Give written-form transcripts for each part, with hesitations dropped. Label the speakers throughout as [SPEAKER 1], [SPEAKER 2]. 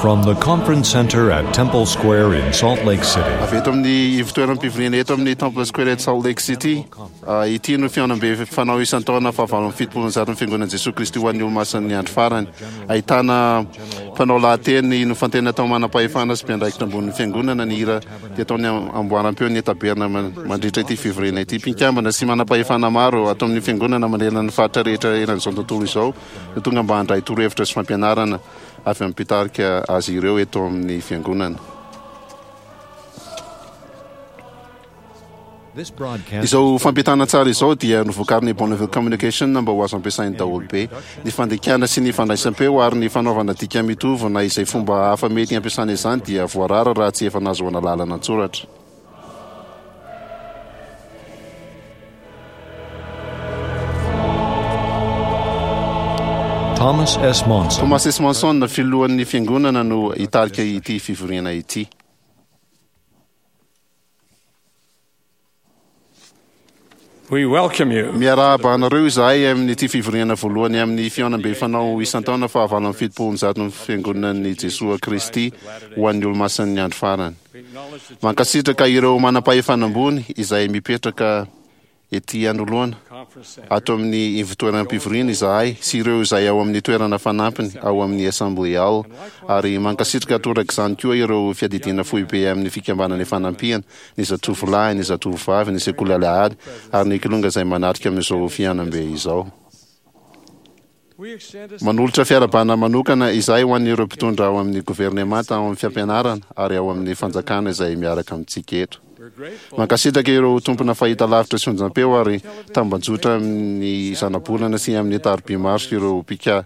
[SPEAKER 1] From the Conference Center at Temple Square in Salt Lake City.
[SPEAKER 2] Avy eto amin'ny ivontoeram-pivoriana eto amin'ny Temple Square eto Salt Lake City. Ity no fihaonambe fanao isan-taona fahavalo amby 170 ny Fiangonan'i Jesoa Kristy ho an'ny Olomasin'ny Andro Farany. Ahitana mpanao lahateny nofantena tao manam-pahefana sy mpiandraikitra ambonin'ny Fiangonana ny hira dia ataon'ny amboaram-peon'ny Taberna mandritra ity fivoriana ity. Mpikambana sy manam-pahefana maro ato amin'ny Fiangonana manerana ny faritra rehetra eran'izao tontolo izao no tonga mba handray torohevitra sy fampianarana avy amin'ny mpitarika azy ireo eto amin'ny Fiangonana. Izao fampitana tsara izao dia novokarin'ny Bonneville Communication mba ho azo ampiasain'ny daholobe. Ny fandikana sy ny fandraisam-peo ary ny fanaovana dika mitovy na izay fomba hafa mety hampiasana izany dia voarara raha tsy efa nahazoana lalana an-tsoratra.
[SPEAKER 1] Thomas S. Monson.
[SPEAKER 2] Thomas S. Monson, filohan'ny Fiangonana no hitarika ity fivoriana ity.
[SPEAKER 3] We welcome you.
[SPEAKER 2] Miarahaba anareo izahay amin'ity fivoriana voalohany amin'ny fihaonambe fanao isan-taona faha 178 ny Fiangonan'i Jesoa Kristy ho an'ny Olomasin'ny Andro Farany. Mankasitraka ireo manam-pahefana ambony izay mipetraka ety anoloana ato amin'ny ivontoeram-pivoriana izahay sy ireo izay ao amin'ny toerana fanampiny ao amin'ny Assembly Hall ary mankasitraka torak'izany koa ireo fiadidiana foibe amin'ny Fikambanana Ifanampiana, ny Zatovolahy, ny Zatovovavy, ny Sekoly Alahady ary ny Kilonga izay manatrika amin'izao fihaonambe izao. Manolotra fiarahabana manokana izahay ho an'ireo mpitondra ao amin'ny governemanta, ao amin'ny fampianarana ary ao amin'ny fanjakana izay miaraka amintsika eto. Mankasitraka ireo tompona fahitalavitra sy onjampeo ary tambajotra amin'ny zanabolana sy amin'ny tariby maro sy ireo mpika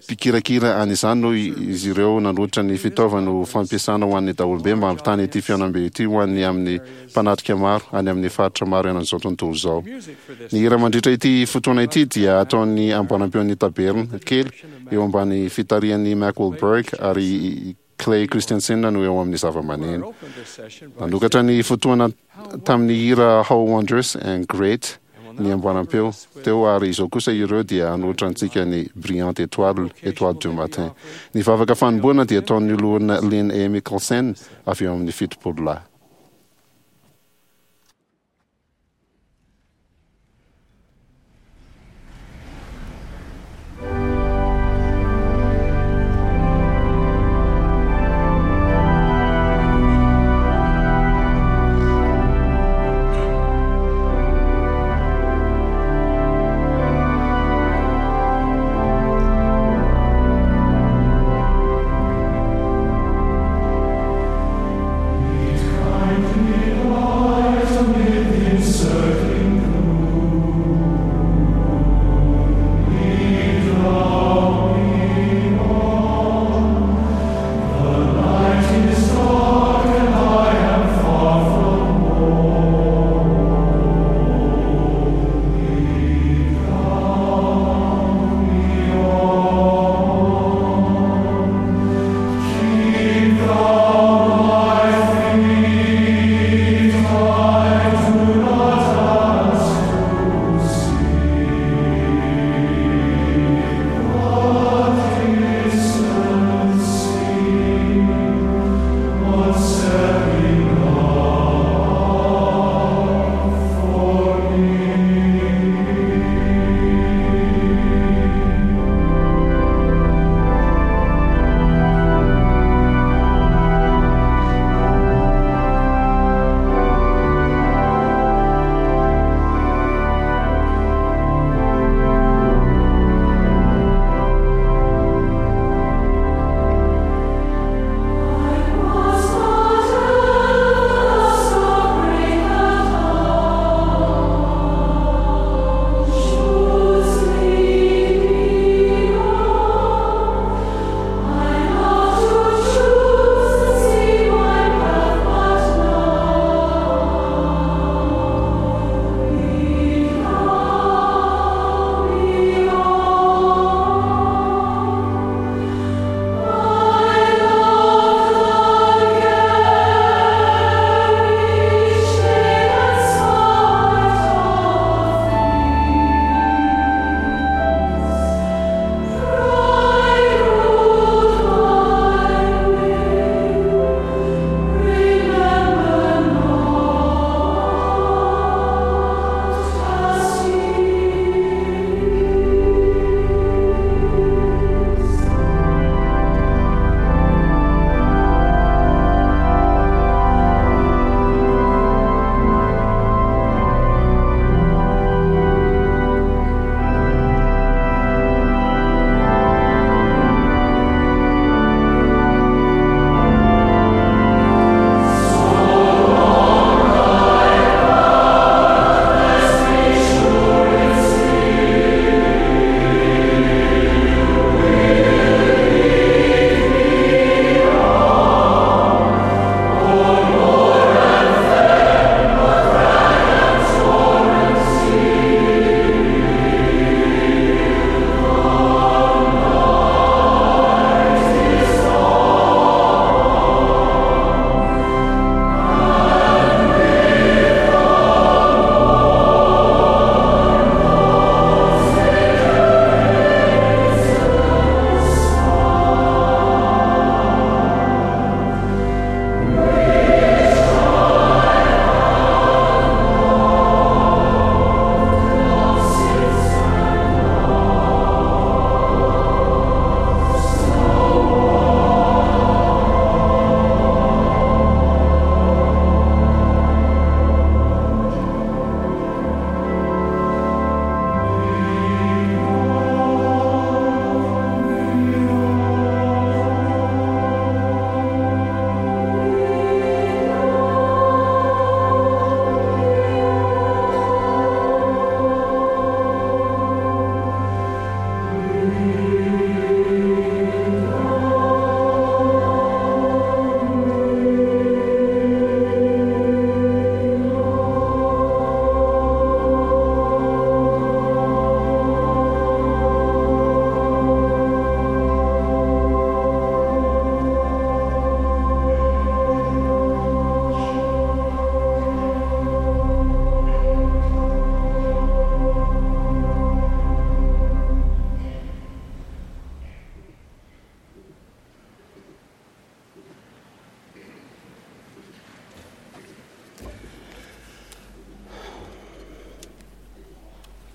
[SPEAKER 2] mpikirakira an'izany noho izy ireo nanolotra ny fitaovany ho fampiasana ho an'ny daholobe mba hampitana ity fihaonambe ity ho an'ny amin'ny mpanatrika maro any amin'ny faritra maro eran'izao tontolo izao. Ny hira mandritra ity fotoana ity dia ataon'ny amboarampeon'ny Taberna kely eo ambany fitarihan'i Mack Wahlberg ary i Clay Christensen no eo amin'ny zavamaneno. Nanokatra ny fotoana tamin'ny hira How Wondrous and Great ny amboaram-peo teo ary izao kosa ireo dia hanolotra antsika ny Brillante Étoile, Étoile du Matin. Ny vavaka fanombohana dia ataon'ny loholona Lynn A. Mikkelsen avy eo amin'ny 70 lahy.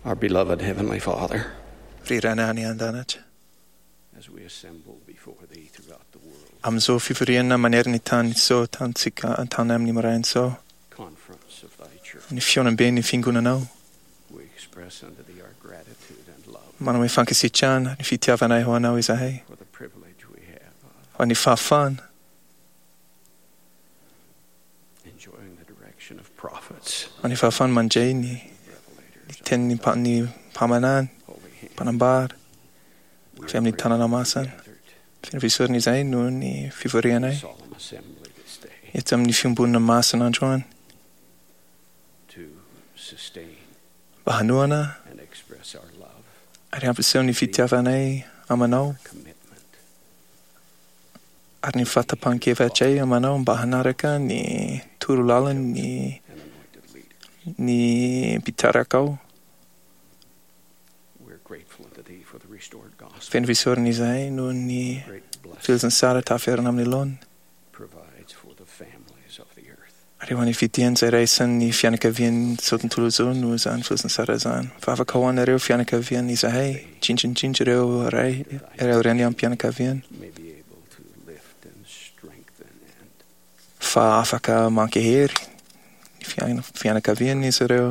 [SPEAKER 3] Our beloved Heavenly Father,
[SPEAKER 4] Ry Rainay any an-danitra,
[SPEAKER 3] as we assemble before Thee throughout the world,
[SPEAKER 4] amin'izao fivoriana manerana ny tany izao tantsika tany amin'ny maraina izao,
[SPEAKER 3] conference of Thy church,
[SPEAKER 4] ny fihaonamben'ny fiangonanao,
[SPEAKER 3] we express unto Thee our gratitude and love
[SPEAKER 4] manome fankasitrahana ny fitiavanay ho anao izahay,
[SPEAKER 3] for the privilege we have of
[SPEAKER 4] ho an'ny fahafahana
[SPEAKER 3] enjoying the direction of prophets,
[SPEAKER 4] ho an'ny fahafahana mandray ny
[SPEAKER 3] revelators,
[SPEAKER 4] ny tenin'ny mpa- ny mpaminany,
[SPEAKER 3] holy hand.
[SPEAKER 4] mpanambara,
[SPEAKER 3] We
[SPEAKER 4] avy amin'ny
[SPEAKER 3] are
[SPEAKER 4] tanana
[SPEAKER 3] grateful
[SPEAKER 4] masina.
[SPEAKER 3] gathered
[SPEAKER 4] Feno fisaorana izahay noho ny fivorianay
[SPEAKER 3] in solemn assembly this day
[SPEAKER 4] eto amin'ny fiombonana masina androany
[SPEAKER 3] to sustain
[SPEAKER 4] mba hanohana
[SPEAKER 3] and express our love,
[SPEAKER 4] ary hampiseho ny fitiavanay amanao
[SPEAKER 3] commitment,
[SPEAKER 4] ary ny fahatapahan-kevitray amanao mba hanaraka ny torolalany
[SPEAKER 3] and anointed leader.
[SPEAKER 4] ny mpitarakao.
[SPEAKER 3] We're grateful unto Thee for the restored gospel,
[SPEAKER 4] Feno fisaorana izahay noho ny
[SPEAKER 3] great blessing
[SPEAKER 4] filazantsara taferana amin'ny laoniny
[SPEAKER 3] provides for the families of the earth.
[SPEAKER 4] ary ho an'ny fitian'izay raisan'ny fianakavian'izao tontolo izao no izany filazantsara izany. Vavaka ho anareo fianakaviana izahay, indrindra ireo ray, ireo reny am-pianakaviana,
[SPEAKER 3] May be able to lift and strengthen and
[SPEAKER 4] fa afaka mankahery ny fianakaviana izy ireo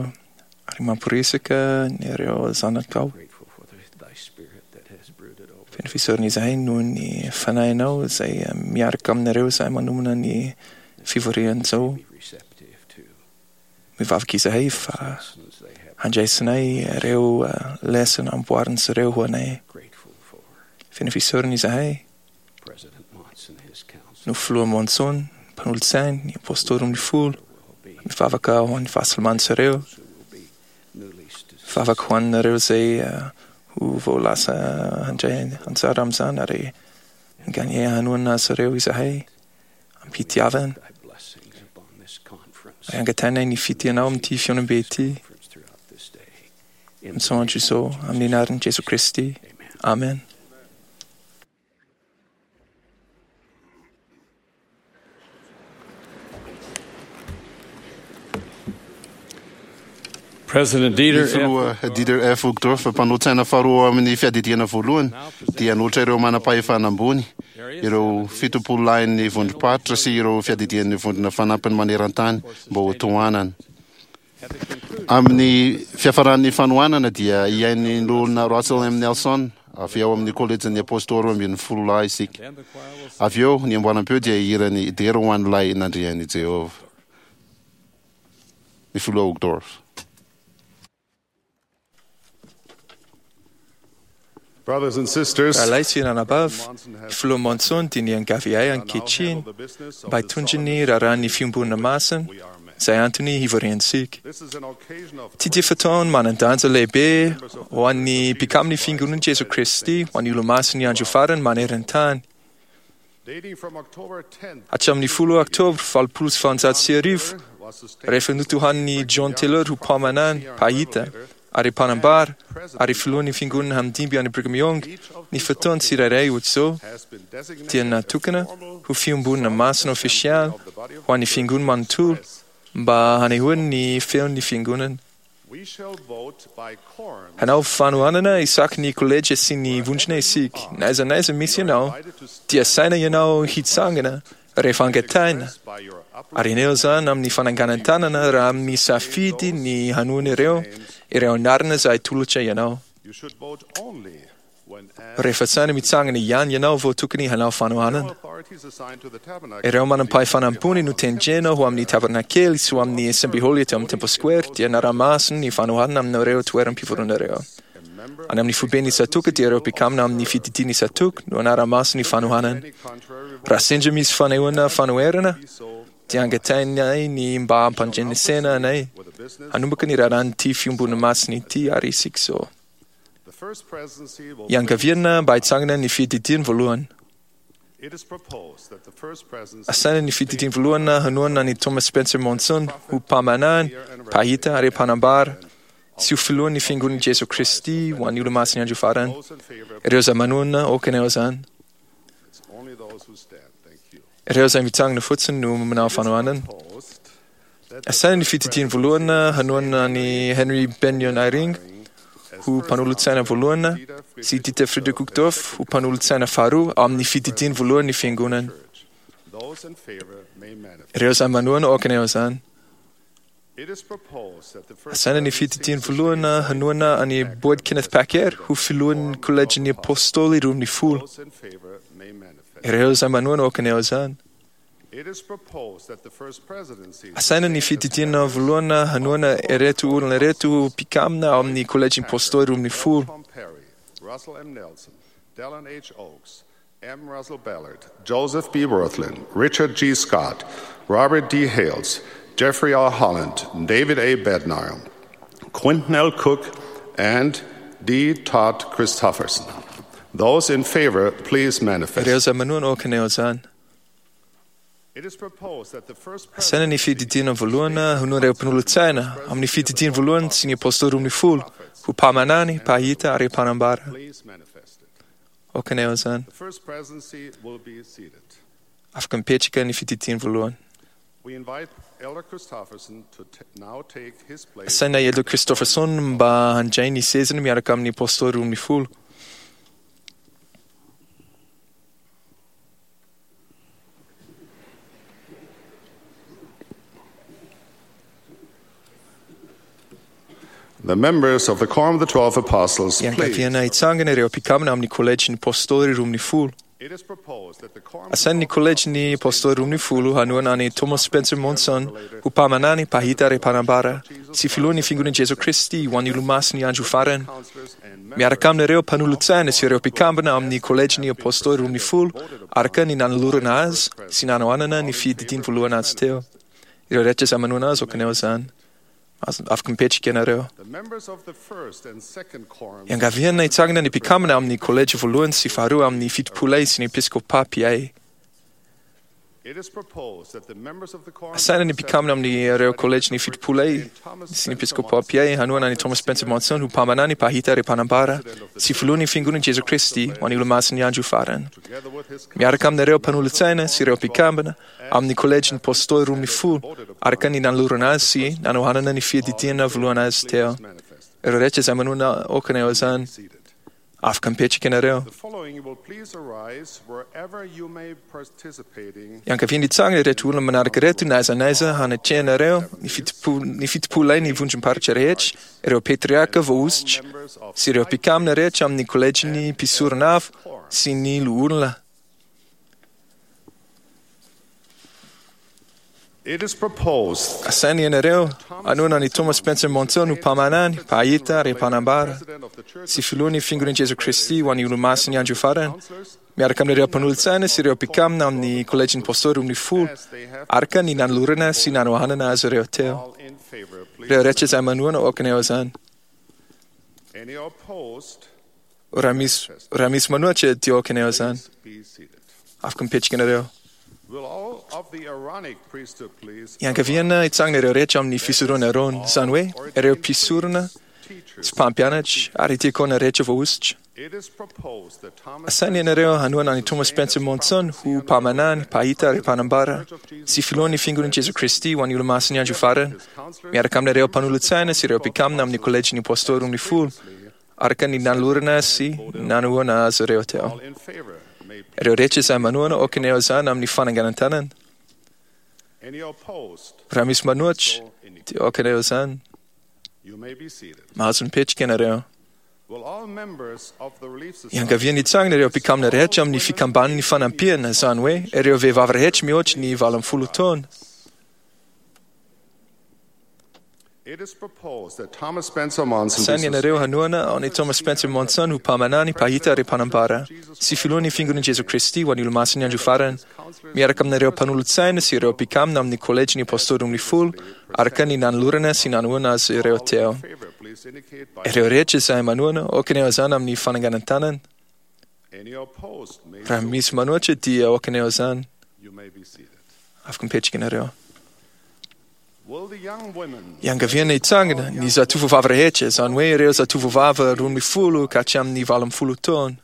[SPEAKER 4] ary mamporisika ny ireo zanakao.
[SPEAKER 3] grateful for Thy Spirit that has brooded over
[SPEAKER 4] Feno fisaorana izahay noho ny fanahinao izay miaraka aminareo izay manomana ny fivorian'izao.
[SPEAKER 3] be receptive to
[SPEAKER 4] Mivavaka izahay fa
[SPEAKER 3] lessons they have
[SPEAKER 4] handraisanay ireo lesona amboarin'izy ireo ho anay.
[SPEAKER 3] grateful for
[SPEAKER 4] Feno fisaorana izahay
[SPEAKER 3] President Monson and his council
[SPEAKER 4] no filoha Monson, mpanolotsainy, ny apôstôly amin'ny folo.
[SPEAKER 3] will be
[SPEAKER 4] Mivavaka ho an'ny fahasalaman'izy ireo.
[SPEAKER 3] who will be newly
[SPEAKER 4] Mivavaka ho anareo izay ho vao lasa handray anjara amin'izany ary gagné hanohana azy ireo izahay am-pitiavana.
[SPEAKER 3] Thy blessings upon this conference
[SPEAKER 4] Ary angatahinay ny fitianao amin'ity fihaonambe ity
[SPEAKER 3] conference throughout this day. In the
[SPEAKER 4] amin'izao andro
[SPEAKER 3] name
[SPEAKER 4] izao
[SPEAKER 3] of Jesus
[SPEAKER 4] amin'ny anaran'i Jesoa Kristy.
[SPEAKER 3] Amen.
[SPEAKER 4] Amen.
[SPEAKER 3] President
[SPEAKER 2] Ny
[SPEAKER 3] Dieter F.
[SPEAKER 2] filoha Dieter F. Uchtdorf, mpanolotsaina faharoa amin'ny fiadidiana voalohany, dia nanolotra ireo manam-pahefana ambony, ireo fitopololahin'ny vondrom-paritra sy ireo fiadidian'ny vondrona fanampiny maneran-tany mba ho tohanana. Amin'ny fiafaran'ny fanohanana dia hihaino ny olona Russell M. Nelson avy ao amin'ny kolejin'ny apôstôly 12 lahy isika.
[SPEAKER 3] Then the choir will
[SPEAKER 2] Avy eo ny amboaram-peo dia hirany dera ho an'ilay nandrian'i Jehovah. Ny filoha Uchtdorf.
[SPEAKER 5] Brothers and sisters,
[SPEAKER 4] Rahalahy sy ranabavy, ny filoha Monson dia niangavy ahy ankehitriny mba hitondra ny raharahan'ny fiombonana masina izay antony hivoriantsika.
[SPEAKER 5] this is an occasion of
[SPEAKER 4] Ity dia fotoana manan-danja lehibe ho an'ny mpikamin'ny fiangonan'i Jesoa Kristy ho an'ny olomasin'ny andro farany maneran-tany.
[SPEAKER 5] dating from October 10th
[SPEAKER 4] Hatramin'ny 10 Oktobra 1880,
[SPEAKER 5] was sustained
[SPEAKER 4] rehefa notohanin'i John Taylor ho mpaminany, mpahita ary mpanambara ary filohan'ny fiangonana hamdimby any Brigham Young, ny fotoana tsirairay ohatr'izao
[SPEAKER 5] has been designated
[SPEAKER 4] dia natokana ho fiombonana masina ofisialy ho an'ny fiangonana manontolo mba hanehoany ny feon'ny fiangonana.
[SPEAKER 5] We shall vote by quorum.
[SPEAKER 4] Hanao fanohanana isaky ny kolejy sy ny vondrona isika. Na aiza na aiza misy ianao, dia saina ianao hitsangana rehefa angatahina.
[SPEAKER 5] By your
[SPEAKER 4] Ary eneo izany amin'ny fananganan-tanana raha misafidy ny hanohana ireo, ireo anarana izay tolotra ianao.
[SPEAKER 5] You should vote only when asked.
[SPEAKER 4] Rehefa tsara mitsangana ihany ianao vao tokony hanao fanohanana.
[SPEAKER 5] Authorities assigned to the tabernacle
[SPEAKER 4] Ireo manam-pahefana ambony no tendrena ho amin'ny tabernakely sy ho amin'ny assembly hall eto amin'ny Temple Square dia nara-maso ny fanohanana amin'ireo toeram-pivoronareo. Any amin'ny foiben'ny Satoka dia ireo mpikamina amin'ny fididian'ny Satoka no anara-maso ny fanohanana.
[SPEAKER 5] any contrary
[SPEAKER 4] Raha sendra misy fanehoana fanoherana
[SPEAKER 5] so
[SPEAKER 4] dia angatahinay ny mba hampandrenesena anay.
[SPEAKER 5] with the business
[SPEAKER 4] Hanomboka ny raharahan'ity fiombonana masina ity ary isika izao.
[SPEAKER 5] the first presidency will
[SPEAKER 4] Iangaviana mba hitsangana ny fididiany voalohany.
[SPEAKER 5] It is proposed that the first presidency
[SPEAKER 4] Asaina ny fididiany voalohany hanohana ny Thomas Spencer Monson ho mpaminany, mpahita ary mpanambara sy ho filohan'ny fiangonan'i Jesoa Kristy ho an'ny olomasin'ny andro farany.
[SPEAKER 5] those in favor
[SPEAKER 4] Ireo izay manohana aoka ianao izany.
[SPEAKER 5] it's only those who stand. Thank you.
[SPEAKER 4] Ireo izay mitsangana fotsiny no manao fanohanana.
[SPEAKER 5] Proposed that the
[SPEAKER 4] Asaina ny fididiany voalohany hanohana ny Henry Benyon Eyring ho mpanolotsaina voalohany sy Dieter Friedrich Uchtdorf ho mpanolotsaina faharoa ao amin'ny fididiany voalohany ny fiangonana.
[SPEAKER 5] Those in favor may manifest.
[SPEAKER 4] Ireo izay manohana aoka haneho izany.
[SPEAKER 5] It is proposed that the first
[SPEAKER 4] Asaina ny fididiany voalohany hanohana an'i Boyd Kenneth Packer ho filohan'ny kolejin'ny Apôstôly 12.
[SPEAKER 5] Those in favor may manifest.
[SPEAKER 4] Ireo izay manohana aoka haneho izany.
[SPEAKER 5] It is proposed that the first presidency
[SPEAKER 4] Asaina ny fididiana voalohany hanohana ireto olona ireto ho mpikambana ao amin'ny kolejin'ny Apôstôly 12.
[SPEAKER 5] Tom Perry, Russell M. Nelson, Dallin H. Oaks, M. Russell Ballard, Joseph B. Wirthlin, Richard G. Scott, Robert D. Hales, Jeffrey R. Holland, David A. Bednar, Quinton L. Cook, and D. Todd Christofferson. Those in favor, please
[SPEAKER 4] Ireo
[SPEAKER 5] manifest.
[SPEAKER 4] izay manohana aoka haneho izany.
[SPEAKER 5] It is proposed that the first
[SPEAKER 4] Asaina ny fididiana voalohany hanohana ireo mpanolotsaina amin'ny fididiany voalohany sy ny Apôstôly 12 ho mpaminany, mpahita ary mpanambara.
[SPEAKER 5] Please manifest it.
[SPEAKER 4] Aoka haneho izany.
[SPEAKER 5] The first presidency will be seated.
[SPEAKER 4] Afaka mipetraka ny fididiany voalohany.
[SPEAKER 5] We invite Elder Christofferson to now take his place.
[SPEAKER 4] Asaina i Elder Christofferson mba handray ny sezany miaraka amin'ny Apôstôly 12.
[SPEAKER 5] The members of the Quorum of the Twelve Apostles, please.
[SPEAKER 4] Iangaviana hitsangana ireo mpikambana amin'ny kolejin'ny Apôstôly 12.
[SPEAKER 5] It is proposed that the Quorum of
[SPEAKER 4] Asaina ny kolejin'ny Apôstôly 12 hanohana an'i Thomas Spencer Monson ho mpaminany, mpahita ary mpanambara sy filohan'ny fiangonan'i Jesoa Kristy ho an'ny Olomasin'ny andro farany.
[SPEAKER 5] Counselors and
[SPEAKER 4] Miaraka amin'ireo mpanolotsaina sy ireo mpikambana amin'ny kolejin'ny Apôstôly 12 araka ny nanolorana azy sy nanohanana ny fididiany voalohany azy teo. Ireo rehetra izay manohana azy aoka haneho izany. Afaka mipetraka ianareo.
[SPEAKER 5] the members of the first and second quorums
[SPEAKER 4] Iangaviana hitsangana ny mpikambana amin'ny kolejy voalohany sy faharoa amin'ny fitopolay sy ny episkopa PA.
[SPEAKER 5] It is proposed that the members of the quorum
[SPEAKER 4] Asaina ny mpikambana amin'ireo kolejy ny fitopolay sy ny episkopa PA hanohana ny Thomas Spencer Monson ho mpaminany, mpahita ary mpanambara sy filohan'ny fiangonan'i Jesoa Kristy ho an'ny Olomasin'ny andro farany.
[SPEAKER 5] together with his
[SPEAKER 4] Miaraka amin'ireo mpanolotsaina sy ireo mpikambana amin'ny kolejin'ny Apôstôly 12 araka ny nanolorana azy sy nanohanana ny fiadidiana voalohany azy teo.
[SPEAKER 5] manifest.
[SPEAKER 4] Ireo rehetra izay manohana aoka haneho izany.
[SPEAKER 5] Seated.
[SPEAKER 4] Afaka mipetraka ianareo.
[SPEAKER 5] The following will please arise wherever you may participating.
[SPEAKER 4] Iangaviana hitsangana ireto olona manaraka ireto na aiza na aiza hanatrehanareo ny fitopolay ny vondrom-paritra rehetra, ireo patriarka voahosotra
[SPEAKER 5] Members of
[SPEAKER 4] sy ireo mpikambana rehetra amin'ny kolejin'ny mpisorona avo sy ny loholona.
[SPEAKER 5] It is proposed
[SPEAKER 4] Asaina ianareo hanohana an'i Thomas Spencer Monson ho mpaminany, mpahita ary mpanambara
[SPEAKER 5] President of the Church
[SPEAKER 4] sy filohan'ny fiangonan'i Jesoa Kristy ho an'ny Olomasin'ny andro farany
[SPEAKER 5] Counselors
[SPEAKER 4] miaraka amin'ireo mpanolotsaina sy ireo mpikambana amin'ny kolejin'ny Apôstôly 12
[SPEAKER 5] as they have
[SPEAKER 4] araka ny nanolorana sy nanohanana azy ireo teo.
[SPEAKER 5] all in favor, please.
[SPEAKER 4] Ireo rehetra izay manohana aoka haneho izany.
[SPEAKER 5] Any opposed,
[SPEAKER 4] Raha misy manohitra dia aoka haneho izany.
[SPEAKER 5] please be seated.
[SPEAKER 4] Afaka mipetraka ianareo.
[SPEAKER 5] Will all of the Aaronic priesthood please
[SPEAKER 4] Iangaviana hitsangana ireo rehetra amin'ny fisorona Aarona, izany hoe ireo mpisorona
[SPEAKER 5] teachers?
[SPEAKER 4] sy mpampianatra ary diakona rehetra voahosotra.
[SPEAKER 5] It is proposed that Thomas
[SPEAKER 4] Asaina ianareo hanohana an'i Thomas Spencer Monson ho mpaminany, mpahita ary mpanambara sy filohan'ny fiangonan'i Jesoa Kristy ho an'ny Olomasin'ny andro farany miaraka amin'ireo mpanolotsaina sy ireo mpikambana amin'ny kolejin'ny Apôstôly 12 araka ny nanolorana sy nanohana azy ireo teo.
[SPEAKER 5] all in favor may
[SPEAKER 4] Ireo rehetra izay manohana aoka haneho izany amin'ny fananganan-tanana.
[SPEAKER 5] Any opposed,
[SPEAKER 4] Raha misy manohitra dia aoka haneho izany.
[SPEAKER 5] you may be seated.
[SPEAKER 4] Mahazo mipetraka ianareo.
[SPEAKER 5] Will all members of the Relief Society
[SPEAKER 4] Iangaviana hitsangana ireo mpikambana rehetra amin'ny fikambanan'ny fanampiana, izany hoe ireo vehivavy rehetra mihoatra ny 18 taona.
[SPEAKER 5] It is proposed that Thomas Spencer Monson
[SPEAKER 4] Asaina
[SPEAKER 5] be
[SPEAKER 4] ianareo hanohana an'i Thomas Spencer Monson ho mpaminany, mpahita ary mpanambara sy filohan'ny fiangonan'i Jesoa Kristy ho an'ny Olomasin'ny andro farany miaraka amin'ireo mpanolotsaina sy ireo mpikambana amin'ny kolejin'ny Apôstôly 12 araka ny nanolorana sy nanohana azy ireo teo.
[SPEAKER 5] in favor, please indicate by
[SPEAKER 4] Ireo rehetra izay manohana aoka haneho izany amin'ny fananganan-tanana.
[SPEAKER 5] Any opposed may
[SPEAKER 4] Raha
[SPEAKER 5] so.
[SPEAKER 4] misy manohitra dia aoka haneho izany.
[SPEAKER 5] You may be seated.
[SPEAKER 4] Afaka mipetraka ianareo.
[SPEAKER 5] Will the young women
[SPEAKER 4] Iangaviana hitsangana ny zatovovavy rehetra, izany hoe ireo zatovovavy 12 ka hatramin'ny 18 taona.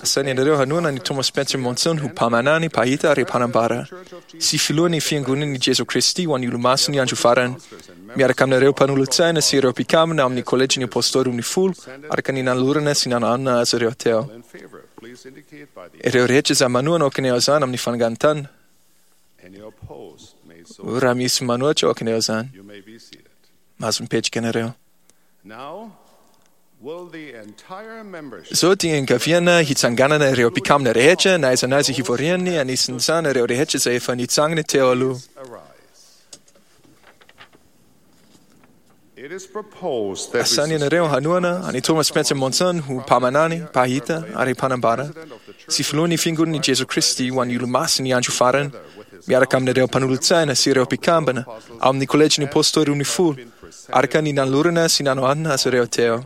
[SPEAKER 4] Asaina ianareo hanohana an'i Thomas Spencer Monson ho mpaminany, mpahita ary mpanambara, sy filohan'ny Fiangonan'i Jesoa Kristy ho an'ny Olomasin'ny Andro Farany, miaraka aminareo mpanolotsaina sy ireo mpikambana amin'ny Kôlejin'ny Apôstôly Roa araka ny nanolorana sy nanohanana azy ireo teo. Ireo rehetra izay manohana aoka izany amin'ny fanangan-tany. Raha misy manohitra aoka izany. Mahazo mipetraka ianareo. Izao dia ankaviana hitsanganana ireo mpikambana rehetra na aiza na aiza hivoriany, anisan'izany ireo rehetra izay efa nitsangana teo aloha. Asaina ianareo hanohana an'i Thomas Spencer Monson ho mpaminany, mpahita ary mpanambara, sy filohan'ny Fiangonan'i Jesoa Kristy ho an'ny Olomasin'ny Andro Farany, miaraka amin'ireo mpanolotsaina sy ireo mpikambana ao amin'ny Kôlejin'ny Apôstôly Roa araka ny nanolorana sy nanohanana azy ireo teo.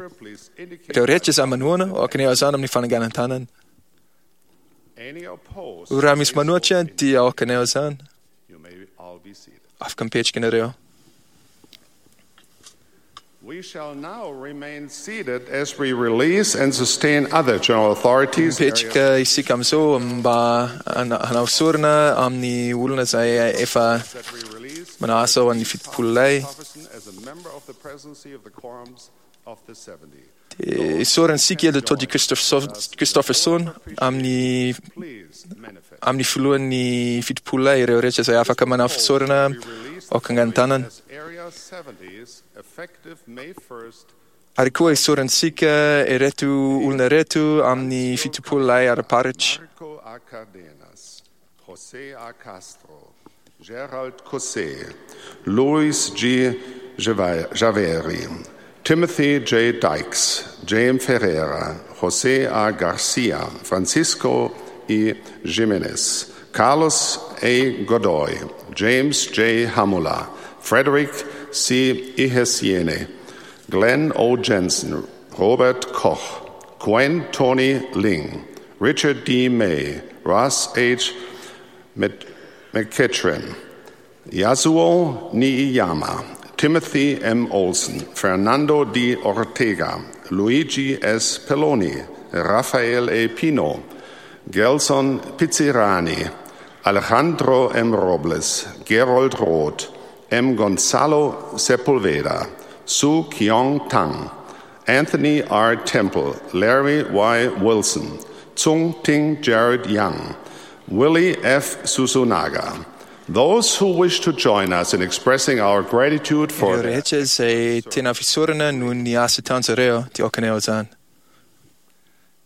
[SPEAKER 4] Ireo rehetra izay manohana, aoka ny hazana amin'ny fananganan-tanana. Raha misy manohitra dia aoka ny hazana. Afaka mipetraka ianareo.
[SPEAKER 5] We shall now remain seated as we release and sustain other general authorities.
[SPEAKER 4] Mipetraka isika amin'izao mba hanao sorona amin'ny olona izay efa manao asa ho an'ny 70 lahy. Dia isaorantsika Elder Todd Christofferson amin'ny filohan'ny 70 lahy ireo rehetra izay afaka manao fisaorana aoka angan-tanana. Ary koa isaorantsika ireto olona ireto amin'ny 70 lahy ara-paritra.
[SPEAKER 5] Marco A. Cardenas, José A. Castro, Gerald Cosset, Luis G. Javeri, Timothy J. Dykes, James Ferreira, José A. Garcia, Francisco E. Jimenez, Carlos A. Godoy, James J. Hamula, Frederick C. Ihesiene, Glenn O. Jensen, Robert Koch, Gwen Tony Ling, Richard D. May, Ross H. McKitchen, Yasuo Niiyama, Timothy M. Olson, Fernando D. Ortega, Luigi S. Pelloni, Rafael A. Pino, Gelson Pizzirani, Alejandro M. Robles, Gerold Roth, M. Gonzalo Sepulveda, Su Kyong Tang, Anthony R. Temple, Larry Y. Wilson, Tsung Ting Jared Young, Willie F. Susunaga. Those who wish to join us in expressing our gratitude for
[SPEAKER 4] Ireo rehetra izay tena fisaorana noho ny asa ataon'izy dia aoka ny izany.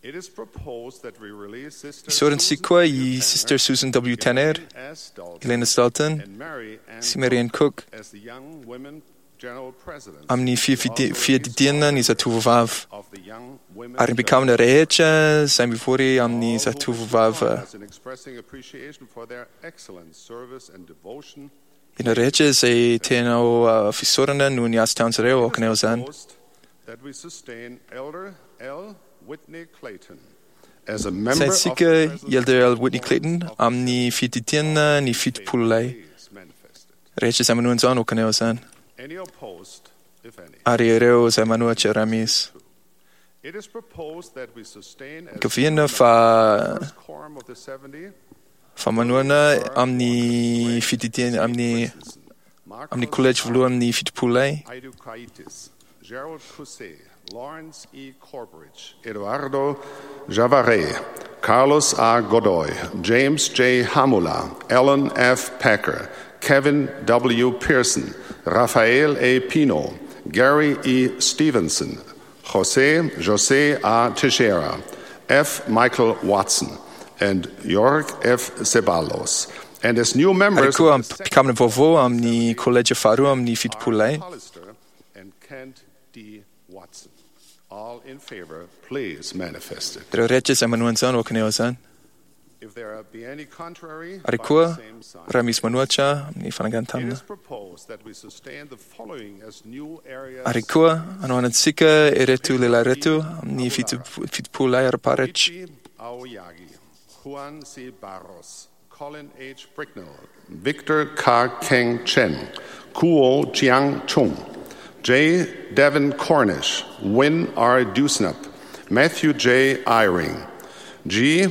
[SPEAKER 5] It is proposed that we release Sister
[SPEAKER 4] Isaorantsika koa i Sister Susan W. Tanner,
[SPEAKER 5] S. Dalton,
[SPEAKER 4] Elena Dalton
[SPEAKER 5] and Mary Ann
[SPEAKER 4] sy Marianne Cook
[SPEAKER 5] as the Young Women General Presidents
[SPEAKER 4] amin'ny fiadidiana ny zatovovavy
[SPEAKER 5] of the Young Women
[SPEAKER 4] ary mpikambana rehetra izay mivory amin'ny
[SPEAKER 5] All who wish to join
[SPEAKER 4] zatovovavy.
[SPEAKER 5] us in expressing appreciation for their excellent service and devotion.
[SPEAKER 4] Ireo rehetra izay tena ho fisaorana noho ny asa ataon'izy ireo aoka ny izany.
[SPEAKER 5] Proposed that we sustain Elder L. Whitney Clayton as a member of
[SPEAKER 4] Saintsika
[SPEAKER 5] the
[SPEAKER 4] i Elder L. Whitney
[SPEAKER 5] Presidency
[SPEAKER 4] Clayton
[SPEAKER 5] of the
[SPEAKER 4] amin'ny fiadidiana ny 70 lahy.
[SPEAKER 5] Please manifest it.
[SPEAKER 4] Rehetra izay manohana izany aoka ny izany.
[SPEAKER 5] Any opposed, if any.
[SPEAKER 4] Ary ireo izay manohitra raha misy.
[SPEAKER 5] It is proposed that we sustain as
[SPEAKER 4] Kaviana fa
[SPEAKER 5] first quorum of the 70
[SPEAKER 4] fa manohana amin'ny fididiana amin'ny amin'ny collège voalohany amin'ny 70 lahy
[SPEAKER 5] Aidukaitis, Gerald Cousset, Lawrence E. Corbridge, Eduardo Javare, Carlos A. Godoy, James J. Hamula, Alan F. Packer, Kevin W. Pearson, Rafael A. Pino, Gary E. Stevenson, Jose A. Teixeira, F. Michael Watson, and York F. Ceballos. And as new
[SPEAKER 4] ary
[SPEAKER 5] members
[SPEAKER 4] koa
[SPEAKER 5] of the
[SPEAKER 4] mpikambana vaovao amin'ny collège faharoa amin'ny 70 lahy
[SPEAKER 5] Hollister and Kent D. Watson. All in favor, please manifest it.
[SPEAKER 4] Ireo rehetra izay manohana izany aoka ny izany.
[SPEAKER 5] If there be any contrary,
[SPEAKER 4] Ary
[SPEAKER 5] by
[SPEAKER 4] koa
[SPEAKER 5] the same sign.
[SPEAKER 4] raha misy manohitra amin'ny
[SPEAKER 5] It
[SPEAKER 4] fanangan-tanana.
[SPEAKER 5] is proposed that we sustain the following as new areas.
[SPEAKER 4] Ary koa hanohanantsika ireto lehilahy ireto amin'ny 70 lahy ara-paritra.
[SPEAKER 5] Ichi Aoyagi, Juan C. Barros, Colin H. Bricknell, Victor K. Keng Chen, Kuo Chiang Chung, J. Devin Cornish, Win R. Dusnap, Matthew J. Eyring, G.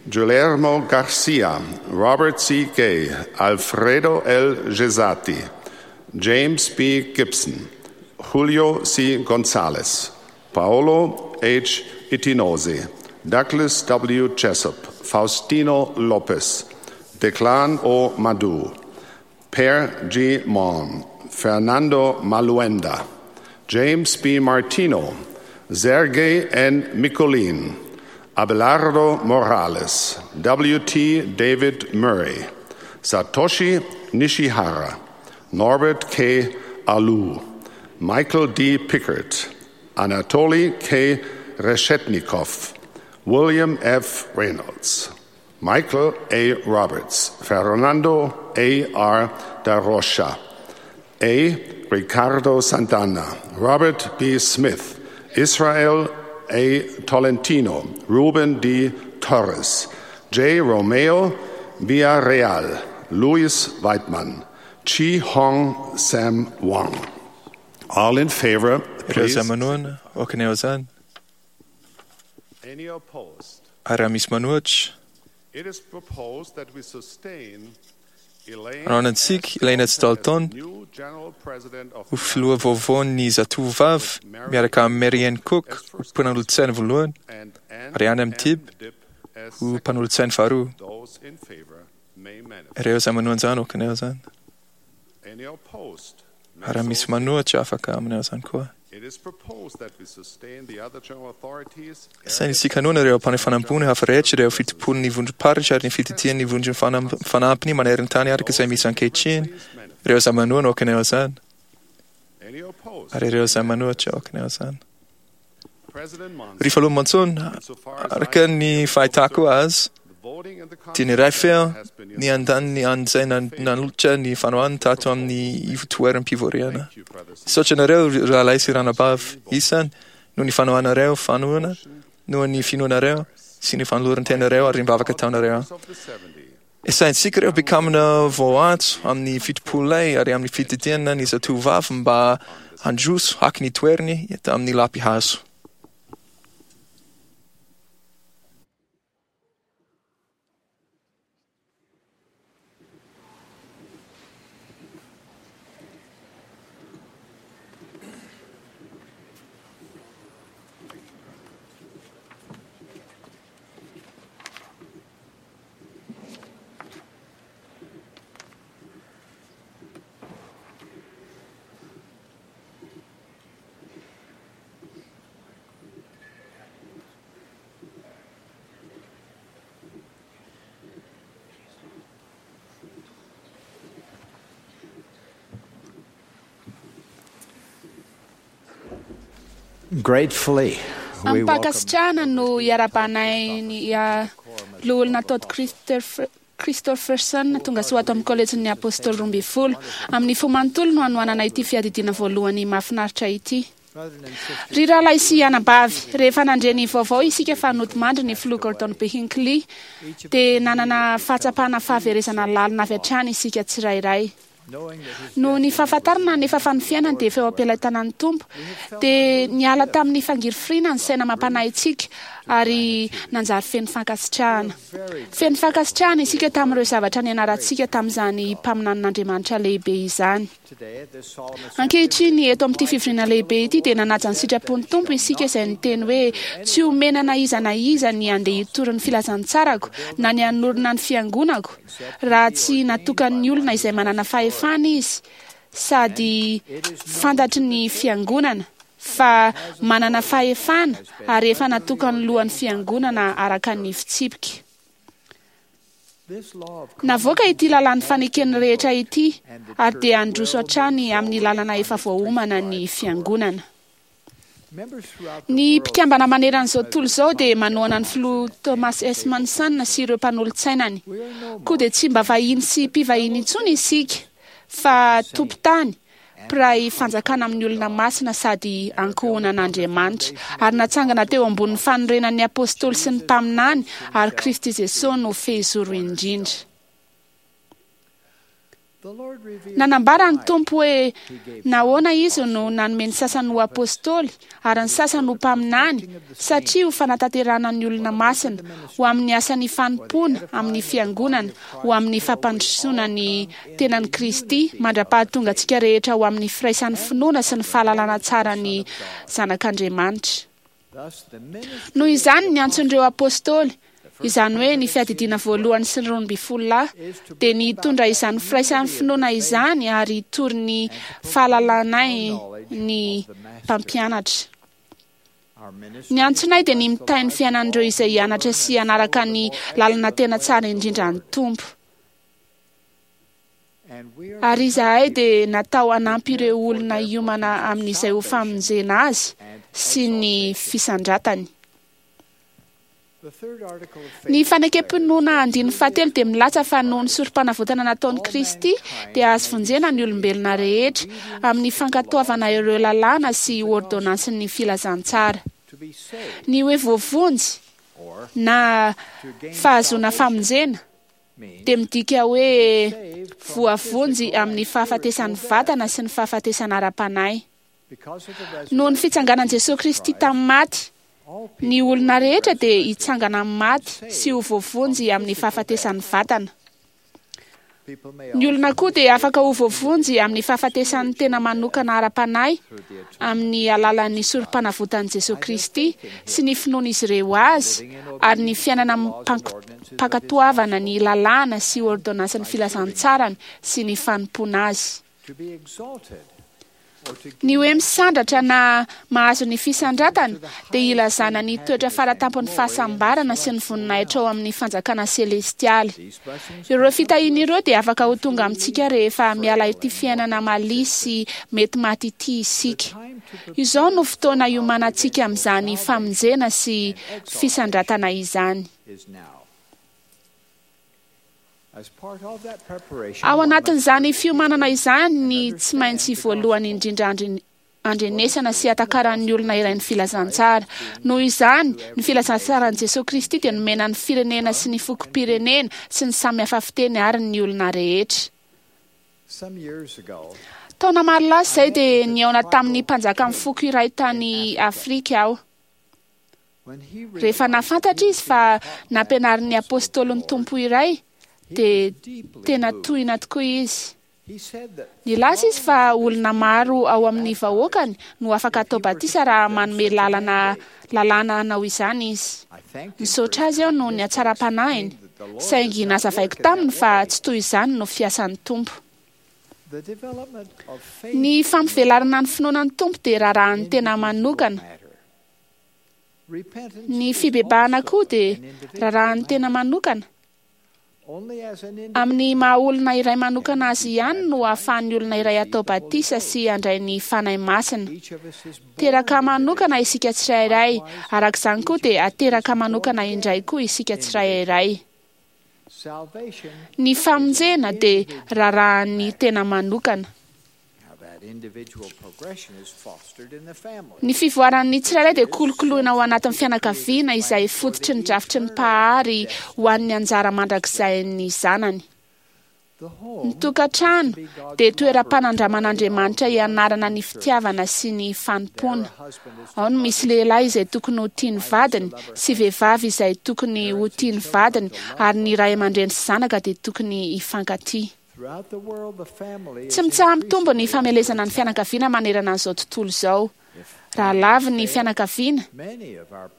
[SPEAKER 5] Guillermo Garcia, Robert C. Gay, Alfredo L. Gesati, James B. Gibson, Julio C. Gonzalez, Paolo H. Itinose, Douglas W. Jessup, Faustino Lopez, Declan O. Madu, Per G. Malm, Fernando Maluenda, James B. Martino, Sergei N. Micolin, Abelardo Morales, W.T. David Murray, Satoshi Nishihara, Norbert K. Alou, Michael D. Pickert, Anatoly K. Reshetnikov, William F. Reynolds, Michael A. Roberts, Fernando A. R. Da Rocha, A. Ricardo Santana, Robert B. Smith, Israel A. Tolentino, Ruben D. Torres, J. Romeo Villarreal, Luis Weidmann, Chi Hong Sam Wong. All in favor,
[SPEAKER 4] Ireo
[SPEAKER 5] please.
[SPEAKER 4] izay manohana, aoka ny ao izany.
[SPEAKER 5] Any opposed?
[SPEAKER 4] Ary raha misy manohitra,
[SPEAKER 5] It is proposed that we sustain Elaine
[SPEAKER 4] Anohanantsika Elaine
[SPEAKER 5] S.
[SPEAKER 4] Dalton
[SPEAKER 5] as new General President of
[SPEAKER 4] ho filoha vaovaon'ny zatovovavy miaraka amin'ny Marianne Cook ho mpanolotsaina voalohany
[SPEAKER 5] and Ann
[SPEAKER 4] ary Anne
[SPEAKER 5] M.
[SPEAKER 4] Mtib
[SPEAKER 5] Dipp as
[SPEAKER 4] ho mpanolotsaina faharoa.
[SPEAKER 5] Those in favor may manifest.
[SPEAKER 4] Ireo izay manohana izany aoka ny ao izany.
[SPEAKER 5] Any opposed? may
[SPEAKER 4] Ary raha misy
[SPEAKER 5] so
[SPEAKER 4] manohitra afaka aminao izany koa.
[SPEAKER 5] It is proposed that we sustain the other general authorities.
[SPEAKER 4] Saingy isika noana ireo mpanefana ambony hafa rehetra ireo fitompony vondrom-paritra ary ny fititian'ny vondron'ny fanampiny maneran-tany araka izay misy ankehitriny. Ireo izay manohana aoka ny ao izany.
[SPEAKER 5] Any opposed?
[SPEAKER 4] Ary ireo izay manohitra aoka ny ao izany.
[SPEAKER 5] President Monson,
[SPEAKER 4] Ry Filoha Monson,
[SPEAKER 5] insofar as
[SPEAKER 4] araka
[SPEAKER 5] I
[SPEAKER 4] ny fahitako azy,
[SPEAKER 5] the voting in the
[SPEAKER 4] dia ny iray feo
[SPEAKER 5] has been
[SPEAKER 4] ny andaniny an'izay nanolotra ny fanohanany tato amin'ny ivotoeram-pivoriana.
[SPEAKER 5] Thank you, brothers and
[SPEAKER 4] Misaotra anareo rahalahy sy ranabavy isany noho ny fanohanareo fanohana, noho ny finoanareo sy ny fanoloran-tenareo ary ny vavaka ataonareo.
[SPEAKER 5] sisters of the 70.
[SPEAKER 4] Esaintsika ireo mpikambana voaantso amin'ny fitopolay ary amin'ny fitediana ny zatovovavy mba handroso haka ny toerany eto amin'ny lapihazo.
[SPEAKER 6] Gratefully, we welcome
[SPEAKER 7] Am-pankasitrahana no iarahabanay ny loholona Todd Christopherson tonga soa ato amin'ny kolejin'ny Apôstôly 12. Amin'ny fo manontolo no hanohanana ity fiadidiana voalohany mahafinaritra ity. Ry rahalahy sy anabavy, rehefa nandre ny vaovao isika fa nodimandry ny filoha Gordon B. Hinckley, dia nanana fahatsapana fahaverezana lalina avy hatrany isika tsirairay. Noho ny fahafantarana nefa fa ny fiainany dia efa eo am-pelatanan'ny Tompo, dia niala tamin'ny fangirifiriana ny saina mampanahintsika ary nanjary feno fankasitrahana. Feno fankasitrahana isika tamin'ireo zavatra nianarantsika tamin'izany mpaminanin'Andriamanitra lehibe izany.
[SPEAKER 6] today at this solemn
[SPEAKER 7] Ankehitriny eto amin'ity fivoriana lehibe ity dia nanaja ny sitrapon'ny Tompo isika izay niteny hoe tsy omena na iza na iza ny handeha hitory ny filazantsarako na ny hanorina ny fiangonako raha tsy natokan'ny olona izay manana fahefana izy sady fantatry ny fiangonana fa manana fahefana ary efa natokan'ny lohan'ny fiangonana araka ny fitsipika.
[SPEAKER 6] This law of
[SPEAKER 7] Navoaka ity lalàn'ny faneken'ny rehetra ity ary dia handroso hatrany amin'ny lalana efa voaomana ny fiangonana.
[SPEAKER 6] members throughout the
[SPEAKER 7] Ny
[SPEAKER 6] world
[SPEAKER 7] mpikambana maneran'izao tontolo izao dia manohana ny filoha Thomas S. Monson sy ireo mpanolotsainany. Koa dia tsy mba vahiny sy mpivahiny intsony isika fa tompon-tany, mpiray fanjakana amin'ny olona masina sady ankohonan'Andriamanitra ary natsangana teo ambonin'ny fanorenan'ny apôstôly sy ny mpaminany ary Kristy Jesosy no fehizoro indrindra. Nanambara ny Tompo hoe nahoana izy no nanome ny sasany ho apôstôly ary ny sasany ho mpaminany, satria ho fanatanterahana ny olona masina, ho amin'ny asan'ny fanompoana amin'ny fiangonana, ho amin'ny fampandrosoana ny tenan'i Kristy, mandra-pahatonga antsika rehetra ho amin'ny firaisan'ny finoana sy ny fahalalana tsara ny Zanak'Andriamanitra. Noho izany, ny antson'ireo apôstôly, izany hoe ny fiadidiana voalohany sy ny 12 lahy, dia ny hitondra izany firaisan'ny finoana izany ary hitory ny fahalalanay ny mpampianatra. Ny antsonay dia ny mitahy ny fiainan'ireo izay hianatra sy hanaraka ny lalana tena tsara indrindra ny Tompo. Ary izahay dia natao hanampy ireo olona hiomana amin'izay ho famonjena azy sy ny fisandratany. Ny fanekem-pinoana andininy fahatelo dia milaza fa noho ny sorom-panavotana nataon'i Kristy dia azo vonjena ny olombelona rehetra amin'ny fankatoavana ireo lalàna sy ordonansin'ny filazantsara. Ny hoe voavonjy na fahazoana famonjena dia midika hoe voavonjy amin'ny fahafatesan'ny vatana sy ny fahafatesana ara-panahy. Noho ny fitsanganan'i Jesosy Kristy tamin'ny maty, ny olona rehetra dia hitsangana amin'ny maty sy ho voavonjy amin'ny fahafatesan'ny vatana. Ny olona koa dia afaka ho voavonjy amin'ny fahafatesan'ny tena manokana ara-panahy amin'ny alalan'ny sorom-panavotan'i Jesosy Kristy sy ny finoan'izy ireo azy ary ny fiainana mpankatoavana ny lalàna sy ordonansin'ny filazantsarany sy ny fanompoana azy. Ny hoe misandratra na mahazo ny fisandratana dia ilazana ny toetra faratampon'ny fahasambarana sy ny voninahitra ao amin'ny fanjakana selestialy. Ireo fitahiana ireo dia afaka ho tonga amintsika rehefa miala ity fiainana malia sy mety maty ity isika. Izao no fotoana iomanantsika amin'izany famonjena sy fisandratana izany. Ao anatin'izany fiomanana izany ny tsy maintsy voalohany indrindra andrenesana sy atakaran'ny olona iray ny filazantsara. Noho izany, ny filazantsaran'i Jesosy Kristy dia nomena ny firenena sy ny fokom-pirenena sy ny samy hafa fiteny ary ny olona rehetra. Taona maro lasa izay dia nihaona tamin'ny mpanjakan'ny foko iray tany Afrika aho. Rehefa nahafantatra izy fa nampianarin'ny apôstôlin'ny Tompo iray, dia tena tohina tokoa izy. Nilaza izy fa olona maro ao amin'ny vahoakany no afaka atao batisa raha manome lalana lalàna hanao izany izy. Nisaotra azy aho noho ny hatsaram-panahiny, saingy nazavaiko taminy fa tsy toy izany no fiasan'ny Tompo. Ny fampivelarana ny finoana ny Tompo dia raharahan'ny tena manokana. Ny fibebahana koa dia raharahan'ny tena manokana. Amin'ny maha olona iray manokana azy ihany no ahafahan'ny olona iray atao batisa sy handray ny Fanahy Masina. Teraka manokana isika tsirairay, araka izany koa dia ateraka manokana indray koa isika tsirairay. Ny famonjena dia raharahan'ny tena manokana. Ny fivoaran'ny tsirairay dia kolokoloina ao anatin'ny fianakaviana izay fototry ny drafitry ny Mpahary ho an'ny anjara mandrakizain'ny zanany. Ny tokantrano dia toeram-panandraman'Andriamanitra hianarana ny fitiavana sy ny fanompoana. Ao no misy lehilahy izay tokony ho tia ny vadiny sy vehivavy izay tokony ho tia ny vadiny ary ny ray aman-dreny sy zanaka dia tokony hifankatia. Tsy mitsaha-mitombo ny famelezana ny fianakaviana manerana an'izao tontolo izao. Raha lavo ny fianakaviana,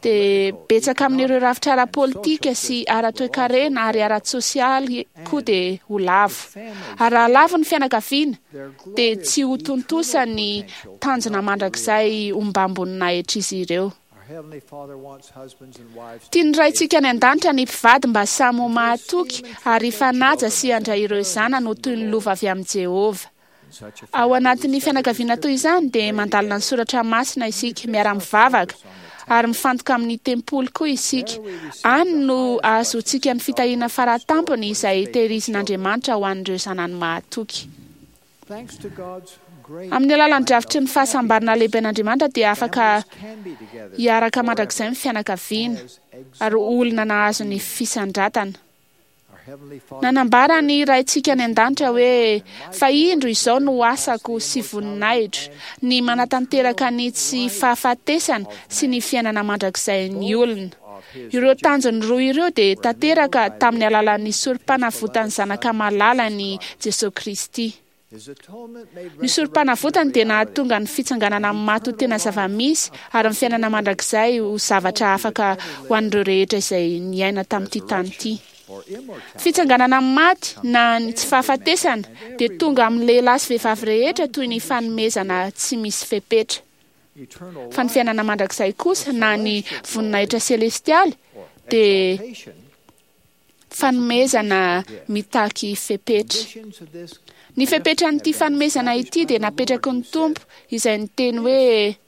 [SPEAKER 7] dia betsaka amin'ireo rafitra ara-politika sy ara-toekarena ary ara-tsosialy koa dia ho lavo. Ary raha lavo ny fianakaviana, dia tsy ho tontosa ny tanjona mandrakizay ombam-boninahitr'izy ireo. Tian'ny Raintsika any an-danitra ny mpivady mba samy ho mahatoky ary hifanaja sy handray ireo zanany ho toy ny lova avy amin'i Jehovah. Ao anatin'ny fianakaviana toy izany dia mandalina ny soratra masina isika, miara-mivavaka ary mifantoka amin'ny tempoly koa isika. Any no ahazoantsika ny fitahiana faratampony izay tehirizin'Andriamanitra ho an'ireo zanany mahatoky. Amin'ny alalan'ny drafitry ny fahasambarana lehiben'Andriamanitra dia afaka hiaraka mandrakizay ny fianakaviana ary olona nahazo ny fisandratana. Nanambara ny Raintsika any an-danitra hoe, Fa indro izao no asako sy voninahitro, ny manatanteraka ny tsy fahafatesana sy ny fiainana mandrakizain'ny olona. Ireo tanjony roa ireo dia tanteraka tamin'ny alalan'ny sorom-panavotan'ny Zanaka malalany Jesosy Kristy. Ny sorom-panavotany dia nahatonga ny fitsanganana amin'ny maty ho tena zava-misy ary ny fiainana mandrakizay ho zavatra afaka ho an'ireo rehetra izay niaina tamin'ity tany ity. Fitsanganana amin'ny maty na ny tsy fahafatesana dia tonga amin'ny lehilahy sy vehivavy rehetra toy ny fanomezana tsy misy fepetra. Fa ny fiainana mandrakizay kosa na ny voninahitra selestialy dia fanomezana mitaky fepetra. Ny fepetran'ity fanomezana ity dia napetraky ny Tompo izay niteny hoe,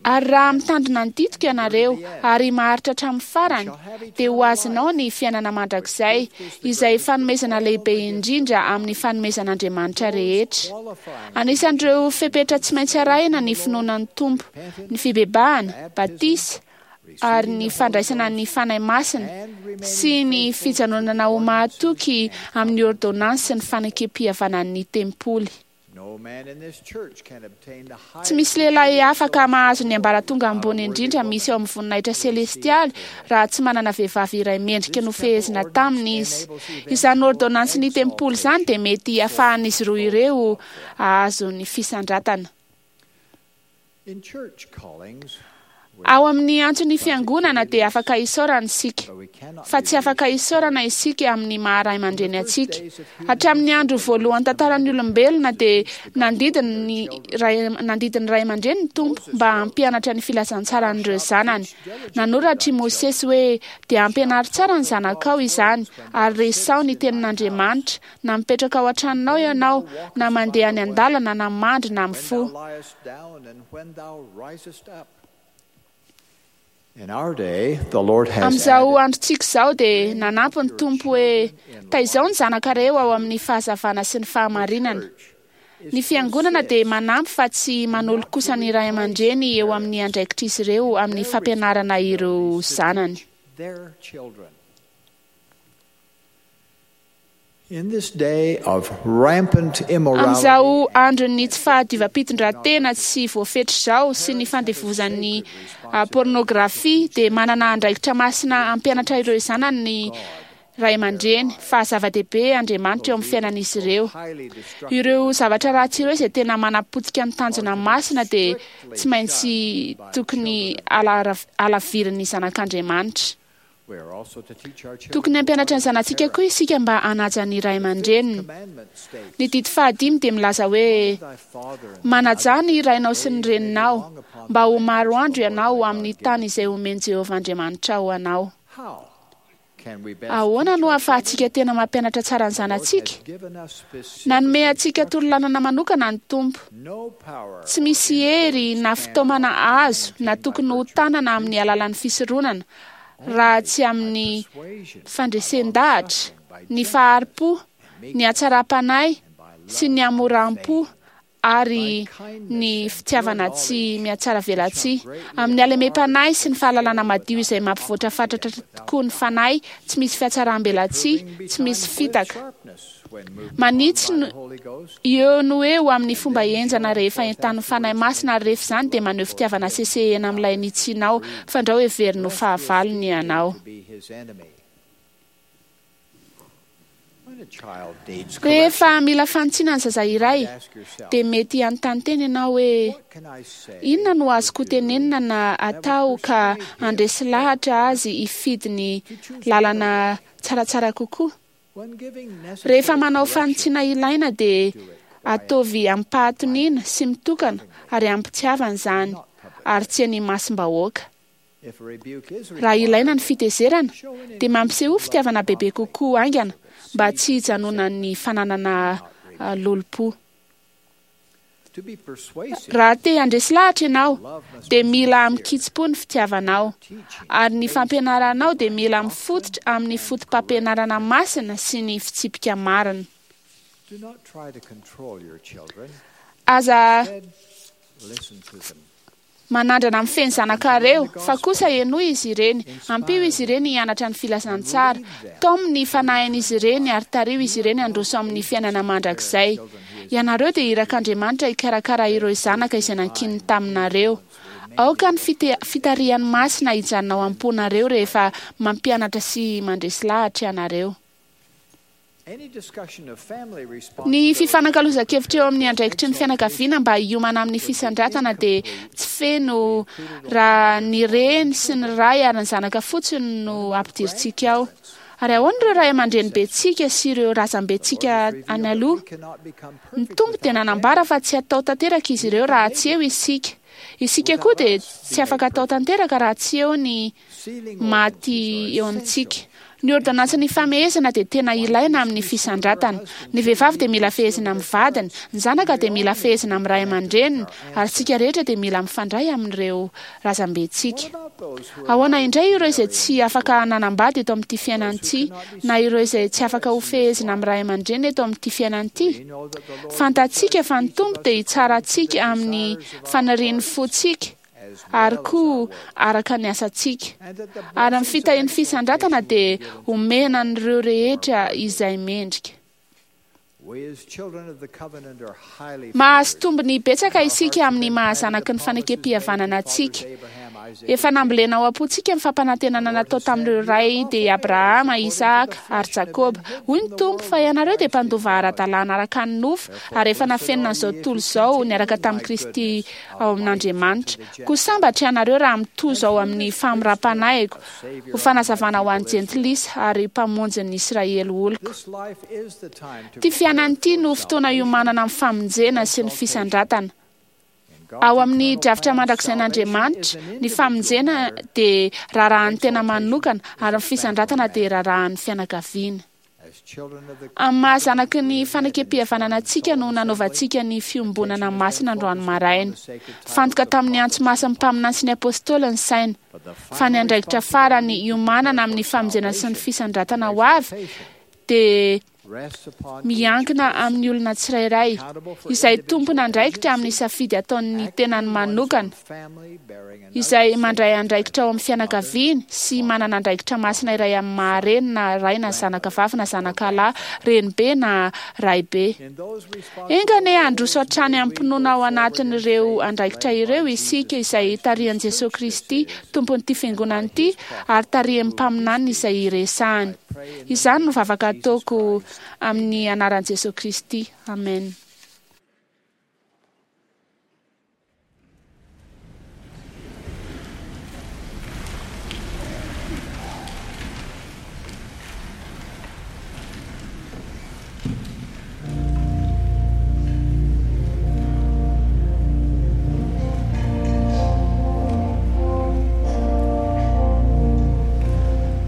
[SPEAKER 7] Ary raha mitandrina ny didiko ianareo ary maharitra hatramin'ny farany, dia ho azonao ny fiainana mandrakizay, izay fanomezana lehibe indrindra amin'ny fanomezan'Andriamanitra rehetra. Anisan'ireo fepetra tsy maintsy arahina ny finoana ny Tompo, ny fibebahana, batisa, ary ny fandraisana ny Fanahy Masina sy ny fijanonana ho mahatoky amin'ny ôrdônansy sy ny fanekem-pihavanan'ny tempoly. Tsy misy lehilahy afaka mahazo ny ambaratonga ambony indrindra misy ao amin'ny voninahitra selestialy raha tsy manana vehivavy iray mendrika nofehezina taminy izy. Izany ôrdônansin'ny ny tempoly izany dia mety hahafahan'izy roa ireo hahazo ny fisandratana. Ao amin'ny antson'ny fiangonana dia afaka isaorana isika, fa tsy afaka isaorana isika amin'ny maha ray aman-dreny antsika. Hatramin'ny andro voalohan'ny tantaran'ny olombelona dia nandidy ny ray nandidy ny ray aman-dreny ny Tompo mba hampianatra ny filazantsaran'ireo zanany. Nanoratra i Mosesy hoe, Dia ampianaro tsara ny zanakao izany, ary resaho ny tenin'Andriamanitra, na mipetraka ao an-tranonao ianao, na mandeha any an-dalana, na mandry na mifoha. Amin'izao androntsika izao dia nanampy ny Tompo hoe, Taizao ny zanakareo ao amin'ny fahazavana sy ny fahamarinana. Ny fiangonana dia manampy fa tsy manolo kosa ny ray aman-dreny eo amin'ny andraikitr'izy ireo amin'ny fampianarana ireo zanany. Amin'izao andron'ny tsy fahadiovam-pitondran-tena tsy voafetra izao sy ny fandevozan'ny pornografia dia manana andraikitra masina hampianatra ireo zanany ny ray aman-dreny fa zava-dehibe Andriamanitra eo amin'ny fiainan'izy ireo. Ireo zavatra ratsy ireo izay tena manapotika ny tanjona masina dia tsy maintsy tokony halavirin'ny zanak'Andriamanitra. Tokony hampianatra ny zanatsika koa isika mba hanaja ny ray aman-dreniny. Ny didy fahadimy dia milaza hoe, Manajà ny rainao sy ny reninao, mba ho maro andro ianao amin'ny tany izay omen'i Jehovah Andriamanitrao anao. Ahoana no ahafahantsika tena mampianatra tsara ny zanatsika? Nanome antsika torolalana manokana ny Tompo. Tsy misy hery na fitaomana azo na tokony ho tanana amin'ny alalan'ny fisoronana, raha tsy amin'ny fandresen-dahatra, ny fahari-po, ny hatsaram-panahy sy ny hamoram-po ary ny fitiavana tsy mihatsaravelatsihy, amin'ny halemem-panahy sy ny fahalalana madio izay mampivoatra fatratra tokoa ny fanahy, tsy misy fihatsaram-belatsihy, tsy misy fitaka. Manitsy no eo no eo amin'ny fomba henjana rehefa entanin'ny Fanahy Masina, ary rehefa izany dia maneho fitiavana sesehena amin'ilay nitsianao, fandrao heveriny ho fahavalony ianao. Rehefa mila fanitsiana ny zaza iray, dia mety hanontany tena ianao hoe, 'Inona no azoko tenenina na atao ka handresy lahatra azy hifidy ny lalana tsaratsara kokoa? Rehefa manao fanitsiana ilaina dia ataovy amim-pahatoniana sy mitokana ary amim-pitiavana izany, ary tsy eny imasom-bahoaka. Raha ilaina ny fitezerana, dia mampisehoa fitiavana bebe kokoa haingana mba tsy hijanonan'ny fananana lolompo. Raha te handresy lahatra ianao, dia mila amin-kitsim-po ny fitiavanao, ary ny fampianaranao dia mila mifototra amin'ny fotopampianarana masina sy ny fitsipika marina. Aza. Manandrana mifehy ny zanakareo, fa kosa henoy izy ireny, ampio izy ireny hianatra ny filazantsara, taomy ny fanahin'izy ireny ary tariho izy ireny handroso amin'ny fiainana mandrakizay. Ianareo dia irak'Andriamanitra hikarakara ireo zanaka izay nankininy taminareo. Aoka ny fitarihany masina hijanona ao am-ponareo rehefa mampianatra sy mandresy lahatra ianareo. Ny fifanakalozan-kevitra eo amin'ny andraikitry ny fianakaviana mba hiomana amin'ny fisandratana dia tsy feno raha ny reny sy ny ray ary ny zanaka fotsiny no ampidirintsika ao. Ary ahoana ireo ray aman-drenibentsika sy ireo razambentsika any aloha? Ny Tompo dia nanambara fa tsy hatao tanteraka izy ireo raha tsy eo isika. Isika koa dia tsy afaka atao tanteraka raha tsy eo ny maty eo amintsika. Ny ôrdônansin'ny famehezana dia tena ilaina amin'ny fisandratana. Ny vehivavy dia mila fehezina amin'ny vadiny, ny zanaka dia mila fehezina amin'ny ray aman-dreniny, ary isika rehetra dia mila mifandray amin'ireo razambentsika. Ahoana indray ireo izay tsy afaka nanambady eto amin'ity fiainana ity, na ireo izay tsy afaka ho fehezina amin'ny ray aman-dreny eto amin'ity fiainana ity? Fantatsika fa ny Tompo dia hitsara antsika amin'ny fanirian'ny fontsika, ary koa araka ny asantsika. Ary ny fitahian'ny fisandratana dia omena an'ireo rehetra izay mendrika. Mahazo tombony betsaka isika amin'ny maha-zanaky ny fanekem-pihavanana antsika. Efa nambolena ao am-pontsika ny fampanantenana natao tamin'ireo ray dia i Abrahama, Isaka ary Jakoba. Hoy ny Tompo fa ianareo dia mpandova ara-dalàna araka ny nofo ary efa nafenina an'izao tontolo izao niaraka tamin'i Kristy ao amin'Andriamanitra. Koa sambatra ianareo raha mitozo ao amin'ny famoram-panahiko ho fanazavana ho an'ny jentilisa ary mpamonjin'ny Israely oloko. Ity fiainana ity no fotoana iomanana amin'ny famonjena sy ny fisandratana. Ao amin'ny drafitra mandrakizain'Andriamanitra, ny famonjena dia raharahan'ny tena manokana ary ny fisandratana dia raharahan'ny fianakaviana. Amin'ny maha zanaky ny fanekem-pihavanana antsika no nanaovantsika ny fiombonana masina androany maraina. Fantoka tamin'ny antso masin'ny mpaminany sy ny apôstôly ny saina, fa ny andraikitra farany iomanana amin'ny famonjena sy ny fisandratana ho avy dia miankina amin'ny olona tsirairay, izay tompon'andraikitra amin'ny safidy ataon'ny tenany manokana, izay mandray andraikitra ao amin'ny fianakaviany sy manana andraikitra masina iray amin'ny maha reny na ray na zanaka vavy na zanaka lahy, renibe na raibe. Enga anie handroso hatrany amim-pinoana ao anatin'ireo andraikitra ireo isika izay tarihan'i Jesoa Kristy, Tompon'ity Fiangonana ity, ary tarihan'ny mpaminaniny izay iresahany. Izany no vavaka ataoko amin'ny anaran'i Jesoa Kristy. Amen.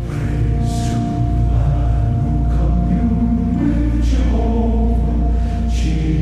[SPEAKER 8] Praise to the Lamb who commune with Jehovah, Jesus.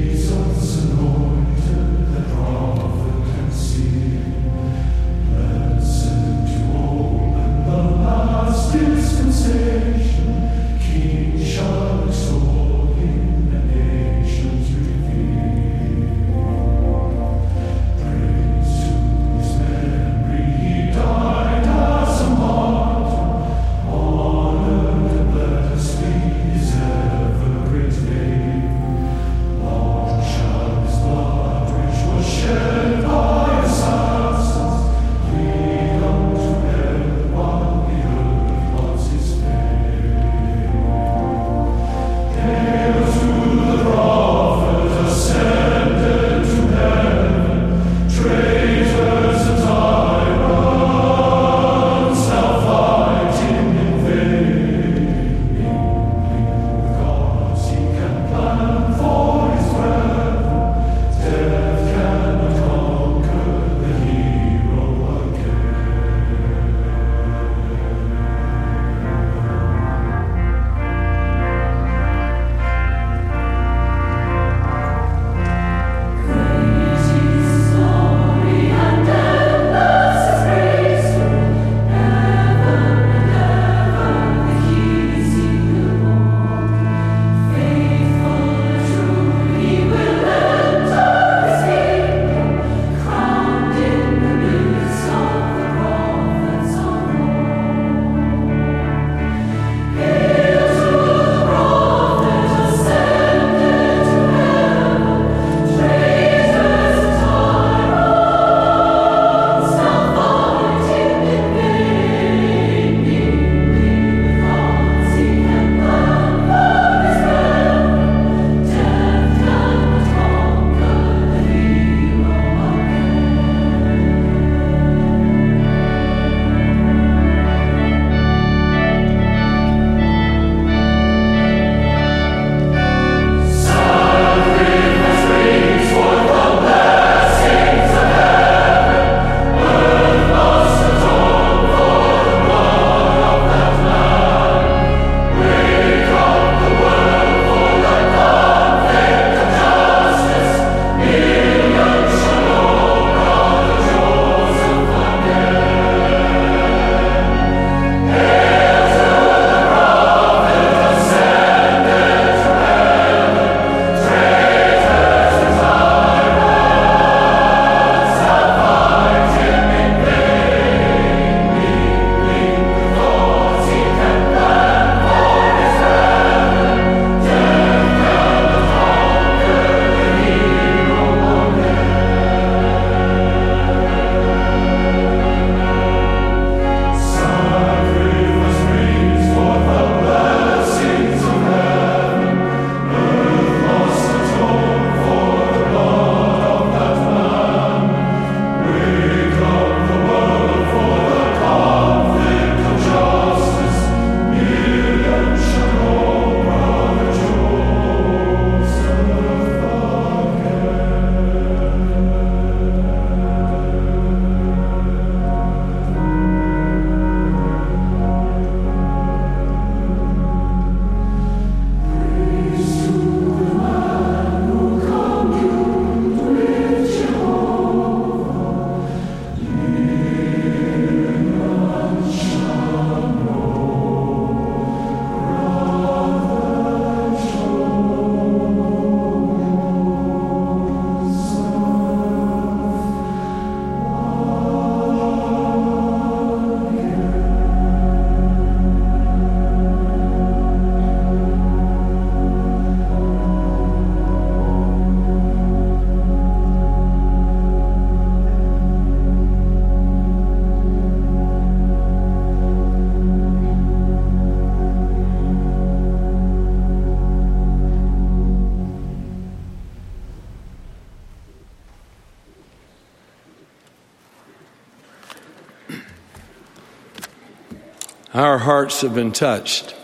[SPEAKER 8] Our hearts have been touched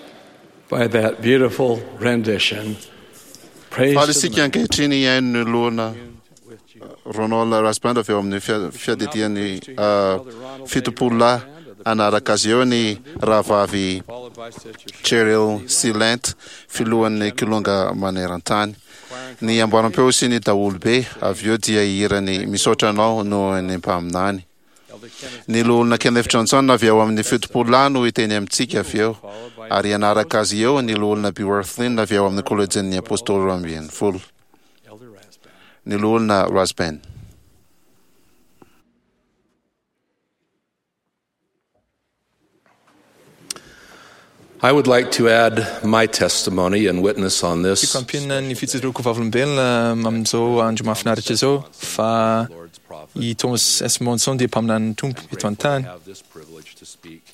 [SPEAKER 8] by that beautiful rendition. Praise
[SPEAKER 2] Faly
[SPEAKER 8] to the
[SPEAKER 2] isika ankehitriny hihaino ny loholona Ronald Rasband avy eo amin'ny fiadidian'ny 70 lahy. Hanaraka azy eo ny rahavavy Cheryl Silent, filohan'ny Kilonga maneran-tany. Ny amboaram-peo sy ny daholobe avy eo dia hihira ny Misaotra Anao noho ny Mpaminany. Ny Loholona Kenneth Johnson avy ao amin'ny 70 lahy no hiteny amintsika avy eo, ary hanaraka azy eo ny Loholona B. Wirthlin avy ao amin'ny Kolejin'ny Apôstôly 12. Ny Loholona Rasband.
[SPEAKER 9] I would like to add my testimony and witness on this.
[SPEAKER 4] Tiako ampiana ny fijoroako vavolombelona amin'izao andro mahafinaritra izao fa i Thomas S. Monson dia mpaminanin'ny Tompo eto an-tany.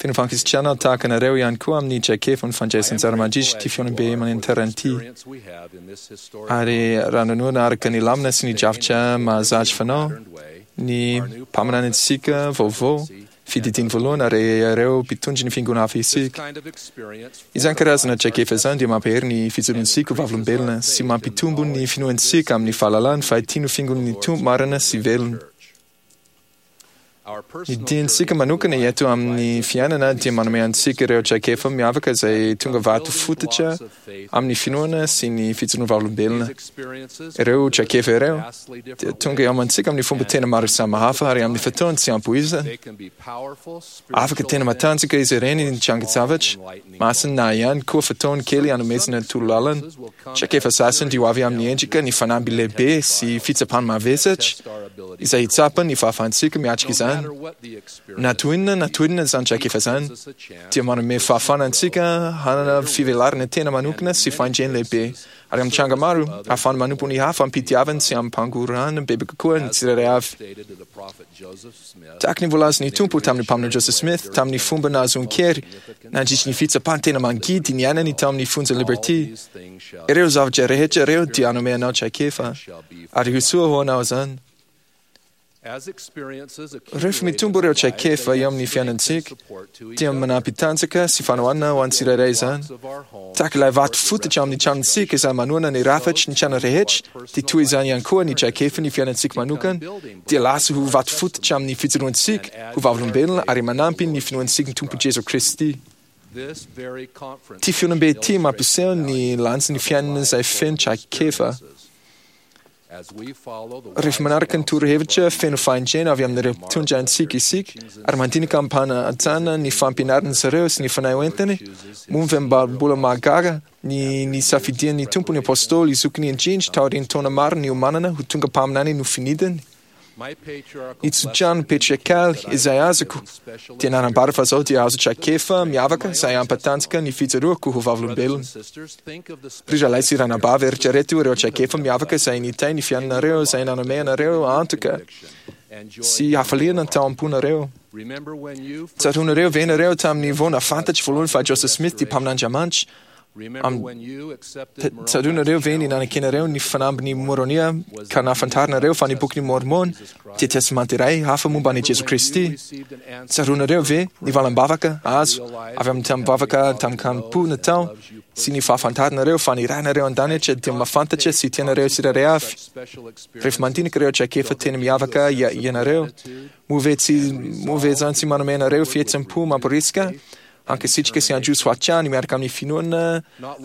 [SPEAKER 4] Feno fankasitrahana tahaka anareo ihany koa amin'ny traikefa ny fandraisan'anjara mandritra ity fihaonambe maneran-tany ity. Ary raha nanohana araka ny lamina sy ny drafitra mahazatra fanao ny mpaminanintsika vaovao, Fididiny voalohany ary ireo mpitondra ny fiangonana hafa isika. Izany karazana traikefa izany dia mampahery ny fijoroantsika ho vavolombelona sy mampitombo ny finoantsika amin'ny fahalalana fa ity no fiangonan'ny Tompo marina sy velona. Ny diantsika manokana eto amin'ny fiainana dia manome antsika ireo traikefa miavaka izay tonga vato fototra amin'ny finoana sy ny fijoroana vavolombelona. Ireo traikefa ireo dia tonga eo amintsika amin'ny fomba tena maro samihafa ary amin'ny fotoana tsy ampoizina. Afaka tena matanjaka izy ireny hitrangan-javatra masina na ihany koa fotoana kely hanomezana torolalana. Traikefa sasany dia ho avy amin'ny endrika ny fanamby lehibe sy fitsapana mavesatra izay hitsapa ny fahafahantsika miatrika izany. Na toy inona na toy inona izany traikefa izany, dia manome fahafahana antsika hanana fivelarana tena manokana sy fahendrena lehibe, ary amin'ny tranga maro, ahafahana manompo ny hafa amim-pitiavana sy amim-pangorahana bebe kokoa ny tsirairay avy. Tahaka ny voalazan'ny Tompo tamin'ny Mpaminany Joseph Smith tamin'ny fomba nahazoan-kery nandritry ny fitsapana tena mangidy niainany tao amin'ny fonjan'i Liberty, Ireo zavatra rehetra ireo dia hanome anao traikefa, ary ho soa ho anao izany. Rehefa mitombo ireo traikefa eo amin'ny fiainantsika, dia manampy tanjaka sy fanohanana ho an'ny tsirairay izany. Tahaka ilay vato fototra amin'ny tranontsika izay manohana ny rafitry ny trano rehetra, dia toy izany ihany koa ny traikefan'ny fiainantsika manokana dia lasa ho vato fototra amin'ny fijoroantsika ho vavolombelona ary manampy ny finoantsika ny Tompo Jesoa Kristy. Ity fihaonambe ity mampiseho ny lanjan'ny fiainana izay feno traikefa. Rehefa manaraka ny torohevitra feno fahendrena avy amin'ireo mpitondra antsika isika ary mandinika amim-panajana ny fampianaran'izy ireo sy ny fanahy hoentiny, moa ve mba mbola mahagaga ny nisafidian'ny Tompo ny Apôstôly zokiny indrindra taorian'ny taona maro niomanana ho tonga mpaminany nofinidiny? Ny tsodrano patriarkaly izay azoko dia nanambara fa izao dia azo traikefa miavaka izay hampatanjaka ny fijoroako ho vavolombelona. Ry rahalahy sy ranabavy, eritrereto ireo traikefa miavaka izay nitahy ny fiainanareo, izay nanome anareo antoka sy hafaliana tao am-ponareo. Tsaroanareo ve ianareo tamin'ny vao nahafantatra voalohany fa Joseph Smith dia mpaminan'Andriamanitra? Tsaroanareo ve ny nanekenareo ny fanambin'i Môrônia ka nahafantaranareo fa ny Bokin'i Môrmôna dia testamenta iray hafa momba an'i Jesoa Kristy? Tsaroanareo ve ny valam-bavaka azo avy amin'ny tamin'ny vavaka tamin-kanim-po natao sy ny fahafantaranareo fa ny Rainareo an-danitra dia mahafantatra sy tia anareo tsirairay avy? Rehefa mandinika ireo traikefa tena miavaka ianareo, moa ve tsy moa ve izany tsy manome anareo fihetseham-po mamporisika Hankasitraka sy handroso hatrany miaraka amin'ny finoana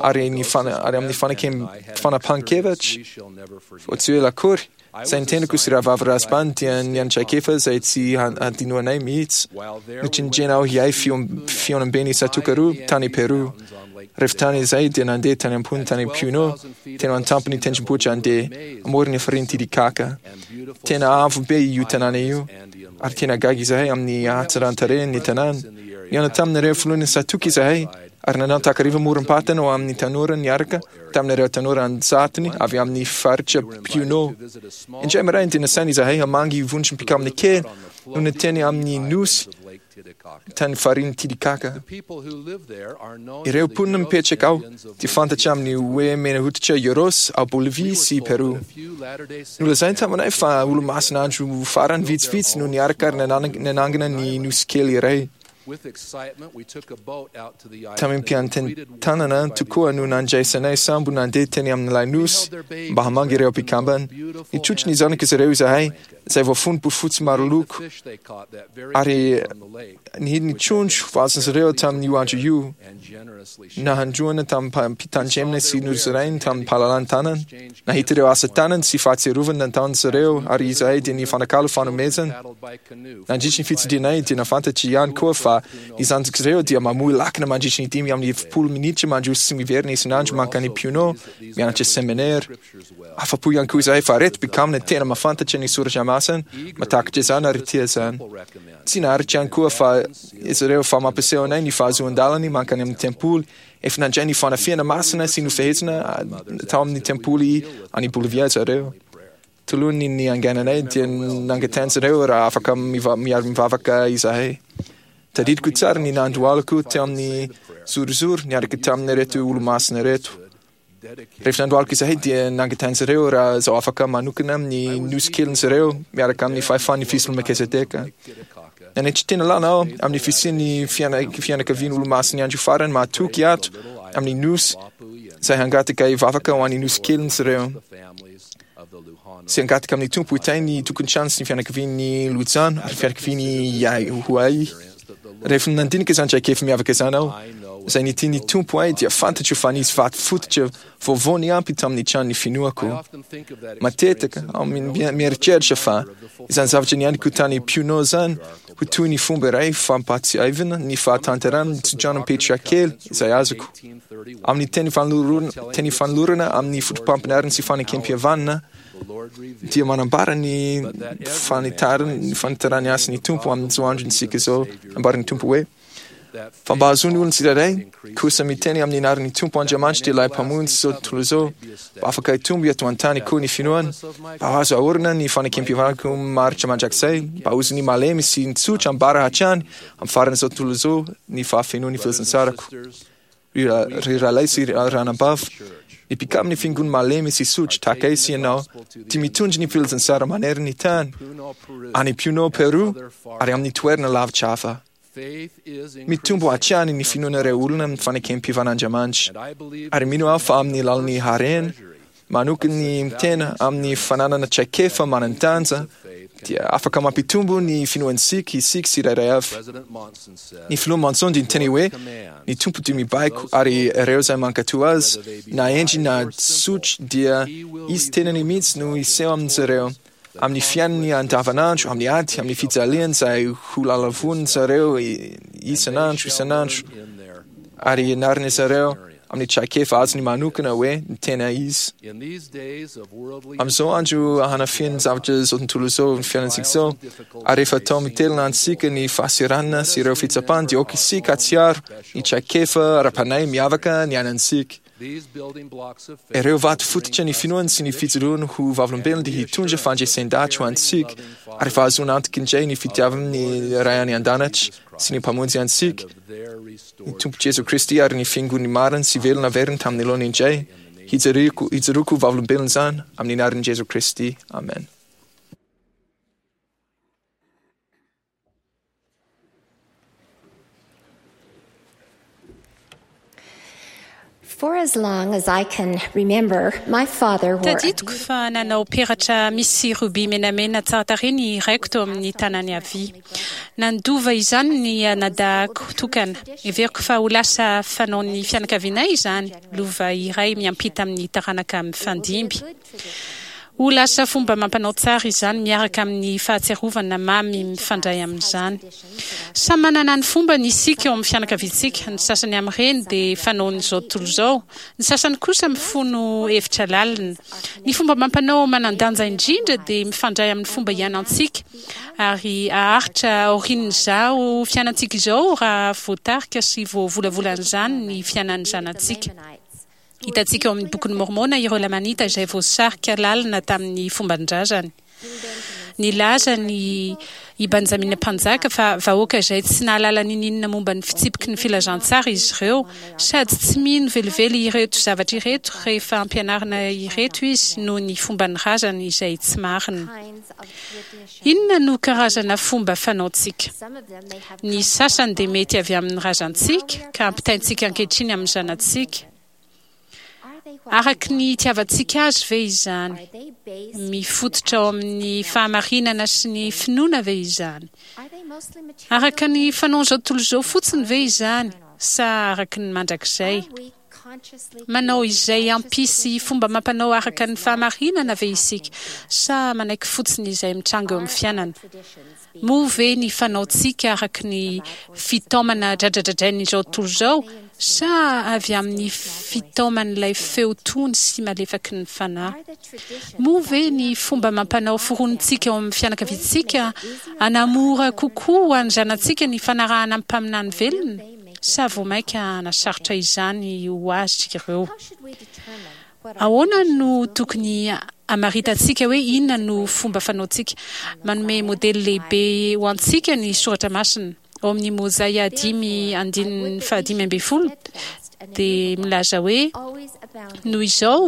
[SPEAKER 4] ary ny ary amin'ny fanekem fanapahan-kevitra. Vao tsy ho ela akory, izay ny tenako sy Rahavavy Rasband dia niantraikefa izay tsy hadinoanay mihitsy. Notendrena aho hiahy fihaonamben'ny Tsatòka roa tany Peru. Rehefa tany izay dia nandeha tany am-pony tany Puno, tena an-tampon'ny tendrombohitra andeha amoron'ny farihin'i Titicaca. Tena avo be io tanàna io, ary tena gaga izahay amin'ny hatsaran-tarehin'ny tanàna. Nihaona tamin'ireo filohan'ny Satoky izahay ary nanao takariva morom-patana ho amin'ny tanora niaraka tamin'ireo tanora an-jatony avy amin'ny faritra Puno. Indray maraina dia nasaina izahay hamangy vondrom-pikamina kely nonina teny amin'ny nosy tany farihin'i Titicaca. Ireo mponina mipetraka ao dia fantatra amin'ny hoe mena hoditra Yoros ao Bolivia sy Peru. Nolazainy taminay fa olo-masina andro farany vitsivitsy no niaraka ary nanangana ny nosy kely iray. Tamim-piantentanana tokoa no nandraisanay sambo nandeha teny amin'ilay nosy mba hamangy ireo mpikambana. Nitrotro ny zanak'izy ireo izahay, izay voafono bofotsy maro loko, ary nihidy ny trondro voaazon'izy ireo tamin'io andro io, nahandroana tamim-pitandremana sy nozarainy tamim-pahalalan-tanana. Nahita ireo asa tanana sy fahatsiarovana nataon'izy ireo, ary izahay dia nifanakalo fanomezana. Nandritry ny fitsidihanay dia nahafantatra ihany koa fa ny zanak'izy ireo dia mamoy lakana mandritry ny 45 minitra mandroso sy miverina isan'andro mankany Puno mianatra seminera. Afa-po ihany koa izahay fa ireto mpikambana tena mahafantatra ny soratra masina, mahatakatra izany ary tia izany. Tsy naharitra ihany koa fa izy ireo fa mampiseho anay ny fahazoan-dalany mankany amin'ny tempoly. Efa nandray ny fanafihana masina sy nofehezina tao amin'ny tempoly any Bolivia zareo. Talohan'ny niangananay dia nangatahin-dry zareo raha afaka miara-mivavaka izahay. Tadidiko tsara ny nandohalako teo amin'ny zorozoro niaraka tamin'ireto olo-masina ireto. Rehefa nandohalika izahay dia nangatahin-dry zareo raha zaho afaka manokana amin'ny nosy kelin-dry zareo miaraka amin'ny fahefan'ny fisolon'i Melkizedeka. Nanetry tena lalina aho amin'ny fisian'ny fianakavian'ny olo-masin'ny andro farany mahatoky ato amin'ny nosy izay hangataka hivavaka ho an'ny nosy kelin-dry zareo sy hangataka amin'ny Tompo hitahy ny tokantrano sy ny fianakavian'ny Lojano ary fianakavian'i Yahuai. Rehefa nandinika izany traikefa miavaka izany aho, izay nitian'ny Tompo ahy, dia fantatro fa nisy vato fototra vaovao niampy tamin'ny tranon'ny finoako. Matetika aho mieritreritra fa izany zavatra niainako tany Puno izany ho toy ny fomba iray fampahatsiahivana ny fahatanterahan'ny tsodrano Petra kely izay azoko. Amin'ny teny fanolorana amin'ny fotopampianarana sy fanekempihavanana, dia manambara ny fanitaran'ny hasin'ny Tompo amin'izao androntsika izao. Ambaran'ny Tompo hoe, Fa mba hahazoan'ny olona tsirairay kosa miteny amin'ny anaran'ny Tompo Andriamanitra dia ilay Mpamonjy izao tontolo izao, mba afaka hitombo eto an-tany koa ny finoany, mba ho azo aorina ny fanekempihavanako maharitra mandrakizay, mba ho azon'ny malemy sy ny tsotra ambara hatrany amin'ny faran'izao tontolo izao ny fahafenoan'ny filazantsarako. Ry rahalahy sy ry ranabavy, ny mpikambana ny fiangonana malemy sy sotro tahaka ahy sy ianao dia mitondra ny filazantsara manerana ny tany, any Puno, Peru, ary amin'ny toerana lavitra hafa. Mitombo hatrany ny finoan'ireo olona amin'ny fanekem-pivan'Andriamanitra, ary mino aho fa amin'ny alalan'ny harena manokana ny tena amin'ny fananana traikefa manan-danja dia afaka mampitombo ny finoantsika isika tsirairay avy. Ny Filoha Monson dia niteny hoe, Ny Tompo dia mibaiko, ary ireo izay mankatò Azy, na hendry na tsotra, dia Izy tenany mihitsy no hiseho amin-dry zareo, amin'ny fiainany andavanandro, amin'ny ady, amin'ny fijaliany izay ho lalavonin-dry zareo isan'andro isan'andro, ary hianarany zareo amin'ny traikefa azony manokana hoe ny tena izy. Amin'izao andro hanafihan'ny zavatra izao tontolo izao ny fiainantsika izao, ary rehefa atao mitelina antsika ny fahasahiranana sy ireo fitsapana, dia aoka isika hahatsiaro ny traikefa ara-panahy miavaka niainantsika. Ireo vato fototra ny finoany sy ny fijoroany ho vavolombelona dia hitondra fandresen-dahatra ho antsika ary fahazoana antoka indray ny fitiavan'ny Ray any An-danitra sy ny Mpamonjy antsika, ny Tompo Jesoa Kristy ary ny Fiangonany marina sy velona averiny tamin'ny laoniny indray. Hijoroako hijoroako ho vavolombelona izany amin'ny anaran'i Jesoa Kristy. Amen.
[SPEAKER 10] For as long as I can remember, my father wore a
[SPEAKER 11] Tadidiko fa nanao peratra misy rubis menamena tsara tarehy ny raiko teo amin'ny tanany havia. Nandova izany ny anadahiko tokana. Heveriko fa ho lasa fanaon'ny fianakavianay izany, lova iray miampita amin'ny taranaka mifandimby. Ho lasa fomba amam-panao tsara izany miaraka amin'ny fahatsiarovana mamy mifandray amin'izany. Samy manana ny fombany isika ao amin'ny fianakaviantsika, ny sasany amin'ireny dia fanaon'izao tontolo izao, ny sasany kosa mifono hevitra lalina. Ny fomba amam-panao manan-danja indrindra dia mifandray amin'ny fomba iainantsika, ary haharitra aorian'izao fiainantsika izao raha voatarika sy voavolavolan'izany ny fiainan'ny zanatsika. Hitantsika ao amin'ny Bokin'i Môrmôna ireo Lamanita izay voasarika lalina tamin'ny fomban-drazany. Nilaza ny i Benjamina Mpanjaka fa vahoaka izay tsy nahalala ninininona momba ny fitsipiky ny filazantsara izy ireo, sady tsy mino velively ireto zavatra ireto rehefa ampianarina ireto izy noho ny fomban'ny razany izay tsy marina. Inona no karazana fomba fanaontsika? Ny sasany dia mety avy amin'ny razantsika ka ampitaintsika ankehitriny amin'ny zanatsika. Araka ny itiavantsika azy ve izany? Mifototra ao amin'ny fahamarinana sy ny finoana ve izany? Araka ny fanaon'izao tontolo izao fotsiny ve izany sa araka ny mandrakizay? Manao izay hampisy fomba amam-panao araka ny fahamarinana ve isika sa manaiky fotsiny izay mitranga eo amin'ny fiainana? Moa ve ny fanaontsika araka ny fitaomana dradradradrain'izao tontolo izao sa avy amin'ny fitaoman'ilay feo tony sy malefaky ny Fanahy? Moa ve ny fomba amam-panao foronintsika ao amin'ny fianakaviantsika hanamora kokoa ho an'ny zanatsika ny fanarahana ny mpaminany velona sa vao mainka hanasarotra izany ho azy ireo? Ahoana no tokony hamaritantsika hoe inona no fomba fanaontsika? Manome modely lehibe ho antsika ny Soratra Masina. Ao amin'ny Mozaia 5 andininy faha-15 dia milaza hoe, Noho izao,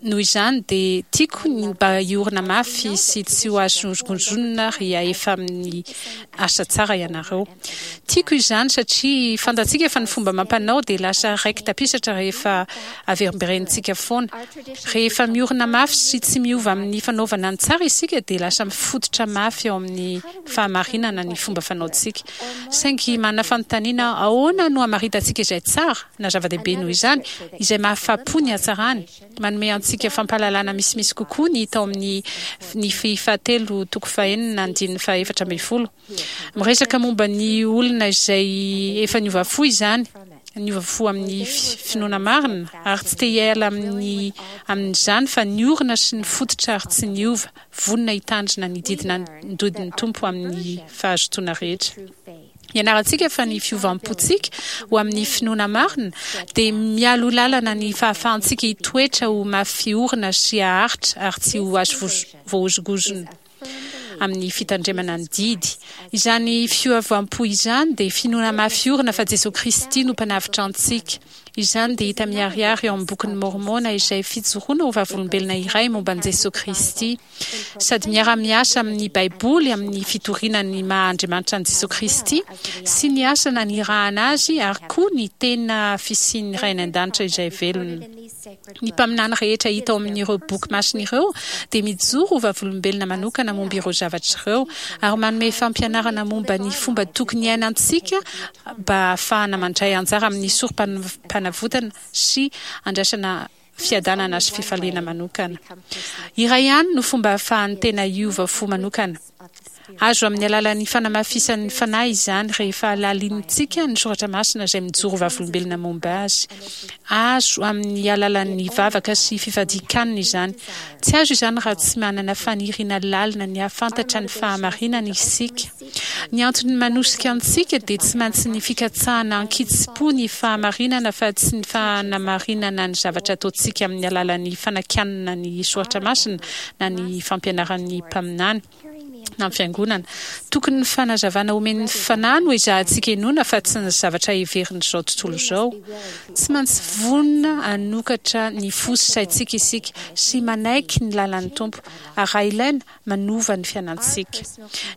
[SPEAKER 11] Noho izany dia tiako ny mba hiorina mafy sy tsy ho azo hozongozonina rehefa amin'ny asa tsara ianareo. Tiako izany satria fantatsika fa ny fomba amam-panao dia lasa raiki-tapisatra rehefa averimberenintsika foana. Rehefa miorina mafy sy tsy miova amin'ny fanaovana ny tsara isika dia lasa mifototra mafy ao amin'ny fahamarinana ny fomba fanaontsika. Saingy manana fanontaniana aho, ahoana no hamaritantsika izay tsara, na zava-dehibe noho izany, izay mahafapo ny hatsarany? Manome antsika fampahalalana misimisy kokoa ny tao amin'ny Nefy fahatelo toko fahenina andininy faha-14. Miresaka momba ny olona izay efa niova fo izany, niova fo amin'ny finoana marina ary tsy te hiala amin'ny amin'izany fa niorina sy nifototra ary tsy niova, vonona hitandrina ny didin'ny Tompo amin'ny fahazotoana rehetra. Ianarantsika fa ny fiovam-pontsika ho amin'ny finoana marina dia mialoha lalana ny fahafahantsika hitoetra ho mafy orina sy haharitra ary tsy ho azo voahozongozona amin'ny fitandremana ny didy. Izany fiovam-po izany dia finoana mafy orina fa Jesoa Kristy no Mpanavotra antsika. Izany dia hita miharihary ao amin'ny Bokin'i Môrmôna izay fijoroana ho vavolombelona iray momba an'i Jesoa Kristy. Sady miara-miasa amin'ny Baiboly amin'ny fitoriana ny maha Andriamanitra an'i Jesoa Kristy sy ny asa nanirahana Azy ary koa ny tena fisian'ny Ray any An-danitra izay velona. Ny mpaminany rehetra hita ao amin'ireo boky masina ireo dia mijoro ho vavolombelona manokana momba ireo zavatra ireo ary manome fampianarana momba ny fomba tokony hiainantsika mba hahafahana mandray anjara amin'ny sorompanavotana sy handraisana fiadanana sy fifaliana manokana. Iray ihany no fomba ahafahan'ny tena hiova fo manokana. Azo amin'ny alalan'ny fanamafisan'ny Fanahy izany rehefa halalinintsika ny soratra masina izay mijoro vavolombelona momba azy. Azo amin'ny alalan'ny vavaka sy fifadian-kanina izany. Tsy azo izany raha tsy manana faniriana lalina ny hahafantatra ny fahamarinana isika. Ny antony manosika antsika dia tsy maintsy ny fikatsahana an-kitsim-po ny fahamarinana fa tsy ny fanamarinana ny zavatra ataontsika amin'ny alalan'ny fanakianana ny soratra masina na ny fampianaran'ny mpaminany na ny fiangonana. Tokony ny fanazavana omen'ny Fanahy no ezahantsika henoina fa tsy ny zavatra heverin'izao tontolo izao. Tsy maintsy vonona hanokatra ny fo sy saintsika isika sy manaiky ny lalan'ny Tompo ary raha ilaina, manova ny fiainantsika.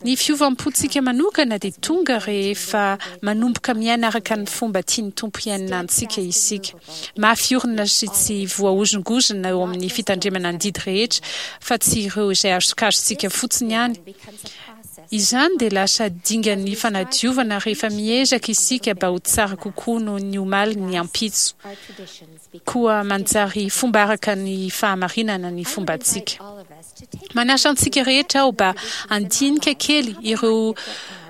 [SPEAKER 11] Ny fiovam-pontsika manokana dia tonga rehefa manomboka miaina araka ny fomba tian'ny Tompo hiainana antsika isika. Mafy orina sy tsy voahozongozona eo amin'ny fitandremana ny didy rehetra fa tsy ireo izay azokazontsika fotsiny ihany. Izany dia lasa dingan'ny fanadiovana rehefa miezaka isika mba ho tsara kokoa noho ny omaly ny ampitso. Koa manjary fomba araka ny fahamarinana ny fombantsika. Manasa antsika rehetra aho mba handinika kely ireo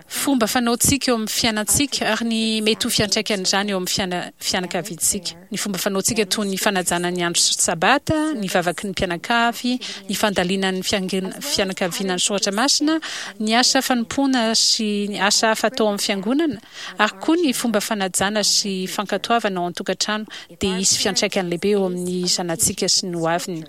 [SPEAKER 11] fomba fanaontsika eo amin'ny fiainantsika ary ny mety ho fiantraikan'izany eo amin'ny fianakaviantsika. Ny fomba fanaontsika toy ny fanajana ny andro Sabata, ny vavaky ny mpianakavy, ny fandalinan'ny fianakaviana ny soratra masina, ny asa fanompoana sy ny asa hafa atao amin'ny fiangonana, ary koa ny fomba fanajana sy fankatoavana ao an-tokantrano dia hisy fiantraikany lehibe eo amin'ny zanatsika sy ny hoaviny.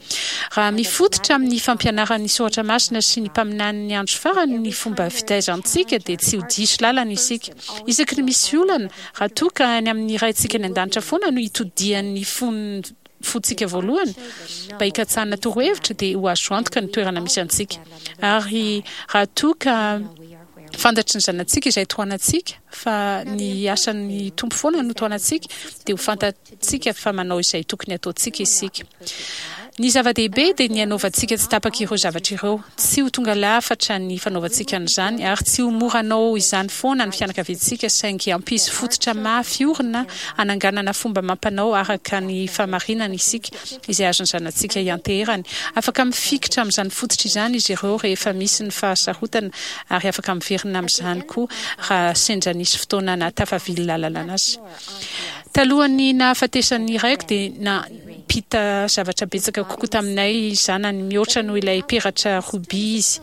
[SPEAKER 11] Raha mifototra amin'ny fampianaran'ny soratra masina sy ny mpaminanin'ny andro farany ny fomba fitaizantsika dia tsy ho diso lalana isika. Isaky ny misy olana, raha toa ka any amin'ny Raintsika any An-danitra foana no itodihan'ny fon'ny. fontsika voalohany mba hikatsahana torohevitra, dia ho azo antoka ny toerana misy antsika. Ary raha toa ka fantatry ny zanatsika izay tohanantsika, fa ny asan'ny Tompo foana no tohanantsika, dia ho fantatsika fa manao izay tokony hataontsika isika. Ny zava-dehibe dia ny hanaovantsika tsy tapaka ireo zavatra ireo. Tsy ho tonga lafatra ny fanaovantsika an'izany, ary tsy ho mora hanao izany foana ny fianakaviantsika, saingy hampisy fototra mafy orina hananganana fomba amam-panao araka ny fahamarinana isika, izay azon'ny zanatsika ianteherany. Afaka mifikitra amin'izany fototra izany izy ireo rehefa misy ny fahasarotana, ary afaka miverina amin'izany koa raha sendra nisy fotoana nahatafavily lalana azy. Talohan'ny nahafatesan'ny raiko dia nampita zavatra betsaka kokoa taminay zanany mihoatra noho ilay peratra rubis izy.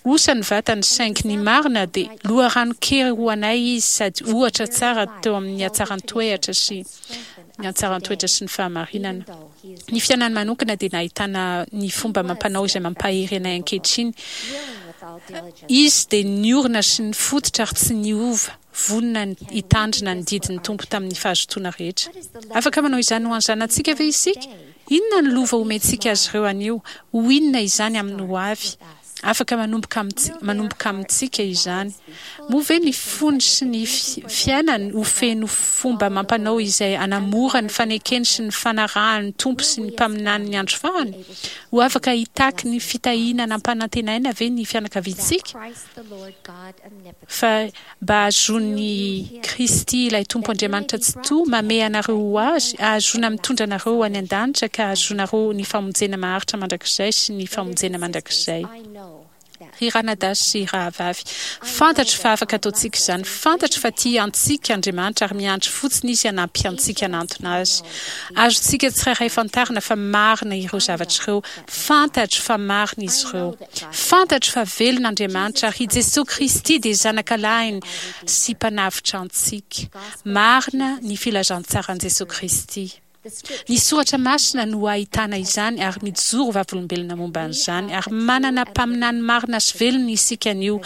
[SPEAKER 11] Osa ny vatany saingy ny marina dia loharanon-kery ho anay izy sady ohatra tsara teo amin'ny hatsaran-toeatra sy ny hatsaran-toetra sy ny fahamarinana. Ny fiainany manokana dia nahitana ny fomba amam-panao izay mampahery anay ankehitriny. Izy dia niorina sy nifototra ary tsy niova. Vonona ny hitandrina ny didin'ny Tompo tamin'ny fahazotoana rehetra. Afaka manao izany ho an'ny zanatsika ve isika? Inona ny lova omentsika azy ireo anio? Ho inona izany amin'ny ho avy? Afaka manomboka manomboka amintsika izany. Moa ve ny fony sy ny fiainany ho feno fomba amam-panao izay hanamora ny fanekeny sy ny fanarahany ny Tompo sy ny mpaminanin'ny andro farany? Ho afaka hitaky ny fitahiana nampanantenaina ve ny fianakaviantsika? Fa mba hahazoan'i Kristy ilay Tompo Andriamanitra Tsitoha mamehy anareo ho Azy, hahazoana mitondra anareo ho any an-danitra ka hahazoanareo ny famonjena maharitra mandrakizay sy ny famonjena mandrakizay. Ry ranadahy sy rahavavy, fantatro fa afaka ataontsika izany. Fantatro fa tia antsika Andriamanitra ary miandry fotsiny Izy hanampy antsika hanantona Azy. Azontsika tsirairay fantarina fa marina ireo zavatra ireo. Fantatro fa marina izy ireo. Fantatro fa velona Andriamanitra ary i Jesoa Kristy dia Zanakalahiny sy Mpanavotra antsika. Marina ny filazantsaran'i Jesoa Kristy. Ny soratra masina no ahitana izany ary mijoro vavolombelona momba an'izany ary manana mpaminany marina sy velona isika anio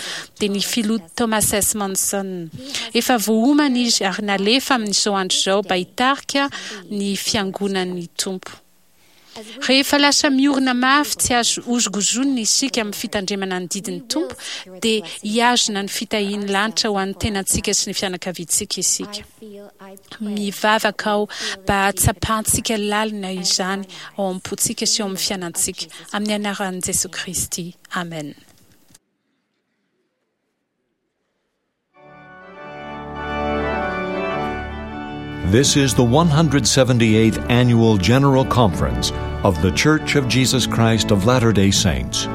[SPEAKER 11] dia ny Filoha Thomas S. Monson. Efa voaomana izy ary nalefa amin'izao andro izao mba hitarika ny Fiangonan'ny Tompo. Rehefa lasa miorina mafy tsy azo hozongozonina isika amin'ny fitandremana ny didin'ny Tompo, dia hihazona ny fitahian'ny lanitra ho an'ny tenantsika sy ny fianakaviantsika isika. Mivavaka aho mba hahatsapantsika lalina izany ao am-pontsika sy eo amin'ny fiainantsika. Amin'ny anaran'i Jesoa Kristy, amena.
[SPEAKER 1] This is the 178th Annual General Conference of The Church of Jesus Christ of Latter day Saints.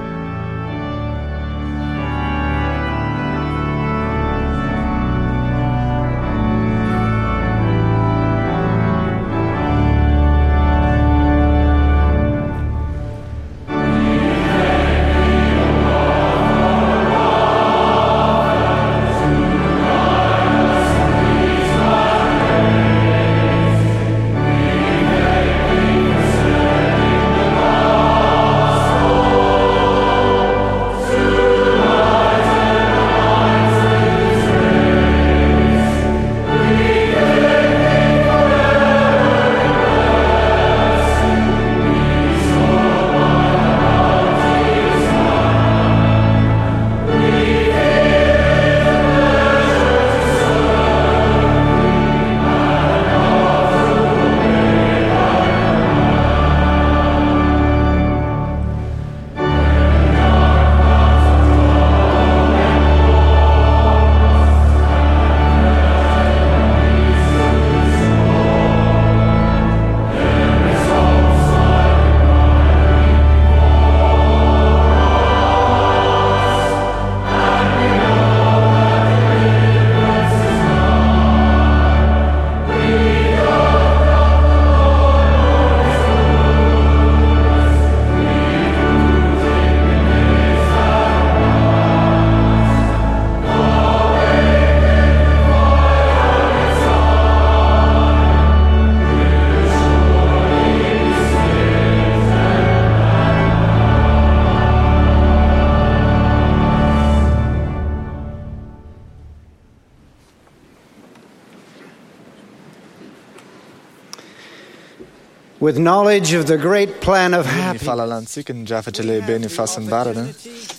[SPEAKER 6] With knowledge of the great plan of
[SPEAKER 4] Ny
[SPEAKER 6] happiness,
[SPEAKER 4] fahalalantsika ny drafitra lehibe ny fahasambarana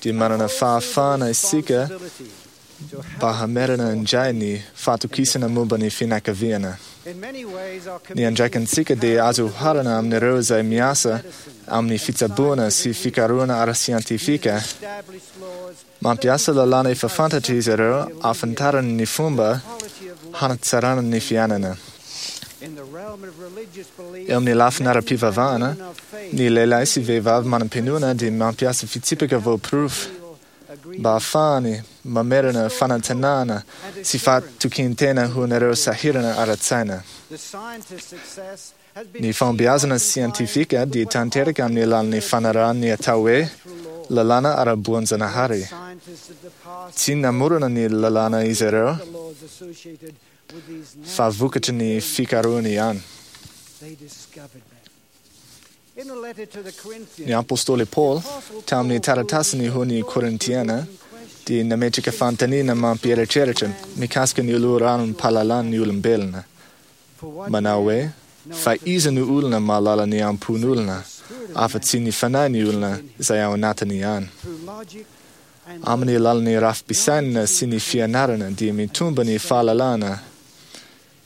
[SPEAKER 4] dia manana fahafahana isika mba hamerana indray ny fahatokisana momba ny fianakaviana.
[SPEAKER 6] in many ways our
[SPEAKER 4] Ny andraikintsika dia azo oharana amin'ireo izay miasa amin'ny fitsaboana sy fikarohana ara-siantifika.
[SPEAKER 6] established laws
[SPEAKER 4] Mampiasa lalàna efa fantatra izy ireo ahafantarany ny fomba hanatsarana ny fiainana.
[SPEAKER 6] in the realm of religious belief,
[SPEAKER 4] Eo amin'ny lafiny ara-pivavahana, ny lehilahy sy vehivavy manam-pinoana dia mampiasa fitsipika voaporofo mba ahafahany mamerina fanantenana sy fahatokian-tena ho an'ireo sahirana ara-tsaina.
[SPEAKER 6] the scientist's success has been
[SPEAKER 4] Ny fahombiazana siantifika dia tanteraka amin'ny alalan'ny fanarahana ny atao hoe lalàna ara-boajanahary.
[SPEAKER 6] scientists of the past
[SPEAKER 4] Tsy namorona ny lalàna izy ireo
[SPEAKER 6] the laws associated with these
[SPEAKER 4] fa vokatry ny fikarohany ihany.
[SPEAKER 6] they discovered them. In a letter to the Corinthians,
[SPEAKER 4] Ny apôstôly Paul tamin'ny taratasiny ho ny Korintiana dia nametraka fanontaniana mampieritreritra mikasika ny loharanom-pahalalan'ny olombelona. Manao hoe fa iza no olona mahalala ny ampon'olona afa-tsy ny fanahy ny olona izay ao anatiny ihany.
[SPEAKER 6] through logic and
[SPEAKER 4] Amin'ny alalan'ny rafi-pisainana sy ny fianarana dia mitombo ny fahalalana.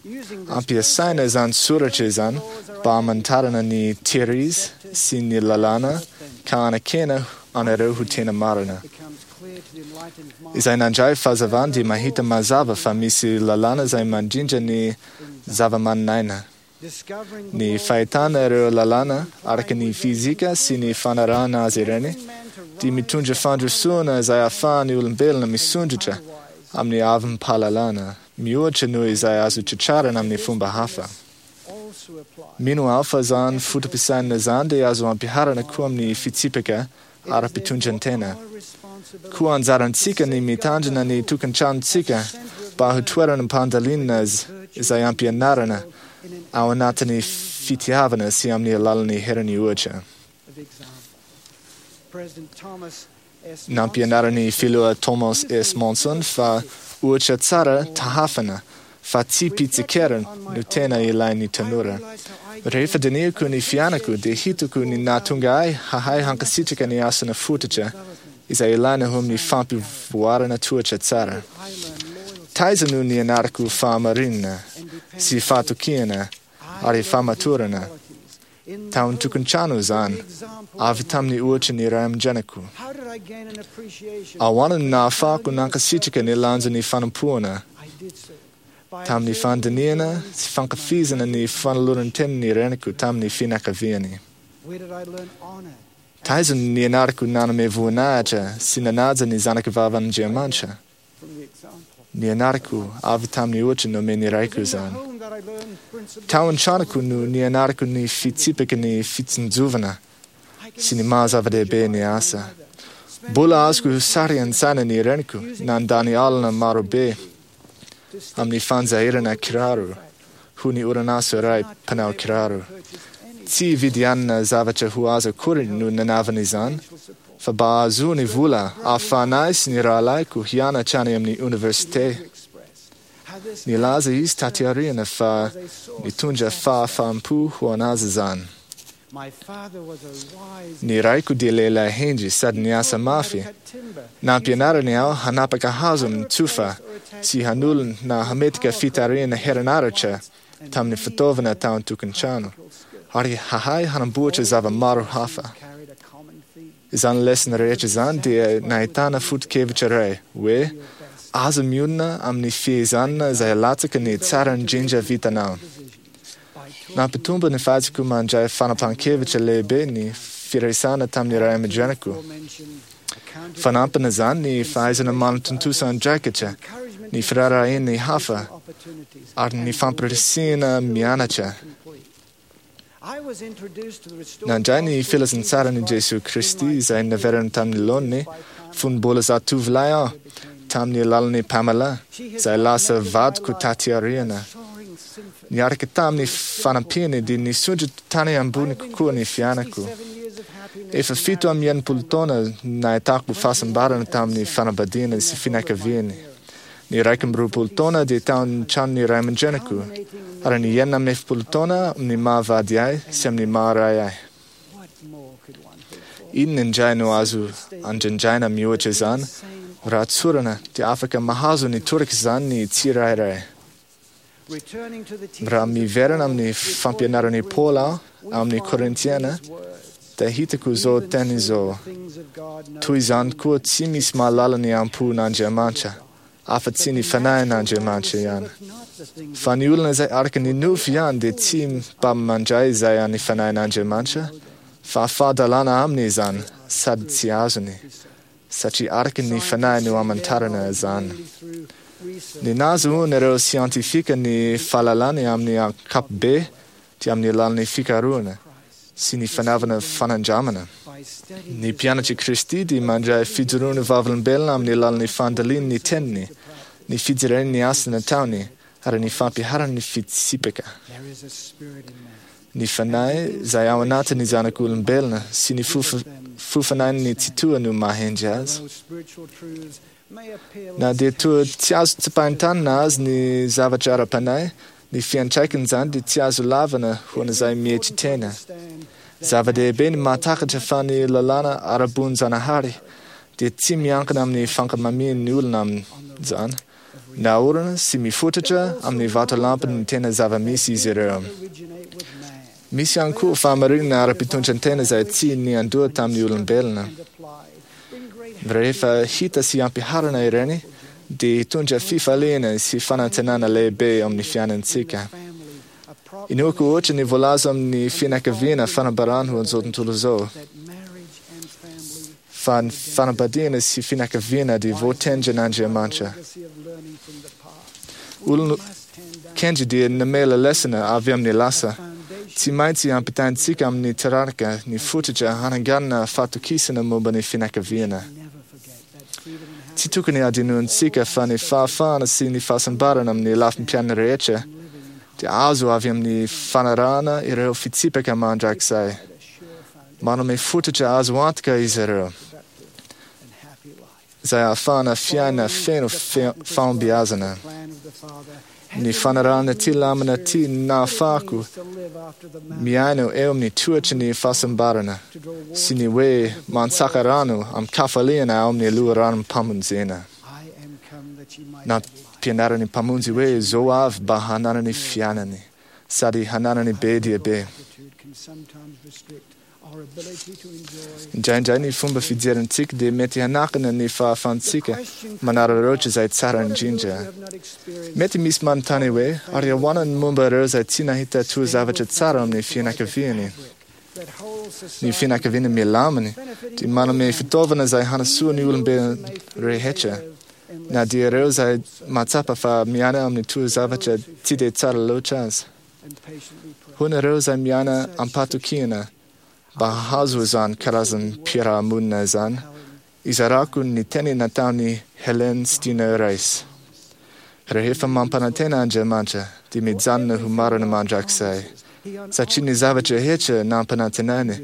[SPEAKER 6] using this
[SPEAKER 4] Ampiasaina izany soratra izany mba hamantarana ny teories sy ny lalàna ka hanakena anareo ho tena marina.
[SPEAKER 6] becomes clear to the enlightened mind
[SPEAKER 4] Izay nandray fahazavana dia mahita mazava fa misy lalàna izay mandrindra ny zava-mananaina.
[SPEAKER 6] discovering the
[SPEAKER 4] Ny
[SPEAKER 6] laws
[SPEAKER 4] fahitana ireo lalàna araka ny fizika sy ny fanarahana azy ireny dia mitondra fandrosoana izay ahafahan'ny olombelona misondrotra amin'ny avim-pahalalana mihoatra noho izay azo tratrarana amin'ny fomba hafa.
[SPEAKER 6] also apply
[SPEAKER 4] Mino aho fa izany foto-pisainana izany dia azo ampiharana koa amin'ny fitsipika ara-pitondran-tena.
[SPEAKER 6] our responsibility
[SPEAKER 4] Koa anjarantsika ny mitandrina ny tokantranontsika mba ho toerana mpandalinana izay ampianarana ao anatin'ny fitiavana sy amin'ny alalan'ny herin'ny ohatra.
[SPEAKER 6] of example. President Thomas S.
[SPEAKER 4] Nampianaran'ny filoha Thomas S. Monson fa ohatra tsara tahafana fa tsy mpitsikera no tena ilain'ny tanora. Rehefa dinihiko ny fiainako dia hitako ny nahatonga ahy hahay hankasitraka ny asana fototra izay ilaina ho amin'ny fampivoarana toetra tsara. Taiza no nianarako fahamarinana sy fahatokiana ary fahamatorana. Tao an-tokantrano izany, avy tamin'ny ohatra ny ray aman-dreniko.
[SPEAKER 6] How did I gain an appreciation?
[SPEAKER 4] Ahoana no nahafahako nankasitraka ny lanjan'ny fanompoana
[SPEAKER 6] I did so by
[SPEAKER 4] tamin'ny fandinihana sy fankafizana ny fanoloran-tenin'ny reniko tamin'ny fianakaviany.
[SPEAKER 6] Where did I learn honor?
[SPEAKER 4] Taiza no nianarako nanome voninahitra sy nanaja ny zanakavavan'Andriamanitra.
[SPEAKER 6] From the example.
[SPEAKER 4] Nianarako avy tamin'ny ohatra nomen'ny raiko
[SPEAKER 6] It was in the
[SPEAKER 4] izany.
[SPEAKER 6] home that I learned principles.
[SPEAKER 4] Tao an-tranoko no nianarako ny fitsipiky ny fitsinjovana sy ny maha zava-dehibe ny asa. Mbola azoko sary an-tsaina ny reniko nandany alina marobe amin'ny fanjairana kiraro ho ny orinasa iray mpanao kiraro. Tsy vidianana zavatra ho azy akory no nanavana izany, fa mba hahazoany vola ahafahanay sy ny rahalahiko hianatra any amin'ny oniversite. Nilaza izy taty aoriana fa nitondra fahafaham-po ho anazy izany.
[SPEAKER 6] My father was a wise
[SPEAKER 4] Ny raiko dia lehilahy hendry sady niasa mafy. Nampianarany aho hanapaka hazo amin'ny tsofa sy hanolo na hametraka fitarihana herinaratra tamin'ny fitaovana tao an-tokantrano ary hahay hanamboatra zava-maro hafa.
[SPEAKER 6] carried a common theme.
[SPEAKER 4] Izany lesona rehetra izany dia nahitana foto-kevitra iray hoe aza mionona amin'ny fihezanana izay latsaka ny tsara indrindra vitanao. Nampitombo ny fahaizako mandray fanapahan-kevitra lehibe ny firaisana tamin'ny ray aman-dreniko. Fanampina izany ny fahaizana manatontosa andraikitra, ny firaharahian'ny hafa ary ny fampirisihana mianatra.
[SPEAKER 6] I was introduced to the restored
[SPEAKER 4] Nandray ny filazantsaran'i Jesoa Kristy izay naverina tamin'ny laoniny fony mbola zatovolahy aho tamin'ny alalan'i Pamela izay lasa vadiko taty aoriana.
[SPEAKER 6] soaring symphony.
[SPEAKER 4] Niaraka tamin'ny fanampiany dia nisondrotra tany ambony kokoa ny fiainako.
[SPEAKER 6] 7 years of happiness
[SPEAKER 4] Efa 67 taona nahitako fahasambarana tamin'ny fanambadiana sy fianakaviany. Ny 21 taona dia tao amin'ny tranon'ny ray aman-dreniko, ary ny 46 taona amin'ny maha vady ahy sy amin'ny maha ray ahy. Inona indray no azo andrindraina mihoatra izany? Raha tsorina, dia afaka mahazo ny toraka izany ny tsirairay. Raha miverina amin'ny fampianaran'i Paoly aho amin'ny Korintiana, dia hitako izao teny izao: Toy izany koa tsy misy mahalala ny am-pon'Andriamanitra, afa-tsy ny Fanahin'Andriamanitra ihany. Fa ny olona izay araka ny nofo ihany dia tsy mba mandray izay an'ny Fanahin'Andriamanitra, fa fahadalana aminy izany sady tsy azony, satria araka ny Fanahy no amantarana izany. Ny nahazoan'ireo siantifika ny fahalalany amin'ny ankapobe dia amin'ny alalan'ny fikarohana sy ny fanaovana fanandramana. Ny mpianatr'i Kristy dia mandray fijoroana vavolombelona amin'ny alalan'ny fandaliny ny teniny, ny fijereny ny asa nataony ary ny fampiharany ny fitsipika. Ny fanahy izay ao anatin'ny zanak'olombelona sy ny fofanain'ny Tsitoha no mahendry azy. Na dia toa tsy azo tsapain-tanana aza ny zavatra ara-panahy, ny fiantraikan'izany dia tsy azo lavina ho an'izay mietry tena. Zava-dehibe ny mahatakatra fa ny lalàna ara-bonjanahary dia tsy miankina amin'ny fankamamian'ny olona amin'izany. Naorina sy mifototra amin'ny vatolampin'ny tena zava-misy izy ireo. Misy ihany koa fahamarinana ara-pitondran-tena izay tsy niandoha tamin'ny olombelona. Rehefa hita sy ampiharina ireny, dia hitondra fifaliana sy fanantenana lehibe eo amin'ny fiainantsika. Inoako ohatra ny voalaza amin'ny fianakaviana fanambarana ho an'izao tontolo izao, fa ny fanambadiana sy fianakaviana dia voatendrin'Andriamanitra. Olona kendry dia namela lesona avy amin'ny lasa. Tsy maintsy ampitaintsika amin'ny taranaka ny fototra hananganana fahatokisana momba ny fianakaviana. Tsy tokony hadinointsika fa ny fahafahana sy ny fahasambarana amin'ny lafim-piainana rehetra dia azo avy amin'ny fanarahana ireo fitsipika mandrakizay. Manome fototra azo antoka izy ireo, izay ahafahana fiaina feno fahombiazana. Ny fanarahana ity lamina ity nahafahako miaina eo amin'ny toetry ny fahasambarana sy ny hoe mantsaka rano amin-kafaliana ao amin'ny loharanom-pamonjena. Nampianarin'ny Mpamonjy hoe zo avy mba hananany fiainany sady hananany be dia be. Indraindray ny fomba fijerintsika dia mety hanakana ny fahafahantsika manararaotra izay tsara indrindra. Mety misy manontany hoe, ary ahoana ny momba ireo izay tsy nahita toa zavatra tsara amin'ny fianakaviany? Ny fianakaviana milamina dia manome fitaovana izay hanasoa ny olombelona rehetra, na dia ireo izay mahatsapa fa miaina amin'ny toa zavatra tsy dia tsara loatra aza. Ho anareo izay miaina am-pahatokiana mba hahazo izany karazam-piarahamonina izany, izarako ny teny nataon'i Helen Steiner Rice. Rehefa mampanantena Andriamanitra, dia mijanona ho marina mandrakizay, satria ny zavatra rehetra nampanantenainy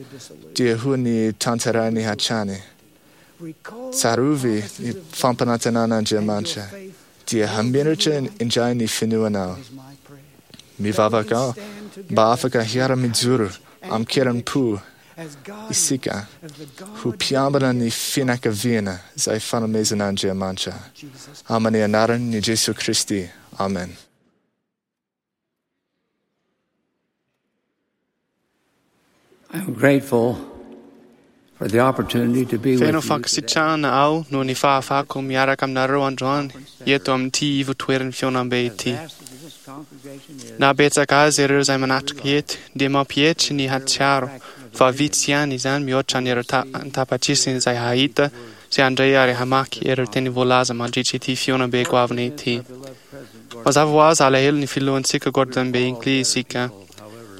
[SPEAKER 4] dia ho ny tanterahiny hatrany. Tsarovy ny fampanantenan'Andriamanitra, dia hamiratra indray ny finoanao. Mivavaka aho mba afaka hiara-mijoro amin-kerim-po isika ho mpiambina ny fianakaviana izay fanomezan'Andriamanitra. Amin'ny anaran'i Jesoa Kristy. Amen.
[SPEAKER 8] I'm grateful for the opportunity to be with
[SPEAKER 12] Feno
[SPEAKER 8] you.
[SPEAKER 12] fankasitrahana aho noho ny fahafahako miaraka aminareo androany eto amin'ity ivotoeran'ny fihaonambe ity. Na betsaka azy ireo izay manatrika eto dia mampietry ny hatsiaro fa vitsy ihany izany mihoatra an'ireo tapatrisiny izay hahita sy handray ary hamaky ireo teny voalaza mandritra ity fihaonambe goavana ity. Mazava ho azy alahelo ny filohantsika Gordon B. Hinckley isika.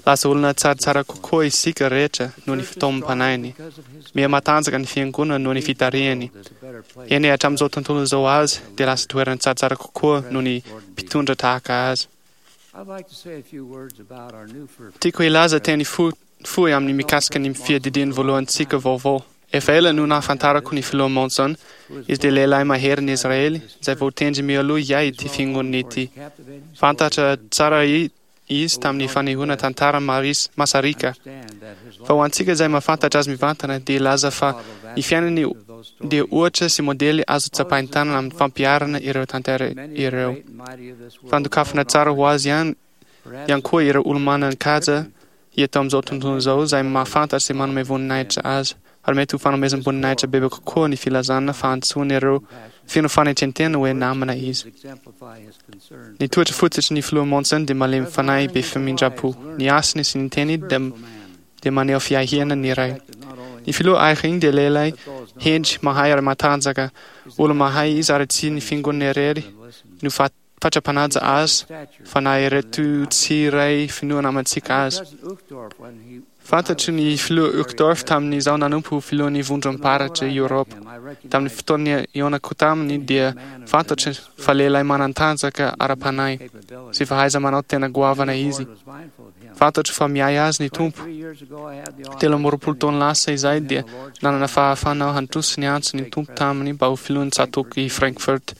[SPEAKER 12] Lasa olona tsaratsara kokoa isika rehetra noho ny fitaomam-panahiny. Miha matanjaka ny fiangonana noho ny fitarihany. Eny hatramin'izao tontolo izao azy dia lasa toerana tsaratsara kokoa noho ny mpitondra tahaka azy.
[SPEAKER 8] I'd like to say a few words about our new first
[SPEAKER 12] Tiako hilaza teny fohy amin'ny mikasika ny fiadidiany voalohantsika vaovao. Efa ela no nahafantarako ny filoha Monson. Izy dia lehilahy maherin'i Israely, izay voatendry mialoha hiahy ity fiangonana ity. Fantatra tsara izy tamin'ny fanehoana tantara masariaka. Fa ho antsika izay mahafantatra azy mivantana, dia hilaza fa ny fiainany dia ohatra sy modely azo tsapain-tanana amin'ny fampiharana ireo tantara ireo. Fandokafana tsara ho azy ihany ihany koa ireo olo-manan-kaja eto amin'izao tontolo izao izay mahafantatra sy manome voninahitra azy, ary mety ho fanomezam-boninahitra bebe kokoa ny filazana fa antsoin'ireo feno fanetren-tena hoe namana izy. Ny toetra fototry ny Filoha Monson dia malemy fanahy be famindram-po. Ny asany sy ny teniny dia dia maneho fiahiana ny Ray. Ny Filoha Eyring dia lehilahy hendry, mahay ary matanjaka. Olo-mahay izy ary tsy ny fiangonana irery no fatra-panaja azy fa na ireto tsy iray finoana amantsika aza. Fantatro ny Filoha Uchtdorf tamin'izaho nanompo ho filohan'ny Vondrom-paritra Eoropa. Tamin'ny fotoana nihaonako taminy dia fantatro fa lehilahy manan-tanjaka ara-panahy sy fahaiza-manao tena goavana izy. Fantatro fa miahy azy ny Tompo. 23 taona lasa izay dia nanana fahafahana aho handroso ny antso ny Tompo taminy mba ho filohan'ny tsatòko i Frankfurt.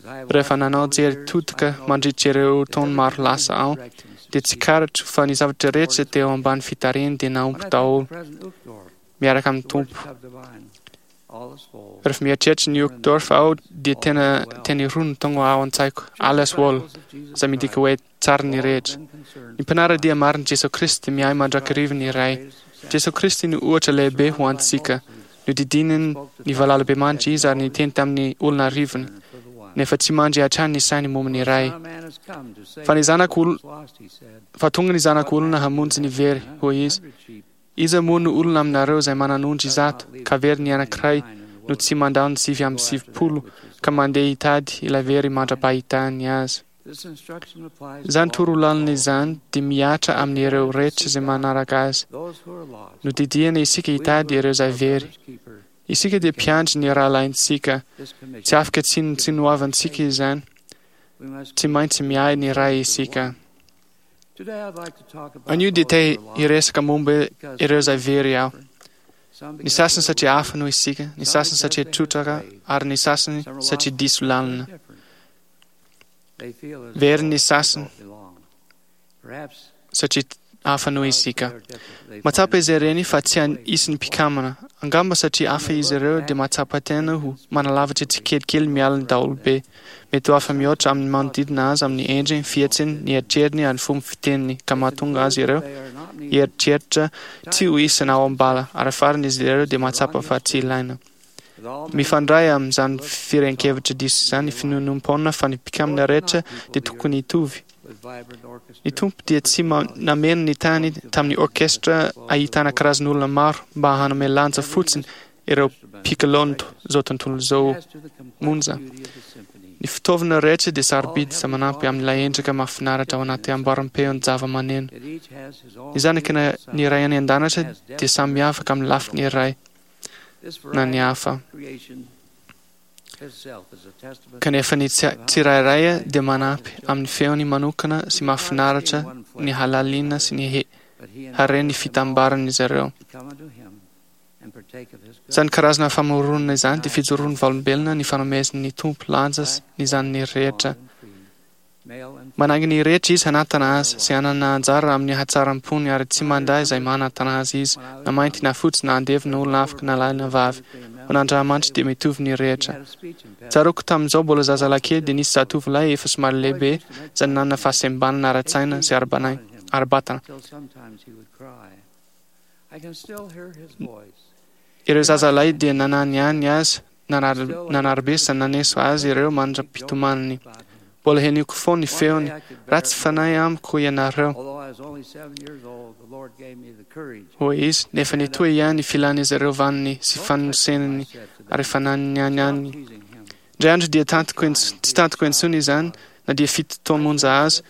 [SPEAKER 12] Rehefa nanao jery todika mandritra ireo taona maro lasa aho, dia tsikaritro fa ny zavatra rehetra teo ambany fitarihany dia nahomby daholo, miaraka amin'ny Tompo. Rehefa mieritreritra ny Uchtdorf aho, dia tena teny roa no tonga ao an-tsaiko, Alles wohl, izay midika hoe tsara ny rehetra. Ny mpanara-dia marin'i Jesoa Kristy miahy mandrakariva ny Ray. Jesoa Kristy no ohatra lehibe ho antsika. Nodidininy ny valalabemandry izy ary niteny tamin'ny olona arivony, nefa tsy mandry hatrany ny sainy momba ny Ray. Fa ny zanak' ol, fa tonga ny Zanak' olona hamonjy ny very, hoy izy. Iza moa no olona aminareo izay manan' ondry 100, ka very ny anankiray, no tsy mandao ny 99 ka mandeha hitady ilay very mandra-pahitany azy? Izany torolalana izany dia mihatra amin'ireo rehetra izay manaraka azy. Nodidiana isika hitady ireo izay very. Isika dia mpiandry ny rahalahintsika. Tsy afaka tsinontsinoavantsika izany. Tsy maintsy miahy ny Ray isika. Anio dia te hiresaka momba ireo izay very aho. Ny sasany satria hafa noho isika, ny sasany satria trotraka, ary ny sasany satria diso lalana. Very ny sasany satria hafa noho isika. Mahatsapa izy ireny fa tsy isan'ny mpikamana. Angamba satria hafa izy ireo dia mahatsapa tena ho manalavitra tsikelikely miala ny daholobe. Mety ho hafa mihoatra amin'ny manodidina azy amin'ny endriny, fihetsiny, ny eritreriny ary ny fomba fiteniny ka mahatonga azy ireo hieritreritra tsy ho isana ao am-bala ary farany izy ireo dia mahatsapa fa tsy ilaina. Mifandray amin'izany firehan-kevitra diso izany ny finoanoam-poana fa ny mpikamina rehetra dia tokony hitovy. Ny Tompo dia tsy nameno ny tany tamin'ny orkestra ahitana karazan'olona maro mba hanome lanja fotsiny ireo mpikalon'izao tontolo izao monja. Ny fitaovana rehetra dia sarobidy sy manampy amin'ilay endrika mahafinaritra ao anaty amboaram-peon-javamaneno. Ny zanaky ny Ray any An-danitra dia samy miavaka amin'ny lafiny iray. na ny hafa. Kanefa ny tsirairay dia manampy amin'ny feony manokana sy mahafinaritra ny halalina sy ny haren'ny fitambaran'izy ireo. Izany karazana famoronana izany dia fijoroan'ny vavolombelona ny fanomezan'ny Tompo lanja ny zanany rehetra. Manainga ny rehetra izy hanantana azy sy hanana anjara amin'ny hatsaram-pony ary tsy mandà izay manantana azy izy, na mainty na fotsy na andevo na olona afaka na lahy na vavy. Ho an'Andramanitra dia mitovy ny rehetra. Tsaroako tamin'izaho mbola zazalahy kely dia nisy zatovolahy efa somary lehibe izay nanana fahasembanana ara-tsaina sy ara-batana. Ireo zazalahy dia nananiany azy Nanarabe sy naneso azy ireo mandra-pitomaniny. Mbola henoko foana ny feony, Ratsy fanahy amiko ianareo, hoy izy, nefa nitohy ihany ny filan'izy ireo vaniny sy fanosenany ary fananianiany. Indray andro dia tantiko tsy tantiko intsony izany, na dia fito taona monja aza,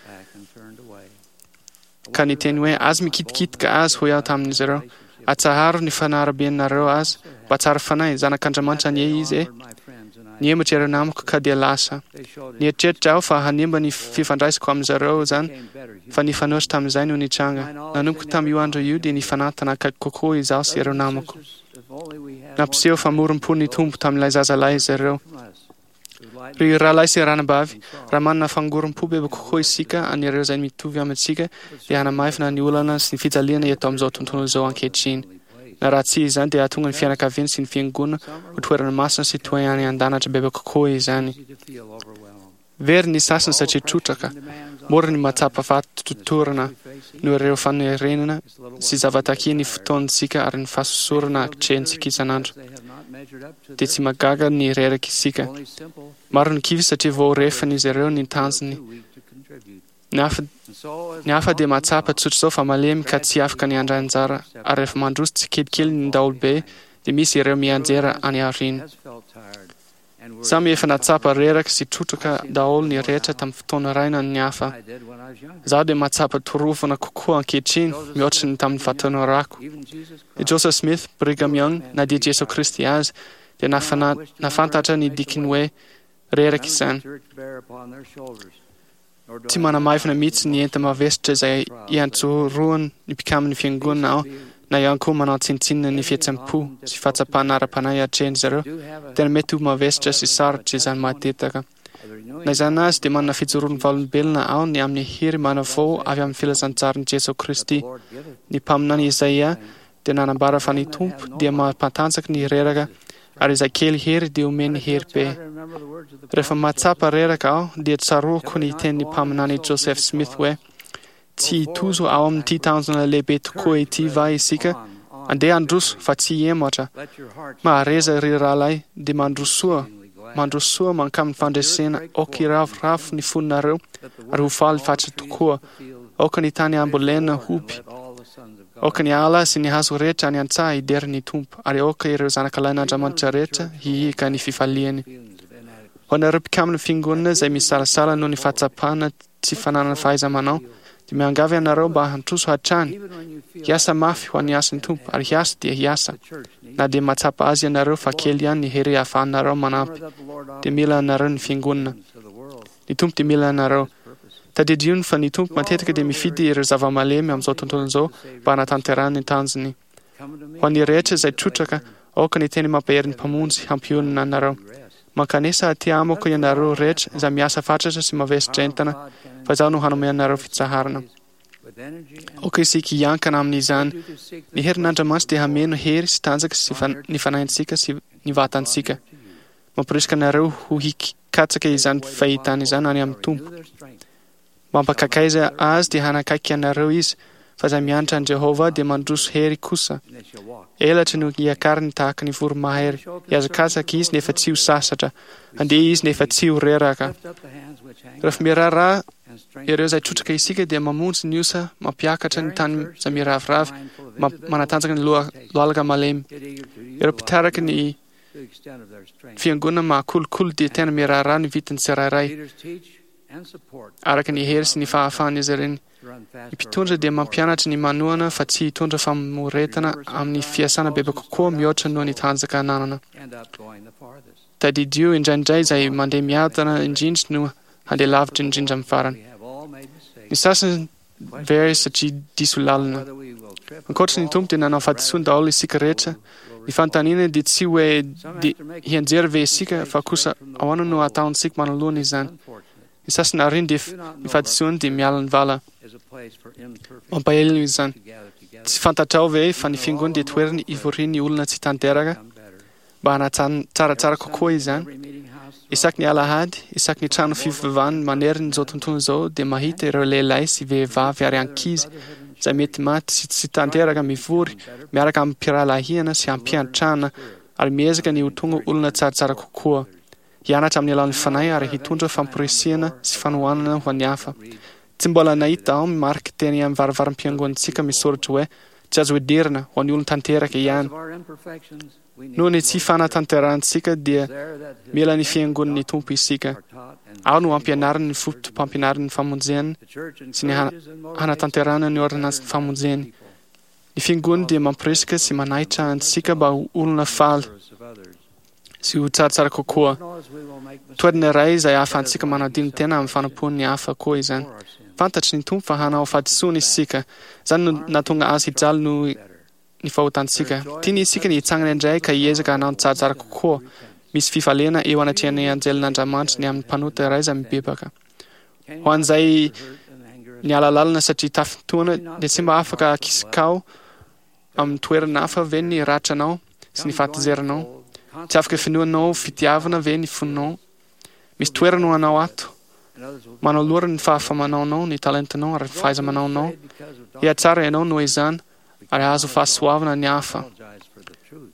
[SPEAKER 12] ka niteny hoe, Aza mikitikitika azy, hoy aho tamin'izy ireo. Atsaharo ny fanarabianareo azy. Mba tsara fanahy, zanak'Andriamanitra anie izy e! Nihemotra ireo namako ka dia lasa. Nieritreritra aho fa hanimba ny fifandraisako amin-dry zareo izany, fa nifanohitra tamin'izay no nitranga. Nanomboka tamin'io andro io dia nifanantona akaiky kokoa izaho sy ireo namako. Nampiseho famorom-po ny Tompo tamin'ilay zazalahy izy ireo. Ry rahalahy sy ranabavy, raha manana fangorom-po bebe kokoa isika an'ireo izay mitovy amintsika, dia hanamaivana ny olana sy ny fijaliana eto amin'izao tontolo izao ankehitriny. Na raha tsy izany, dia hahatonga ny fianakaviana sy ny fiangonana ho toerana masina sy toy any an-danitra bebe kokoa izany. Very ny sasany satria trotraka, mora ny mahatsapa fahatotorana noho ireo fanerenana sy zava-takian'ny fotoantsika ary ny fahasosorana atrehintsika isan'andro. Dia tsy mahagaga ny reraka isika. Maro ny kivy satria vao refin'izy ireo ny tanjony. Ny hafa, ny hafa dia mahatsapa tsotr'izao fa malemy ka tsy afaka ny handray anjara ary rehefa mandroso tsikelikely ny daholobe dia misy ireo mianjera any aoriana. Samy efa nahatsapa reraka sy trotraka daholo ny rehetra tamin'ny fotoana iray na ny hafa. Izaho dia mahatsapa torovana kokoa ankehitriny mihoatra ny tamin'ny fahatanorako. I Joseph Smith, Brigham Young, na dia Jesoa Kristy aza, dia nahafantatra ny dikin'ny hoe reraka izany. Tsy manamaivana mihitsy ny enta-mavesatra izay iantsorohan'ny mpikamin'ny Fiangonana aho, na ihany koa manao tsinontsinona ny fihetseham-po sy fahatsapana ara-panahy atrehin-dry zareo. Tena mety ho mavesatra sy sarotra izany matetaka. Na izany aza, dia manana fijoroan'ny vavolombelona aho ny amin'ny hery manavao avy amin'ny filazantsarin'i Jesoa Kristy. Ny mpaminany Isaia dia nanambara fa ny Tompo dia mampatanjaka ny reraka ary izay kely hery dia omeny hery be. Rehefa mahatsapa reraka aho dia tsaroako ny tenin'ny mpaminany Joseph Smith hoe, Tsy hitozo ao amin'ity tanjona lehibe tokoa ity va isika? Andeha handroso fa tsy hihemotra. Mahareza ry rahalahy, dia mandrosoa, mandrosoa mankamin'ny fandresena, aoka hiravoravo ny fonareo ary ho faly fatratra tokoa. Aoka ny tany hambolena hoby. Aoka ny ala sy ny hazo rehetra any an-tsaha hidera ny Tompo, ary aoka ireo zanakalahin'Andriamanitra rehetra hihiaka ny fifaliany. Ho anareo mpikamban'ny Fiangonana izay misalasala noho ny fahatsapana tsy fananana fahaiza-manao, dia miangavy anareo mba handroso hatrany, hiasa mafy ho an'ny asan'ny Tompo, ary hiasa dia hiasa. Na dia mahatsapa azy ianareo fa kely ihany ny hery ahafahanareo manampy, dia mila anareo ny Fiangonana. Ny Tompo dia mila anareo. Tadidio fa ny Tompo matetika dia mifidy ireo zava-malemy amin'izao tontolo izao mba hanatanterahany ny tanjony. Ho an'ny rehetra izay trotraka, aoka ny teny mampahery ny Mpamonjy hampionona anareo. Mankanesa aty amiko ianareo rehetra izay miasa fatratra sy mavesatra entana, fa Izaho no hanome anareo fitsaharana. Aoka isika hiankina amin'izany. Ny herin'Andriamanitra dia hameno hery sy tanjaka sy ny fanahintsika sy ny vatantsika. Mamporisika anareo ho hikatsaka izany fahitana izany any amin'ny Tompo. Mampakakaiza azy dia hanakaiky anareo izy, fa izay mianatra an'i Jehovah dia mandroso hery kosa. Elatra no hiakariny tahaka ny voromahery. Hihazakazaka izy nefa tsy ho sasatra. Handeha izy nefa tsy ho reraka. Rehefa miraharaha ireo izay trotraka isika dia mamonjy ny osa, mampiakatra ny tany izay miraviravy, manatanjaka ny lohalika malemy. Ireo mpitarika ny Fiangonana mahakolokolo dia tena miraharaha ny vidin'ny tsirairay, araka ny hery sy ny fahafahan'izy ireny. Ny mpitondra dia mampianatra ny manohana fa tsy hitondra famoretana amin'ny fiasana bebe kokoa mihoatra noho ny tanjaka ananana. Tadidio indraindray izay mandeha miadana indrindra no handeha lavitra indrindra amin'ny farany. Ny sasany very satria diso lalina. Ankoatry ny Tompo dia nanao fahadisoana daholo isika rehetra. Ny fanontaniana dia tsy hoe dia hianjera ve isika fa kosa ahoana no hataontsika manoloana izany. Ny sasany aoriany dia ny fahadisoany dia miala ny vala. Mampalahelo izany. Tsy fantatrao ve fa ny fiangonana dia toerana ivorian'ny olona tsy tanteraka? Mba hanatsaratsara kokoa izany, isaky ny alahady, isaky ny trano fivavahana manerana izao tontolo izao dia mahita ireo lehilahy sy vehivavy ary ankizy izay mety maty sy tsy tanteraka mivory miaraka amim-pirahalahiana sy ampiantrana ary miezaka ny ho tonga olona tsaratsara kokoa, hianatra amin'ny alalan'ny Fanahy ary hitondra famporisihana sy fanohanana ho an'ny hafa. Tsy mbola nahita aho marika teny amin'ny varavaram-piangonantsika misoratra hoe Tsy azo idirana ho an'ny olon-tanteraka ihany. Noho ny tsy fanatanterahantsika dia mila ny Fiangonan'ny Tompo isika. Ao no ampianariny ny fotopampianaran'ny famonjena sy ny hanatanterahana ny ôrdônansin'ny famonjeny. Ny Fiangonana dia mampirisika sy manaitra antsika mba ho olona faly sy ho tsaratsara kokoa. Toerana iray izay ahafahantsika manadino tena amin'ny fanompoan'ny hafa koa izany. Fantatry ny Tompo fa hanao fahadisoana isika. Izany no nahatonga Azy hijaly noho. ny fahotantsika. Tiany isika ny hitsangana indray ka hiezaka hanao ny tsaratsara kokoa. Misy fifaliana eo anatrehan'ny anjelin'Andriamanitra ny amin'ny mpanota iray izay mibebaka. Ho an'izay niala lalana satria tafintohina dia tsy mba afaka akisikao amin'ny toerana hafa ve ny ratranao sy ny fahatezeranao? Tsy afaka finoanao fitiavana ve ny fonao? Misy toerana ho anao ato. Manolora ny fahafaha-manaonao, ny talentanao ary ny fahaiza-manaonao. Hihatsara ianao noho izany ary hahazo fahasoavana ny hafa.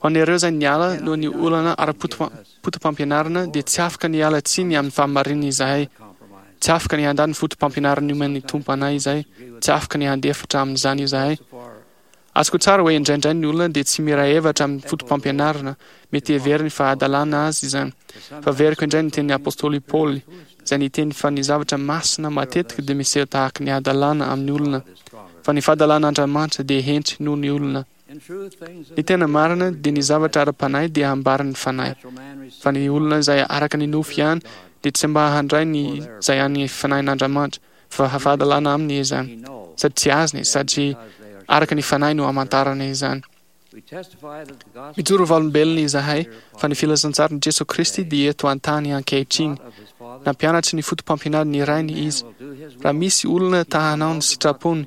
[SPEAKER 12] Ho an'ireo izay niala noho ny olana ara-potopampianarana dia tsy afaka ny hiala tsiny amin'ny fahamarinana izahay. Tsy afaka ny handà ny fotopampianarana nomen'ny Tompo anay izahay. Tsy afaka ny handefitra amin'izany izahay. Azoko tsara hoe indraindray ny olona dia tsy miray hevitra amin'ny fotopampianarana, mety heveriny fa hadalana azy izany. Fa averiko indray ny tenin'ny apostoly Paoly, izay niteny fa ny zavatra masina matetika dia miseho tahaka ny hadalana amin'ny olona, fa ny fahadalan'Andriamanitra dia hentry noho ny olona. Ny tena marina dia ny zavatra ara-panahy dia ambaran'ny Fanahy, fa ny olona izay araka ny nofo ihany dia tsy mba handray ny izay an'ny Fanahin'Andriamanitra, fa fahadalana aminy izany, sady tsy azony, sady araka ny Fanahy no amantarana izany. Mijoro ho vavolombelona izahay fa ny filazantsaran'i Jesoa Kristy dia eto an-tany ankehitriny. Nampianatry ny fotopampianaran'ny Rainy Izy. Raha misy olona ta hanao ny sitrapony,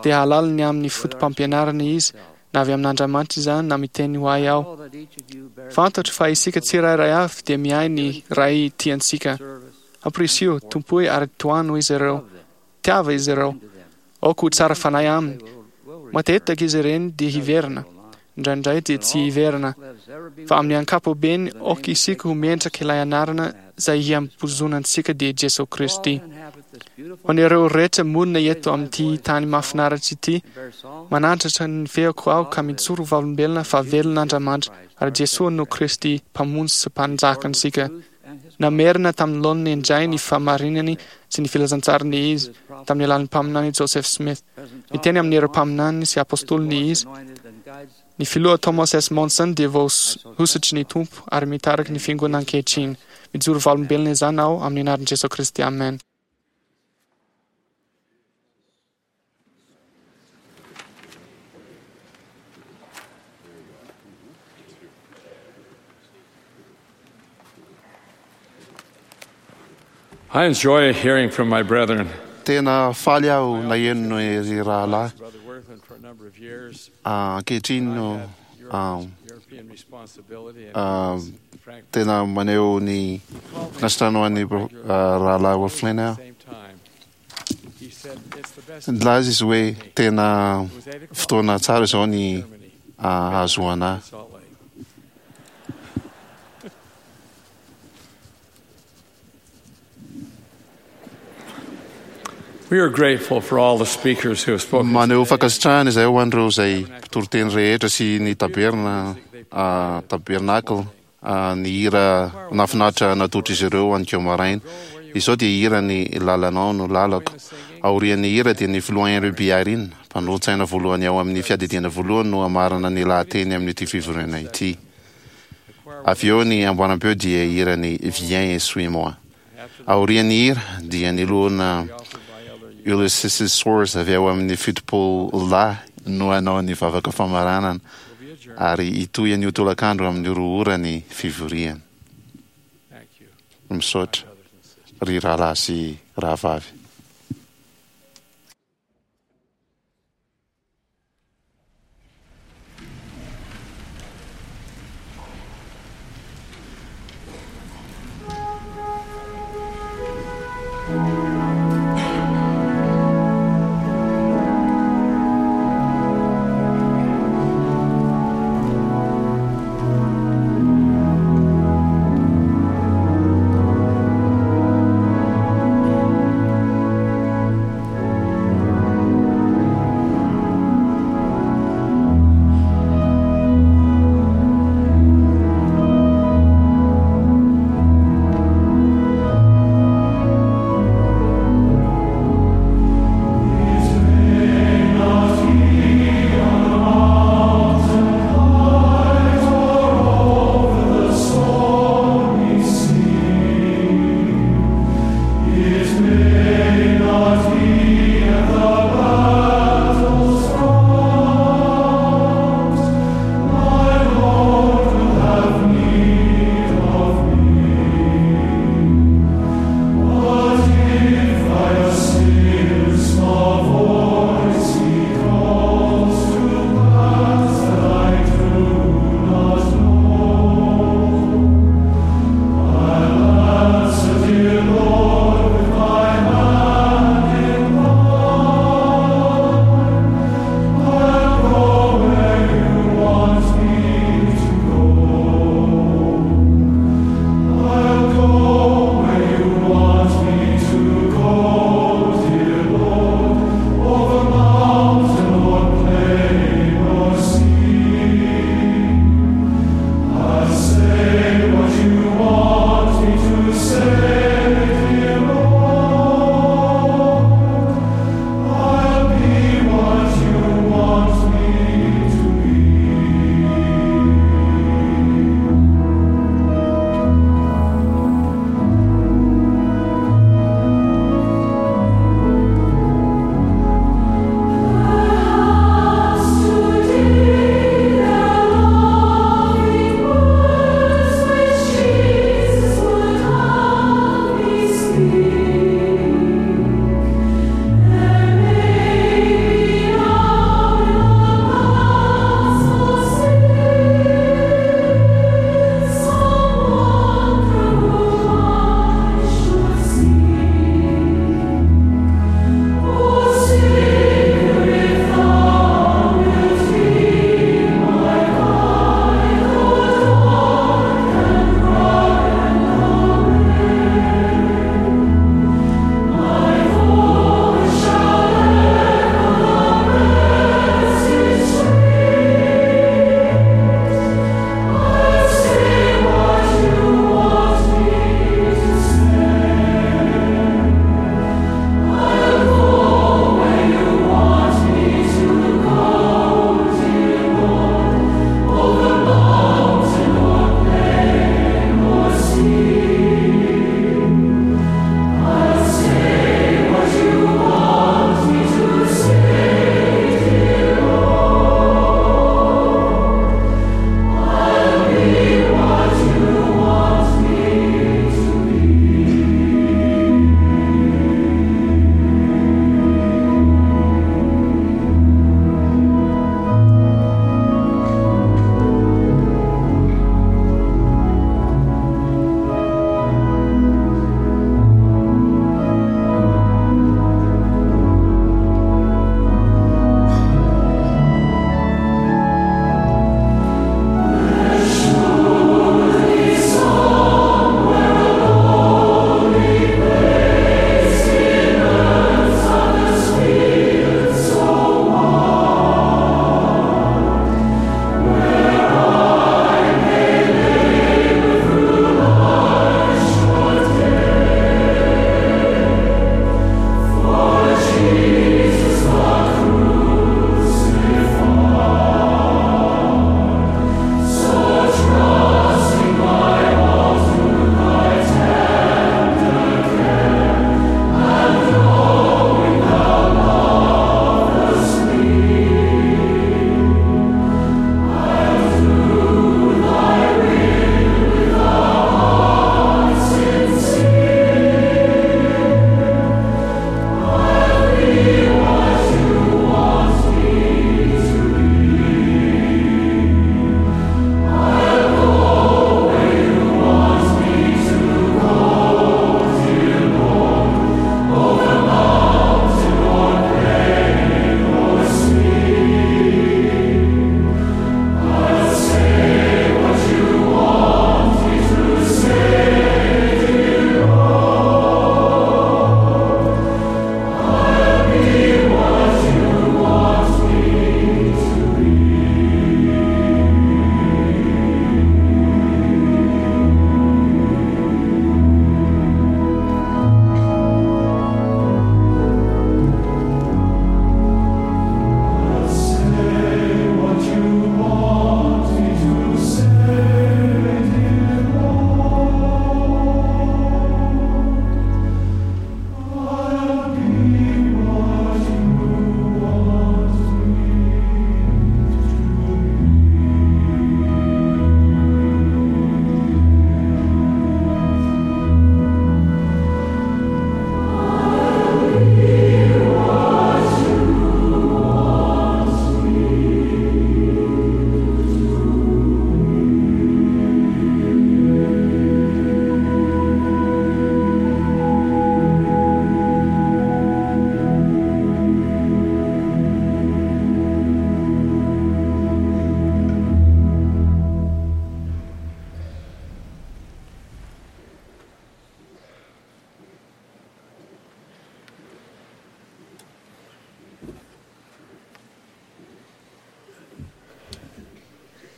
[SPEAKER 12] dia hahalala ny amin'ny fotopampianarana izy, na avy amin'Andriamanitra izany na miteny ho ahy aho. Fantatro fa isika tsirairay avy dia miahy ny Ray tia antsika. Ampirisiho, tompoy ary tohano izy ireo. Tiava izy ireo. Aoka ho tsara fanahy aminy. Matetika izy ireny dia hiverina. Indraindray dia tsy hiverina. Fa amin'ny ankapobeny, aoka isika ho mendrika ilay anarana izay hiambozonantsika dia Jesoa Kristy. Ho an'ireo rehetra monina eto amin'ity tany mahafinaritra ity, manandratra ny feoko aho ka mijoro ho vavolombelona fa velona Andriamanitra ary Jesoa no Kristy, Mpamonjy sy Mpanjakantsika. Namerina tamin'ny laoniny indray ny fahamarinany sy ny filazantsariny Izy, tamin'ny alalan'ny mpaminany Joseph Smith. Niteny amin'ireo mpaminaniny sy apostoliny Izy. Ny Filoha Thomas S. Monson dia voahosotry ny Tompo ary mitarika ny Fiangonana ankehitriny. Mijoro vavolombelona izany aho amin'ny anaran'i Jesoa Kristy, amena.
[SPEAKER 8] I enjoy hearing from my brethren.
[SPEAKER 2] Tena faly aho naheno ny rahalahy ankehitriny no tena maneho ny nasitrano an'ny rahalahy Wolflin aho. Nilaza izy hoe tena fotoana tsara izao ny ahazoana ahy. Maneho fankasitrahana izahay ho an'ireo izay mpitoriteny rehetra sy ny taberna, tabernacle. Ny hira nahafinaritra natolotr'izy ireo aninkeo maraina. Izao dia hira Ny lalanao no lalako. Aorian'ny hira dia ny Filoha Henry B. Eyring, mpanolotsaina voalohany ao amin'ny Fiadidiana Voalohany no hamarana ny lahateny amin'ity fivoriana ity. Avy eo ny amboaram-peo dia hira ny Viens et suis-moi. Aorian'ny hira dia ny Loholona Ulysses Soares avy ao amin'ny 70 Lahy no hanao ny vavaka famaranana ary hitohy anio tolakandro amin'ny 2 ora ny fivoriana. Misaotra ry rahalahy sy rahavavy.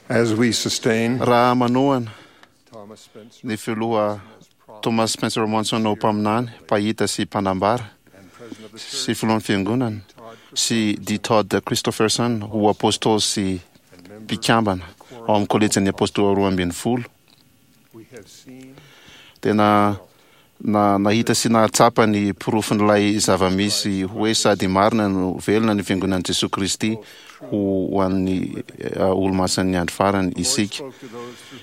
[SPEAKER 13] As we sustain
[SPEAKER 2] Raha manohana ny filoha Thomas Spencer Monson ho mpaminany, mpahita sy mpanambara, sy filohan'ny Fiangonana, sy D. Todd Christofferson ho Apôstôly sy mpikambana ao amin'ny Kôlejin'ny Apôstôly 12, Tena na nahita sy nahatsapa ny porofon'ilay zava-misy hoe sady marina no velona ny Fiangonan'i Jesoa Kristy ho an'ny olomasin'ny andro farany isika.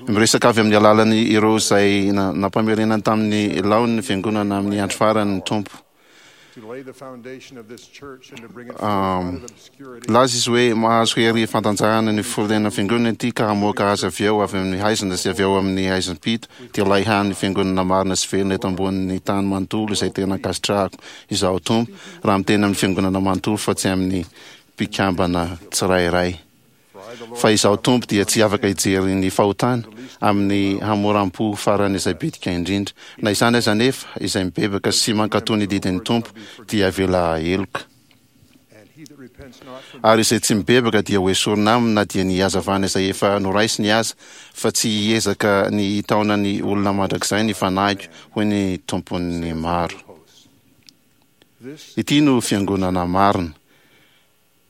[SPEAKER 2] Miresaka avy amin'ny alalan'ny ireo izay nampamerenany tamin'ny laoniny ny Fiangonana amin'ny andro farany ny Tompo. Nilaza izy hoe mahazo hery fantanjahana ny firenena fiangonana ity ka hamoaka azy avy eo avy amin'ny haizina sy avy ao amin'ny haizim-pito, dia ilay hany fiangonana marina sy velona eto ambonin'ny tany manontolo izay tena ankasitrahako izaho Tompo, raha miteny amin'ny fiangonana manontolo fa tsy amin'ny mpikambana tsirairay. Fa Izaho Tompo dia tsy afaka hijery ny fahotana amin'ny hamoram-po farany izay bitika indrindra. Na izany aza anefa, izay mibebaka sy mankatò ny didin'ny Tompo dia avela heloka. Ary izay tsy mibebaka dia hoesorina aminy na dia ny hazavana izay efa noraisiny aza, fa tsy hiezaka ny hitaona ny olona mandrakizay ny Fanahiko, hoy ny Tompon'ny maro. Ity no fiangonana marina.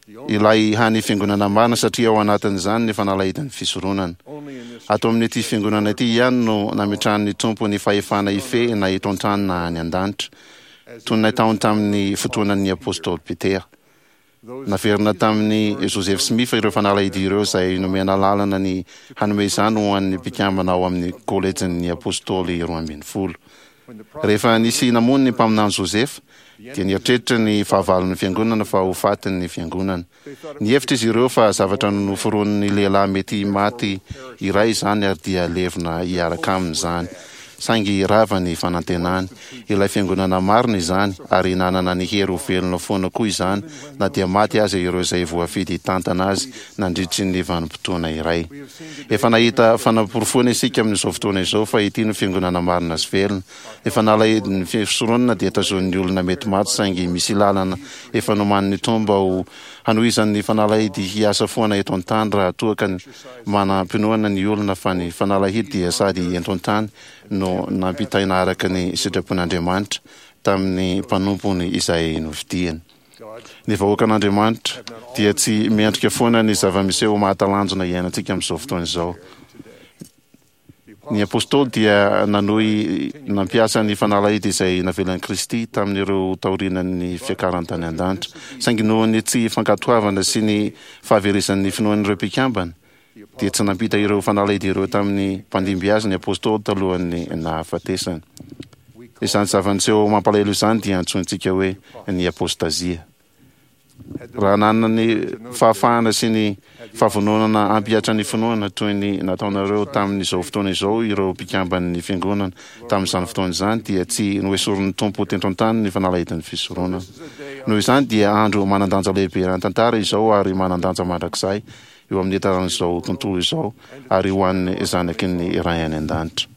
[SPEAKER 2] Ilay hany fiangonana marina satria ao anatin'izany ny fanalahidin'ny fisoronana. Ato amin'ity fiangonana ity ihany no nametrahan'ny Tompo ny fahefana hifehy na eto an-tany na any an-danitra, toy ny nataony tamin'ny fotoanan'ny Apostoly Petera. Naverina tamin'i Joseph Smith ireo fanalahidy ireo izay nomena alalana ny hanome izany ho an'ny mpikambana ao amin'ny Kôlejin'ny Apostoly 12. Rehefa nisy namono ny mpaminany Josefa, dia nieritreritra ny fahavalon'ny fiangonana fa ho faty ny fiangonana. Nihevitra izy ireo fa zavatra noforonin'ny lehilahy mety maty iray izany ary dia levona hiaraka aminy izany. Saingy rava ny fanantenany. Ilay fiangonana marina izany, ary nanana ny hery ho velona foana koa izany na dia maty aza ireo izay voafidy hitantana azy nandritry ny vanim-potoana iray. Efa nahita fanaporofoana isika amin'izao fotoana izao fa ity no fiangonana marina sy velona. Efa nalahelo ny fisoronana dia tazonin'ny olona mety maty saingy misy lalana efa nomanin'ny Tompo mba ho hanohizan'ny fanalahidy hiasa foana eto an-tany raha toa ka manam-pinoana ny olona fa ny fanalahidy dia sady ento an-tany no nampitaina araka ny sitrapon'Andriamanitra tamin'ny mpanompony izay nofidiany. Ny vahoakan'Andriamanitra dia tsy miendrika foana ny zava-miseho mahatalanjona iainantsika amin'izao fotoana izao. Ny apostoly dia nanohy nampiasa ny fanalahidy izay navelan'i Kristy tamin'ireo taorianan'ny fiakarany tany an-danitra. Saingy noho ny tsy fankatoavana sy ny fahaverezan'ny finoan'ireo mpikambana, dia tsy nampita ireo fanalahidy ireo tamin'ny mpandimby azy ny apostoly talohan'ny nahafatesany. Izany zava-niseho mampalahelo izany dia antsointsika hoe ny apostazia. Raha nanana ny fahafahana sy ny fahavononana hampihatra ny finoana toy ny nataonareo tamin'izao fotoana izao ireo mpikamban'ny Fiangonana tamin'izany fotoana izany, dia tsy noesorin'ny Tompo teto an-tany ny fanalahidin'ny fisoronana. Noho izany dia andro manan-danja lehibe eran-tantara izao ary manan-danja mandrakizay eo amin'ny taran'izao tontolo izao ary ho an'ny zanaky ny Ray any An-danitra.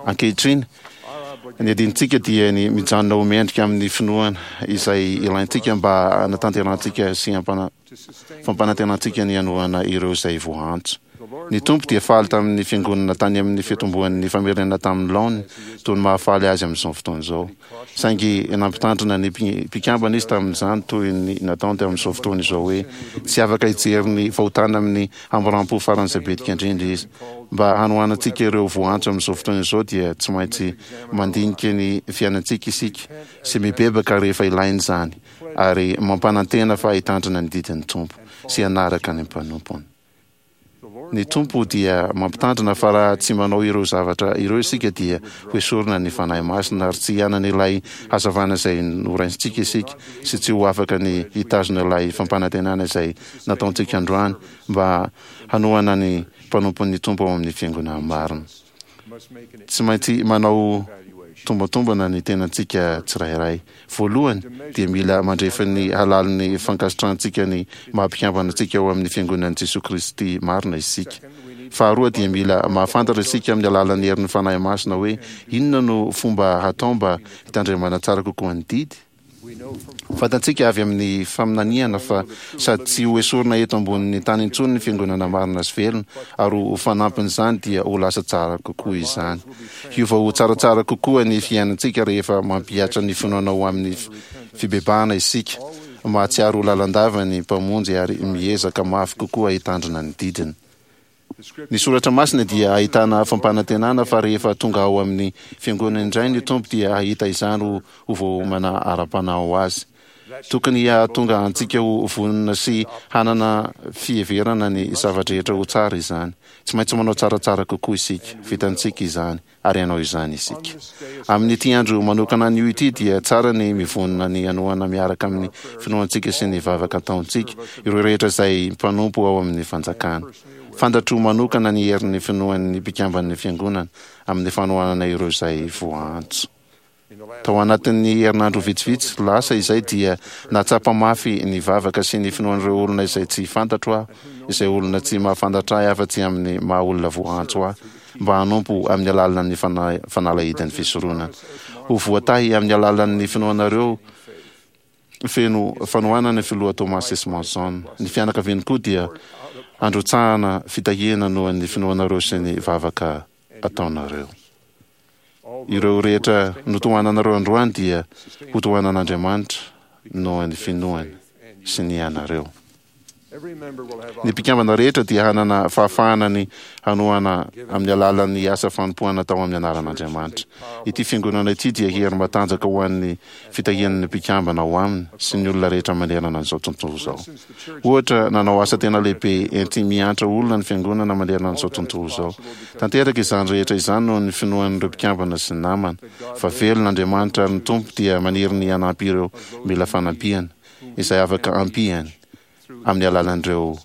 [SPEAKER 2] Ankehitriny, ny adintsika dia ny mijanona ho mendrika amin'ny finoana izay ilaintsika mba hanatanterahantsika sy fampanantenantsika ny hanohana ireo izay voaantso. Ny Tompo dia faly tamin'ny Fiangonana tany amin'ny fitomboan'ny famerenana tamin'ny laoniny toy ny mahafaly Azy amin'izao fotoana izao. Saingy nampitandrina ny mpikambana izy tamin'izany toy ny nataony tamin'izao fotoana izao hoe tsy afaka hijery ny fahotana amin'ny hamoram-po faran'izay bitika indrindra izy. Mba hanohanantsika ireo voantso amin'izao fotoana izao dia tsy maintsy mandinika ny fiainantsika isika sy mibebaka rehefa ilaina izany ary mampanantena fa hitandrina ny didin'ny Tompo sy hanaraka ny mpanompony. Ny Tompo dia mampitandrina fa raha tsy manao ireo zavatra ireo isika dia hoesorina ny Fanahy Masina ary tsy hanana ilay hazavana izay noraisintsika isika sy tsy ho afaka ny hitazona ilay fampanantenana izay nataontsika androany mba hanohana ny mpanompon'ny Tompo ao amin'ny Fiangonana marina. Tsy maintsy manao tombantombana ny tenantsika tsirairay. Voalohany, dia mila mandrefy ny halalin'ny fankasitrahantsika ny maha-mpikambana antsika ao amin'ny Fiangonan'i Jesoa Kristy marina isika. Faharoa, dia mila mahafantatra isika amin'ny alalan'ny herin'ny Fanahy Masina hoe inona no fomba hatao mba hitandremana tsara kokoa ny didy. Fantatsika avy amin'ny faminaniana fa sady tsy ho esorina eto ambonin'ny tany intsony ny fiangonana marina sy velona, ary ho fanampin'izany dia ho lasa tsara kokoa izany. Hiova ho tsaratsara kokoa ny fiainantsika rehefa mampihatra ny finoana ho amin'ny fibebahana isika, mahatsiaro ho lalandava ny Mpamonjy ary miezaka mafy kokoa hitandrina ny didiny. Ny soratra masina dia ahitana fampanantenana fa rehefa tonga ao amin'ny fiangonana indray ny Tompo dia hahita izany ho ho voaomana ara-panahy ho azy. Tokony hahatonga antsika ho vonona sy hanana fiheverana ny zava-drehetra ho tsara izany. Tsy maintsy manao tsaratsara kokoa isika. Vitantsika izany. ary hanao izany isika. Amin'ity andro manokana anio ity dia tsara ny mivonona ny hanohana miaraka amin'ny finoantsika sy ny vavaka ataontsika ireo rehetra izay mpanompo ao amin'ny fanjakana. Fantatro manokana ny herin'ny finoan'ny mpikamban'ny Fiangonana amin'ny fanohanana ireo izay voaantso. Tao anatin'ny herinandro vitsivitsy lasa izay dia nahatsapa mafy ny vavaka sy ny finoan'ireo olona izay tsy fantatro aho, izay olona tsy mahafantatra ahy afa-tsy amin'ny maha olona voaantso ahy mba hanompo amin'ny alalan'ny fanalahidin'ny fisoronana. Ho voatahy amin'ny alalan'ny finoanareo feno fanohanana ny Filoha Thomas S. Monson. Ny fianakaviany koa dia handrotsahana fitahiana noho ny finoanareo sy ny vavaka ataonareo. Ireo rehetra notohananareo androany dia hotohanan'Andriamanitra noho ny finoany sy ny anareo. Ny mpikambana rehetra dia hanana fahafahana ny hanohana amin'ny alalan'ny asa fanompoana atao amin'ny anaran'Andriamanitra. Ity fiangonana ity dia hery matanjaka ho an'ny fitahian'ny mpikambana ao aminy sy ny olona rehetra manerana an'izao tontolo izao. Ohatra, nanao asa tena lehibe enti-miantra olona ny Fiangonana manerana an'izao tontolo izao. Tanteraka izany rehetra izany noho ny finoan'ireo mpikambana sy ny namana, fa velona Andriamanitra ary ny Tompo dia maniry ny hanampy ireo mila fanampiana, izay afaka ampiany amin'ny alalan'ireo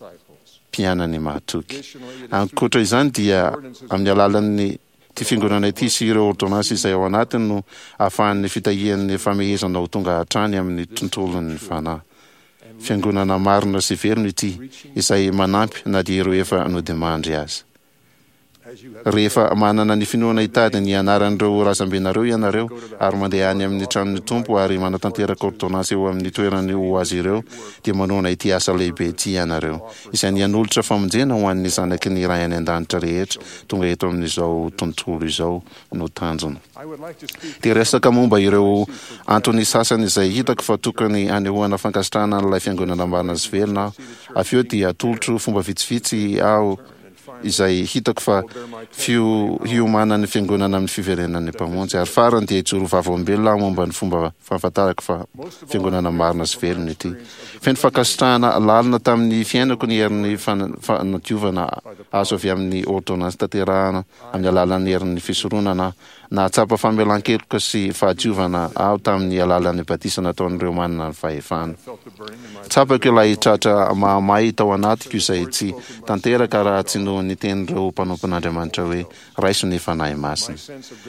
[SPEAKER 2] mpianany mahatoky. Ankoatra izany dia amin'ny alalan'ny Ity Fiangonana ity sy ireo ôrdônansy izay ao anatiny no ahafahan'ny fitahian'ny famehezana ho tonga hatrany amin'ny tontolon'ny fanahy. Fiangonana marina sy velona ity, izay manampy na dia ireo efa nodimandry aza. Rehefa manana ny finoana hitady ny anaran'ireo razambenareo ianareo ary mandeha any amin'ny tranon'ny Tompo ary manatanteraka ôrdônansy eo amin'ny toerany ho azy ireo, dia manohana ity asa lehibe ity ianareo. izay ny hanolotra famonjena ho an'ny zanaky ny Ray any An-danitra rehetra tonga eto amin'izao tontolo izao no tanjona. Dia resaka momba ireo antony sasany izay hitako fa tokony hanehoana fankasitrahana an'ilay Fiangonana marina sy velona aho. Avy eo dia atolotro fomba vitsivitsy aho izay hitako fa fiomanan'ny Fiangonana amin'ny fiverenan'ny Mpamonjy. Ary farany dia hijoro vavolombelona aho momba ny fomba fahafantarako fa Fiangonana marina sy velona ity. Feno fankasitrahana lalina tamin'ny fiainako ny herin'ny fanadiovana azo avy amin'ny ôrdônansy tanterahana amin'ny alalan'ny herin'ny fisoronana aho. Nahatsapa famelan-keloka sy fahadiovana aho tamin'ny alalan'ny batisa nataon'ireo manana ny fahefana. Tsapako ilay tratra mahamay tao anatiko izay tsy tanteraka raha tsy noho ny tenin'ireo mpanompon'Andriamanitra hoe, Raiso ny Fanahy Masina.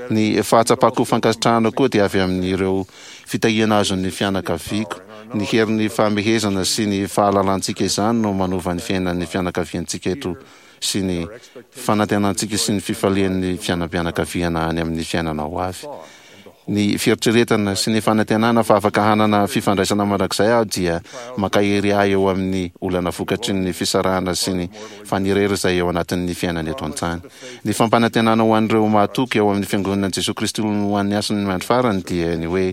[SPEAKER 2] Ny fahatsapako fankasitrahana koa dia avy amin'ireo fitahiana azon'ny fianakaviako. Ny herin'ny fahamehezana sy ny fahalalantsika izany no manova ny fiainan'ny fianakaviantsika eto sy ny fanantenantsika sy ny fifalian'ny fianam-pianakaviana any amin'ny fiainana ho avy. Ny fieritreretana sy ny fanantenana fa afaka hanana fifandraisana mandrakizay aho dia mankahery ahy eo amin'ny olana vokatry ny fisarahana sy ny fanirery izay eo anatin'ny fiainana eto an-tany. Ny fampanantenana ho an'ireo mahatoky ao amin'ny Fiangonan'i Jesoa Kristy ho an'ny Hasin'ny Andro Farany dia ny hoe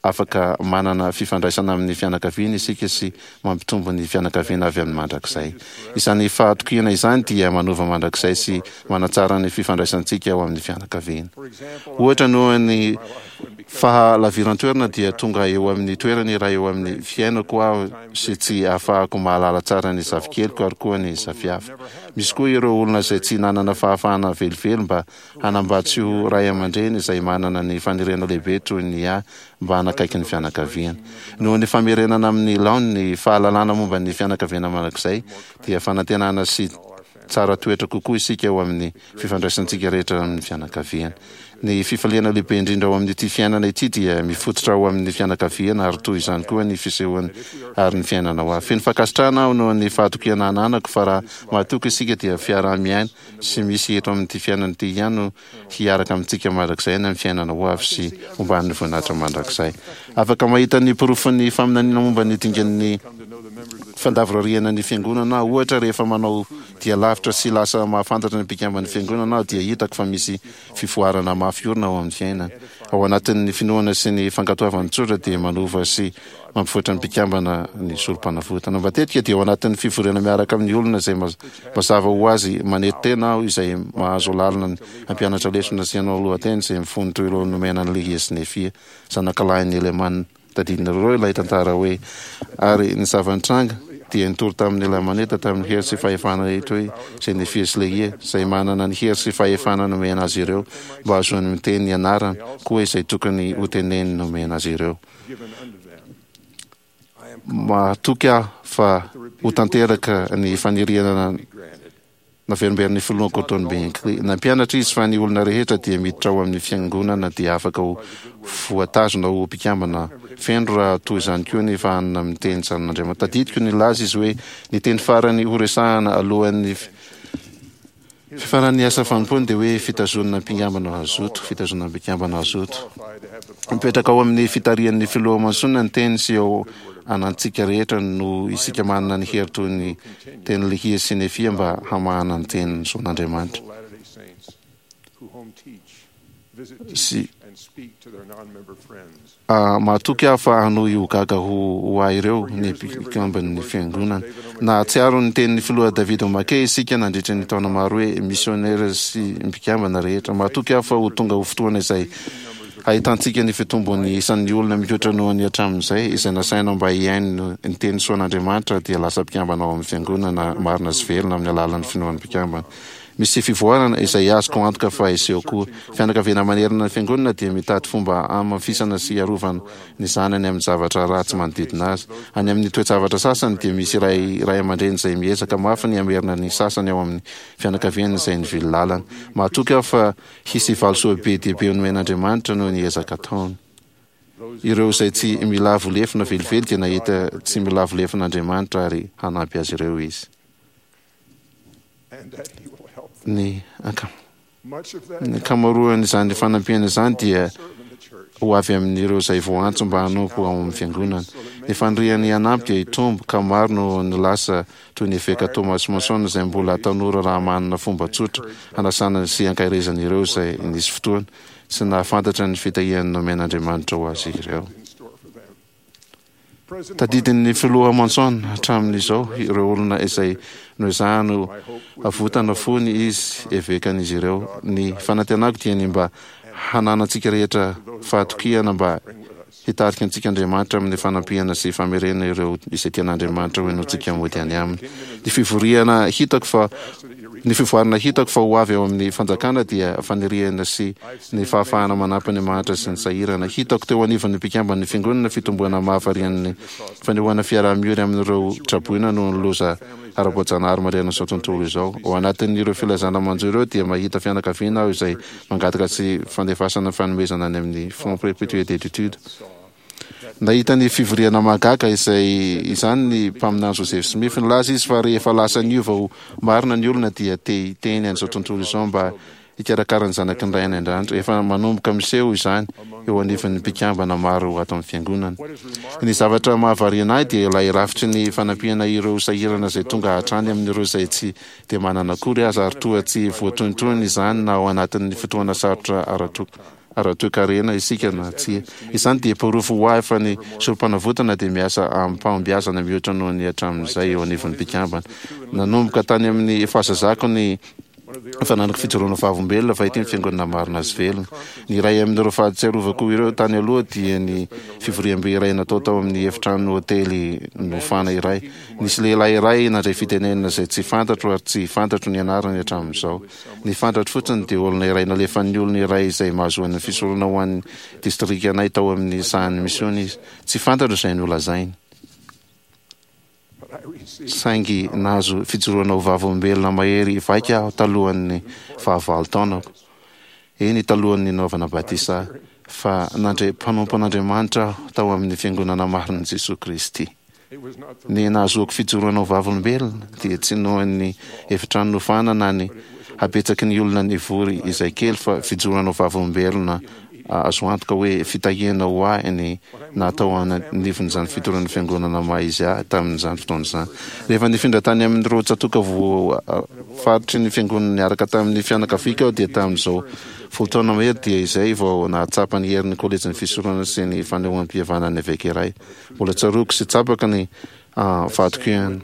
[SPEAKER 2] Afaka manana fifandraisana amin'ny fianakaviana isika sy mampitombo ny fianakaviana avy amin'ny mandrakizay. Izany fahatokiana izany dia manova mandrakizay sy manatsara ny fifandraisantsika ao amin'ny fianakaviana. Ohatra, noho ny fahalaviran-toerana dia tonga eo amin'ny toerana iray eo amin'ny fiainako aho sy tsy ahafahako mahalala tsara ny zafikeliko ary koa ny zafiafiko. Misy koa ireo olona izay tsy nanana fahafahana velively mba Hanambady sy ho ray aman-dreny izay manana ny faniriana lehibe toy ny ahy mba hanakaiky ny fianakaviany. Noho ny famerenana amin'ny laoniny ny fahalalana momba ny fianakaviana mandrakizay dia fanantenana sy tsara toetra kokoa isika eo amin'ny fifandraisantsika rehetra amin'ny fianakaviana. Ny fifaliana lehibe indrindra ao amin'ity fiainana ity dia mifototra ao amin'ny fianakaviana ary toy izany koa ny fisehoany ary ny fiainana ho avy. Feno fankasitrahana aho noho ny fahatokiana ananako fa raha mahatoky isika dia fiaraha-miaina sy misy eto amin'ity fiainana ity ihany no hiaraka amintsika mandrakizay any amin'ny fiainana ho avy sy homban'ny voninahitra mandrakizay. Afaka mahita ny porofon'ny faminaniana momba ny dingan'ny fandavorariana ny Fiangonana aho. Ohatra, rehefa manao dia lavitra sy lasa mahafantatra ny mpikamban'ny Fiangonana aho dia hitako fa misy fivoarana mafy orina ao amin'ny fiainany. Ao anatin'ny finoana sy ny fankatoavana tsotra dia manova sy mampivoatra ny mpikambana ny Sorompanavotana. Matetika dia ao anatin'ny fivoriana miaraka amin'ny olona izay mazava ho azy manetry tena aho izay mahazo alalana ny hampianatra lesona sy hanao lohateny izay mifono toy ireo nomena an'i Lehia sy Nefia, zanakalahin'i Helemana. Tadidinareo ilay tantara hoe, Ary ny zava-nitranga, dia nitory tamin'ny Lamanita tamin'ny hery sy fahefana rehetra hoe izay Nefia sy Lehia, izay manana ny hery sy fahefana nomena azy ireo mba hahazoany miteny ny anarany, koa izay tokony hoteneniny nomena azy ireo. Mahatoky aho fa ho tanteraka ny faniriana naverimberin'ny Filoha Gordon B. Hinckley. Nampianatra izy fa ny olona rehetra dia miditra ao amin'ny Fiangonana dia afaka ho voatazona ho mpikambana feno raha toy izany koa ny fahanana miteny tsaran'Andriamanitra. Tadidiko nilaza izy hoe ny teny farany horesahana alohan'ny Fifaran'ny asa fanompoany dia hoe fitazonana mpikambana hazoto, fitazonana mpikambana hazoto. Mipetraka ao amin'ny fitarihan'ny Filoha Monson ny teny sy eo anantsika rehetra no isika manana ny hery toy ny teny Lehia sy Nefia mba hamahana ny teny zon'Andriamanitra. Sy Mahatoky aho fa hanohy ho gaga ho ho ahy ireo ny mpikamban'ny Fiangonana. Nahatsiaro ny tenin'ny Filoha David O. McKay isika nandritra ny taona maro hoe misiônera sy mpikambana rehetra. Mahatoky aho fa ho tonga ho fotoana izay hahitantsika ny fitombon'ny isan'ny olona mihoatra noho ny hatramin'izay izay nasaina mba hihaino ny teny soan'Andriamanitra dia lasa mpikambana ao amin'ny Fiangonana marina sy velona amin'ny alalan'ny finoan'ny mpikambana. Misy fivoarana izay azoko antoka fa hiseho koa. Fianakaviana manerana ny Fiangonana dia mitady fomba hamafisana sy hiarovana ny zanany amin'ny zavatra ratsy manodidina azy. Any amin'ny toe-javatra sasany dia misy iray ray aman-dreny izay miezaka mafy ny hamerina ny sasany ao amin'ny fianakaviany izay nivily lalana. Mahatoky aho fa hisy valisoa be dia be nomen'Andriamanitra noho ny ezaka ataony. Ireo izay tsy milavo lefona velively dia nahita tsy milavo lefona Andriamanitra ary hanampy azy ireo Izy. Ny ankamaroan'izany fanampiana izany dia ho avy amin'ireo izay voantso mba hanompo ao amin'ny Fiangonana. Ny faniriany hanampy dia hitombo, ka maro no nilaza toy ny Eveka Thomas Monson izay mbola tanora raha manana fomba tsotra hanasana sy hankaherezana ireo izay nisy fotoana tsy nahafantatra ny fitahiany nomen'Andriamanitra ho azy ireo. Tadidin'ny Filoha Monson hatramin'izao ireo olona izay noezahany ho avotana fony izy evekan'izy ireo. Ny fanantenako dia ny mba hananantsika rehetra fahatokiana mba hitarika antsika Andriamanitra amin'ny fanampiana sy famerena ireo izay tian'Andriamanitra ho henointsika mody any Aminy. Ny fivoriana hitako fa Ny fivoarana hitako fa ho avy ao amin'ny fanjakana dia faniriana sy ny fahafahana manampy ny mahantra sy ny sahirana. Hitako teo anivon'ny mpikamban'ny Fiangonana fitomboana mahavarian'ny fanehoana fiaraha-miory amin'ireo traboina noho ny loza ara-boajanahary manerana izao tontolo izao. Ao anatin'ireo filazana manjo ireo dia mahita fianakaviana aho izay mangataka tsy fandefasana fanomezana any amin'ny Fonds Perpétuel d'Études. Nahita ny fivoriana mahagaga izay izany ny mpaminany Joseph Smith. Nilaza izy fa rehefa lasa niova ho marina ny olona dia te hiteny an'izao tontolo izao mba hikarakara ny zanaky ny Ray any An-danitra. Efa manomboka miseho izany eo anivon'ny mpikambana maro ato amin'ny Fiangonana. Ny zavatra mahavariana ahy dia ilay rafitry ny fanampiana ireo sahirana izay tonga hatrany amin'ireo izay tsy dia manana akory aza ary toa tsy voatohintohina izany na ao anatin'ny fotoana sarotra ara-tokantrano. ara-toekarena isika na tsia. Izany dia porofo ho ahy fa ny Sorompanavotana dia miasa amim-pahombiazana mihoatra noho ny hatramin'izay eo anivon'ny mpikambana. Nanomboka tany amin'ny fahazazako ny fananako fijoroana vavolombelona fa ity ny Fiangonana marina sy velona. Ny iray amin'ireo fahatsiarovako ireo tany aloha dia ny fivoriambe iray natao tao amin'ny efitrano hotely nofana iray. Nisy lehilahy iray nandray fitenenana izay tsy fantatro ary tsy fantatro ny anarany hatramin'izao. Ny fantatro fotsiny dia olona iray nalefan'ny olona iray izay mahazoany ny fisorona ho an'ny distrikanay tao amin'ny sahan'ny misiona izy. Tsy fantatro izay nolazainy. Saingy nahazo fijoroana ho vavolombelona mahery vaika aho talohan'ny fahavalo taonako, eny talohan'ny nanaovana batisa ahy, fa nandre mpanompon'Andriamanitra aho tao amin'ny Fiangonana marin'i Jesoa Kristy. Ny nahazoako fijoroana ho vavolombelona dia tsy noho ny efitrano nofana na ny habetsaky ny olona nivory izay kely fa fijoroana ho vavolombelona azo antoka hoe fitahiana ho ahy ny natao anivon'izany fitoran'ny fiangonana maha izy ahy tamin'izany fotoana izany. Rehefa nifindra tany amin'ireo tsatòka voafaritry ny fiangonana niaraka tamin'ny fianakaviako aho dia tamin'izao 10 taona mahery dia izay vao nahatsapa ny herin'ny kolejin'ny fisoronana sy ny fanehoam-pihavanan'ny eveka iray. Mbola tsaroako sy tsapako ny vadiko ihany.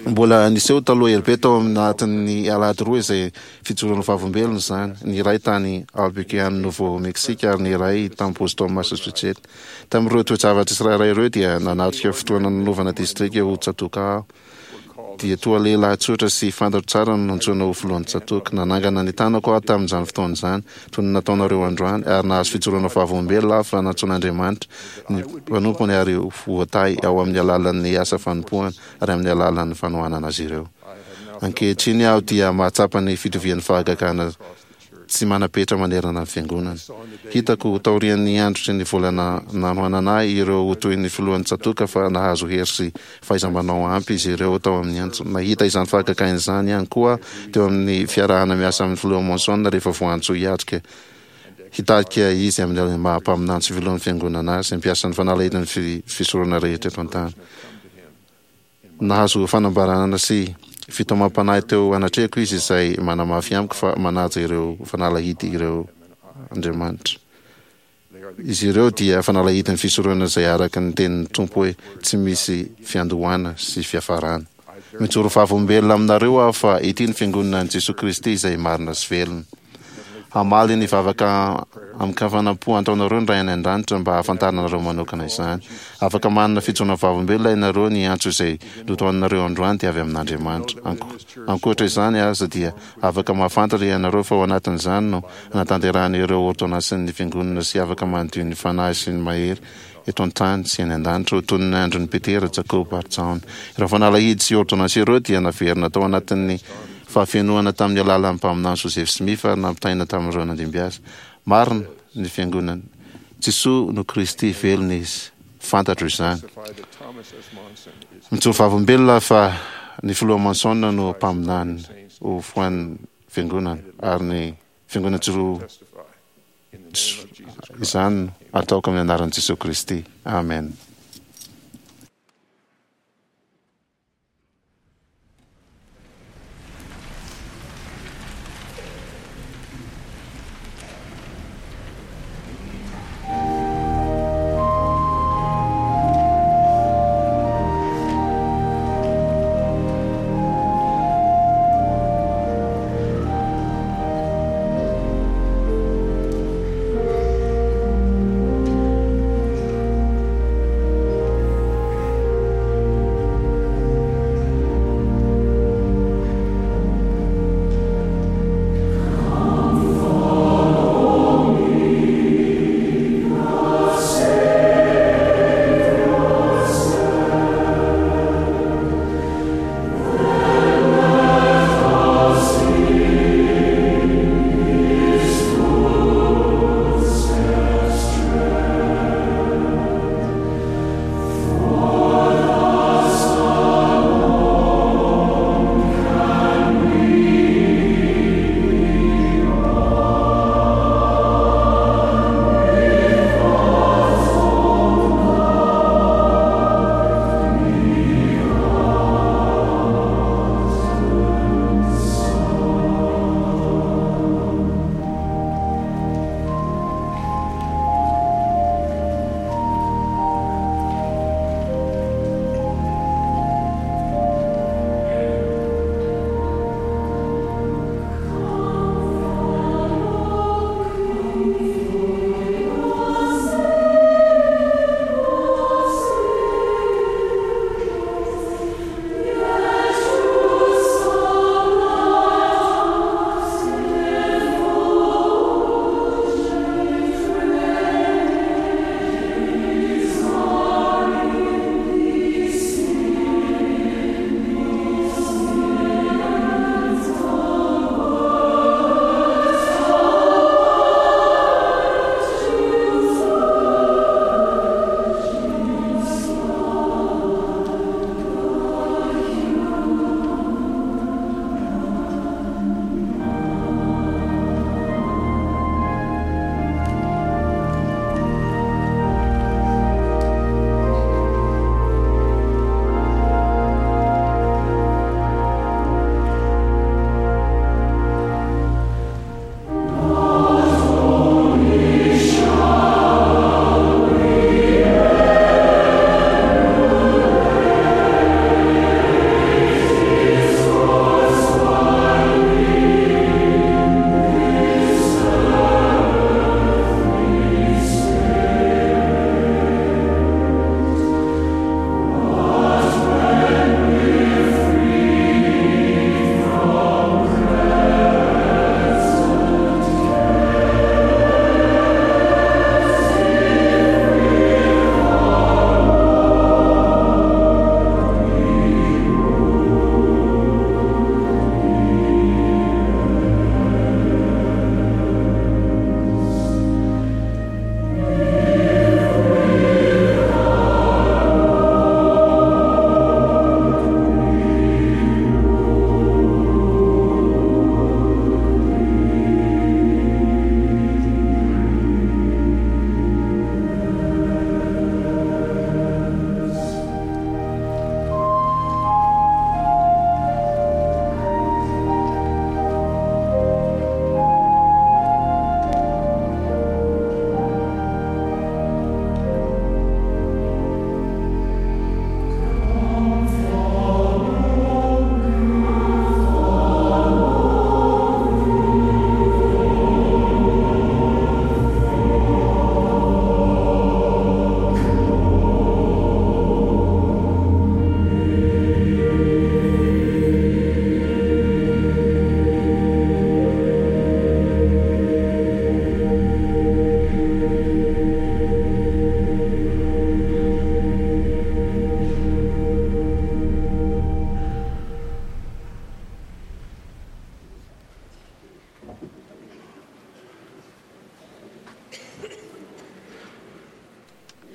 [SPEAKER 2] Mbola niseho taloha ela be tao anatin'ny alahady roa izay fijoroana vavolombelona izany, ny iray tany Albuquerque any Nouveau Mexique ary ny iray tany Boston Massachusetts. Tamin'ireo toe-javatra tsirairay ireo dia nanatrika fotoana nanovana distrika ho tsatòka aho. Dia toa lehilahy tsotra sy fantatro tsara no nantsoina ho filohan'ny tsatòka. Nanangana ny tanako aho tamin'izany fotoana izany, toy ny nataonareo androany, ary nahazo fijoroana vavolombelona aho fa nantsoin'Andriamanitra ny mpanompony ary ho voatahy ao amin'ny alalan'ny asa fanompoana ary amin'ny alalan'ny fanohanana azy ireo. Ankehitriny aho dia mahatsapa ny fitovian'ny fahagagana tsy manam-petra manerana ny Fiangonana. Hitako taorian'ny andro sy ny volana nanohanana ahy ireo ho toy ny filohan'ny tsatòka fa nahazo hery sy fahaiza-manao ampy izy ireo tao amin'ny antso. Nahita izany fahagagana izany ihany koa aho teo amin'ny fiarahana miasa amin'ny Filoha Monson rehefa voantso hiatrika hitarika izy amin'ny maha mpaminany sy filohan'ny Fiangonana azy, mpiasa ny fanalahidin'ny fisoronana rehetra eto an-tany. Nahazo fanambarana sy fitaomam-panahy teo anatrehako izy izay manamafy amiko fa manaja ireo fanalahidy ireo Andriamanitra. Izy ireo dia fanalahidin'ny fisoronana izay araka ny tenin'ny Tompo hoe tsy misy fiandohana sy fiafarana. Mijoro vavolombelona aminareo aho fa ity ny Fiangonana an'i Jesoa Kristy izay marina sy velona. Hamaly ny vavaka amin-kafanam-po ataonareo ny Ray any An-danitra mba hahafantaranareo manokana izany. Afaka manana fijoroana vavolombelona ianareo ny antso izay notohaninareo androany dia avy amin'Andriamanitra. Ankoatra izany aza dia afaka mahafantatra ianareo fa ao anatin'izany no anatanterahana ireo ôrdônansin'ny Fiangonana sy afaka manadio ny fanahy sy ny mahery eto an-tany sy any an-danitra ho toy ny andron'i Petera, Jakoba ary Jaona. Ireo fanalahidy sy ôrdônansy ireo dia naverina tao anatin'ny fahafenoana tamin'ny alalan'ny mpaminany Joseph Smith ary nampitaina tamin'ireo nandimby azy. Marina ny Fiangonana. Jesoa no Kristy, velona Izy. Fantatro izany. Mijoro vavolombelona aho fa ny Filoha Monson no mpaminany ho foan'ny Fiangonana ary ny Fiangonana Joro Izany no ataoko amin'ny anaran'i Jesoa Kristy. Amen.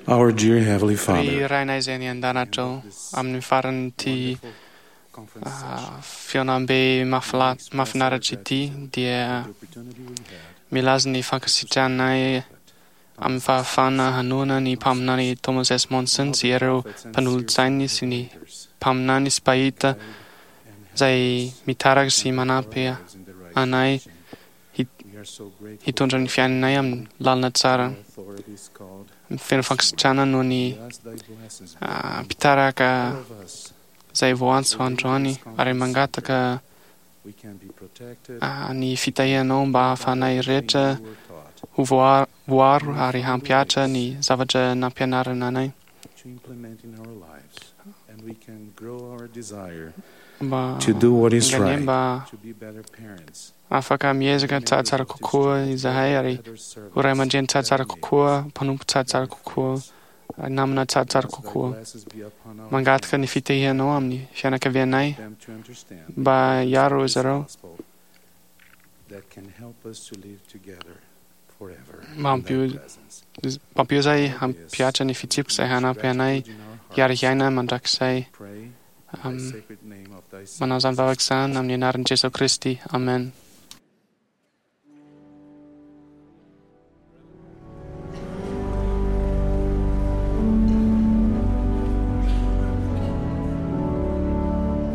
[SPEAKER 8] Our dear Heavenly
[SPEAKER 12] Ry
[SPEAKER 8] Father,
[SPEAKER 12] Rainay izay any an-danitra ao, amin'ny faran'ity fihaonambe mahafinaritra ity dia milaza ny fankasitrahanay amin'ny fahafahana hanohana ny mpaminany Thomas S. Monson sy ireo mpanolotsainy sy ny mpaminany sy mpahita izay mitarika sy manampy anay hitondra ny fiainanay amin'ny lalana tsara. Feno fankasitrahana noho ny mpitarika izay voantso androany ary mangataka ny fitahianao mba hahafahanay rehetra ho voaro ary hampihatra ny zavatra nampianarina anay. Mba
[SPEAKER 8] to do what is
[SPEAKER 12] enganie
[SPEAKER 8] right,
[SPEAKER 12] mba afaka miezaka tsaratsara kokoa izahay ary ho ray aman-dreny tsaratsara kokoa, mpanompo tsaratsara kokoa, ary namana tsaratsara kokoa. Mangataka ny fitahianao amin'ny fianakavianay mba hiaro izy ireo.
[SPEAKER 8] that can help us to live together forever.
[SPEAKER 12] Mampio izahay hampihatra ny fitsipika izay hanampy anay hiara-hiaina mandrakizay. Manao izany vavaka izany amin'ny anaran'i Jesoa Kristy. Amen.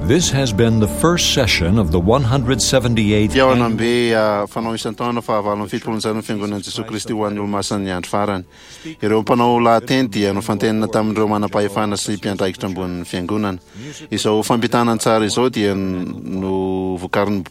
[SPEAKER 1] This has been the first session of the 178th
[SPEAKER 2] Fihaonambe fanao isan-taona fahavalo amby fitopolo ny zanon'ny Fiangonan'i Jesoa Kristy ho an'ny Olomasin'ny Andro Farany. Ireo mpanao lahateny dia nofantenina tamin'ireo manam-pahefana sy mpiandraikitra ambonin'ny Fiangonana. Izao fampitana an-tsary izao dia novokarin'ny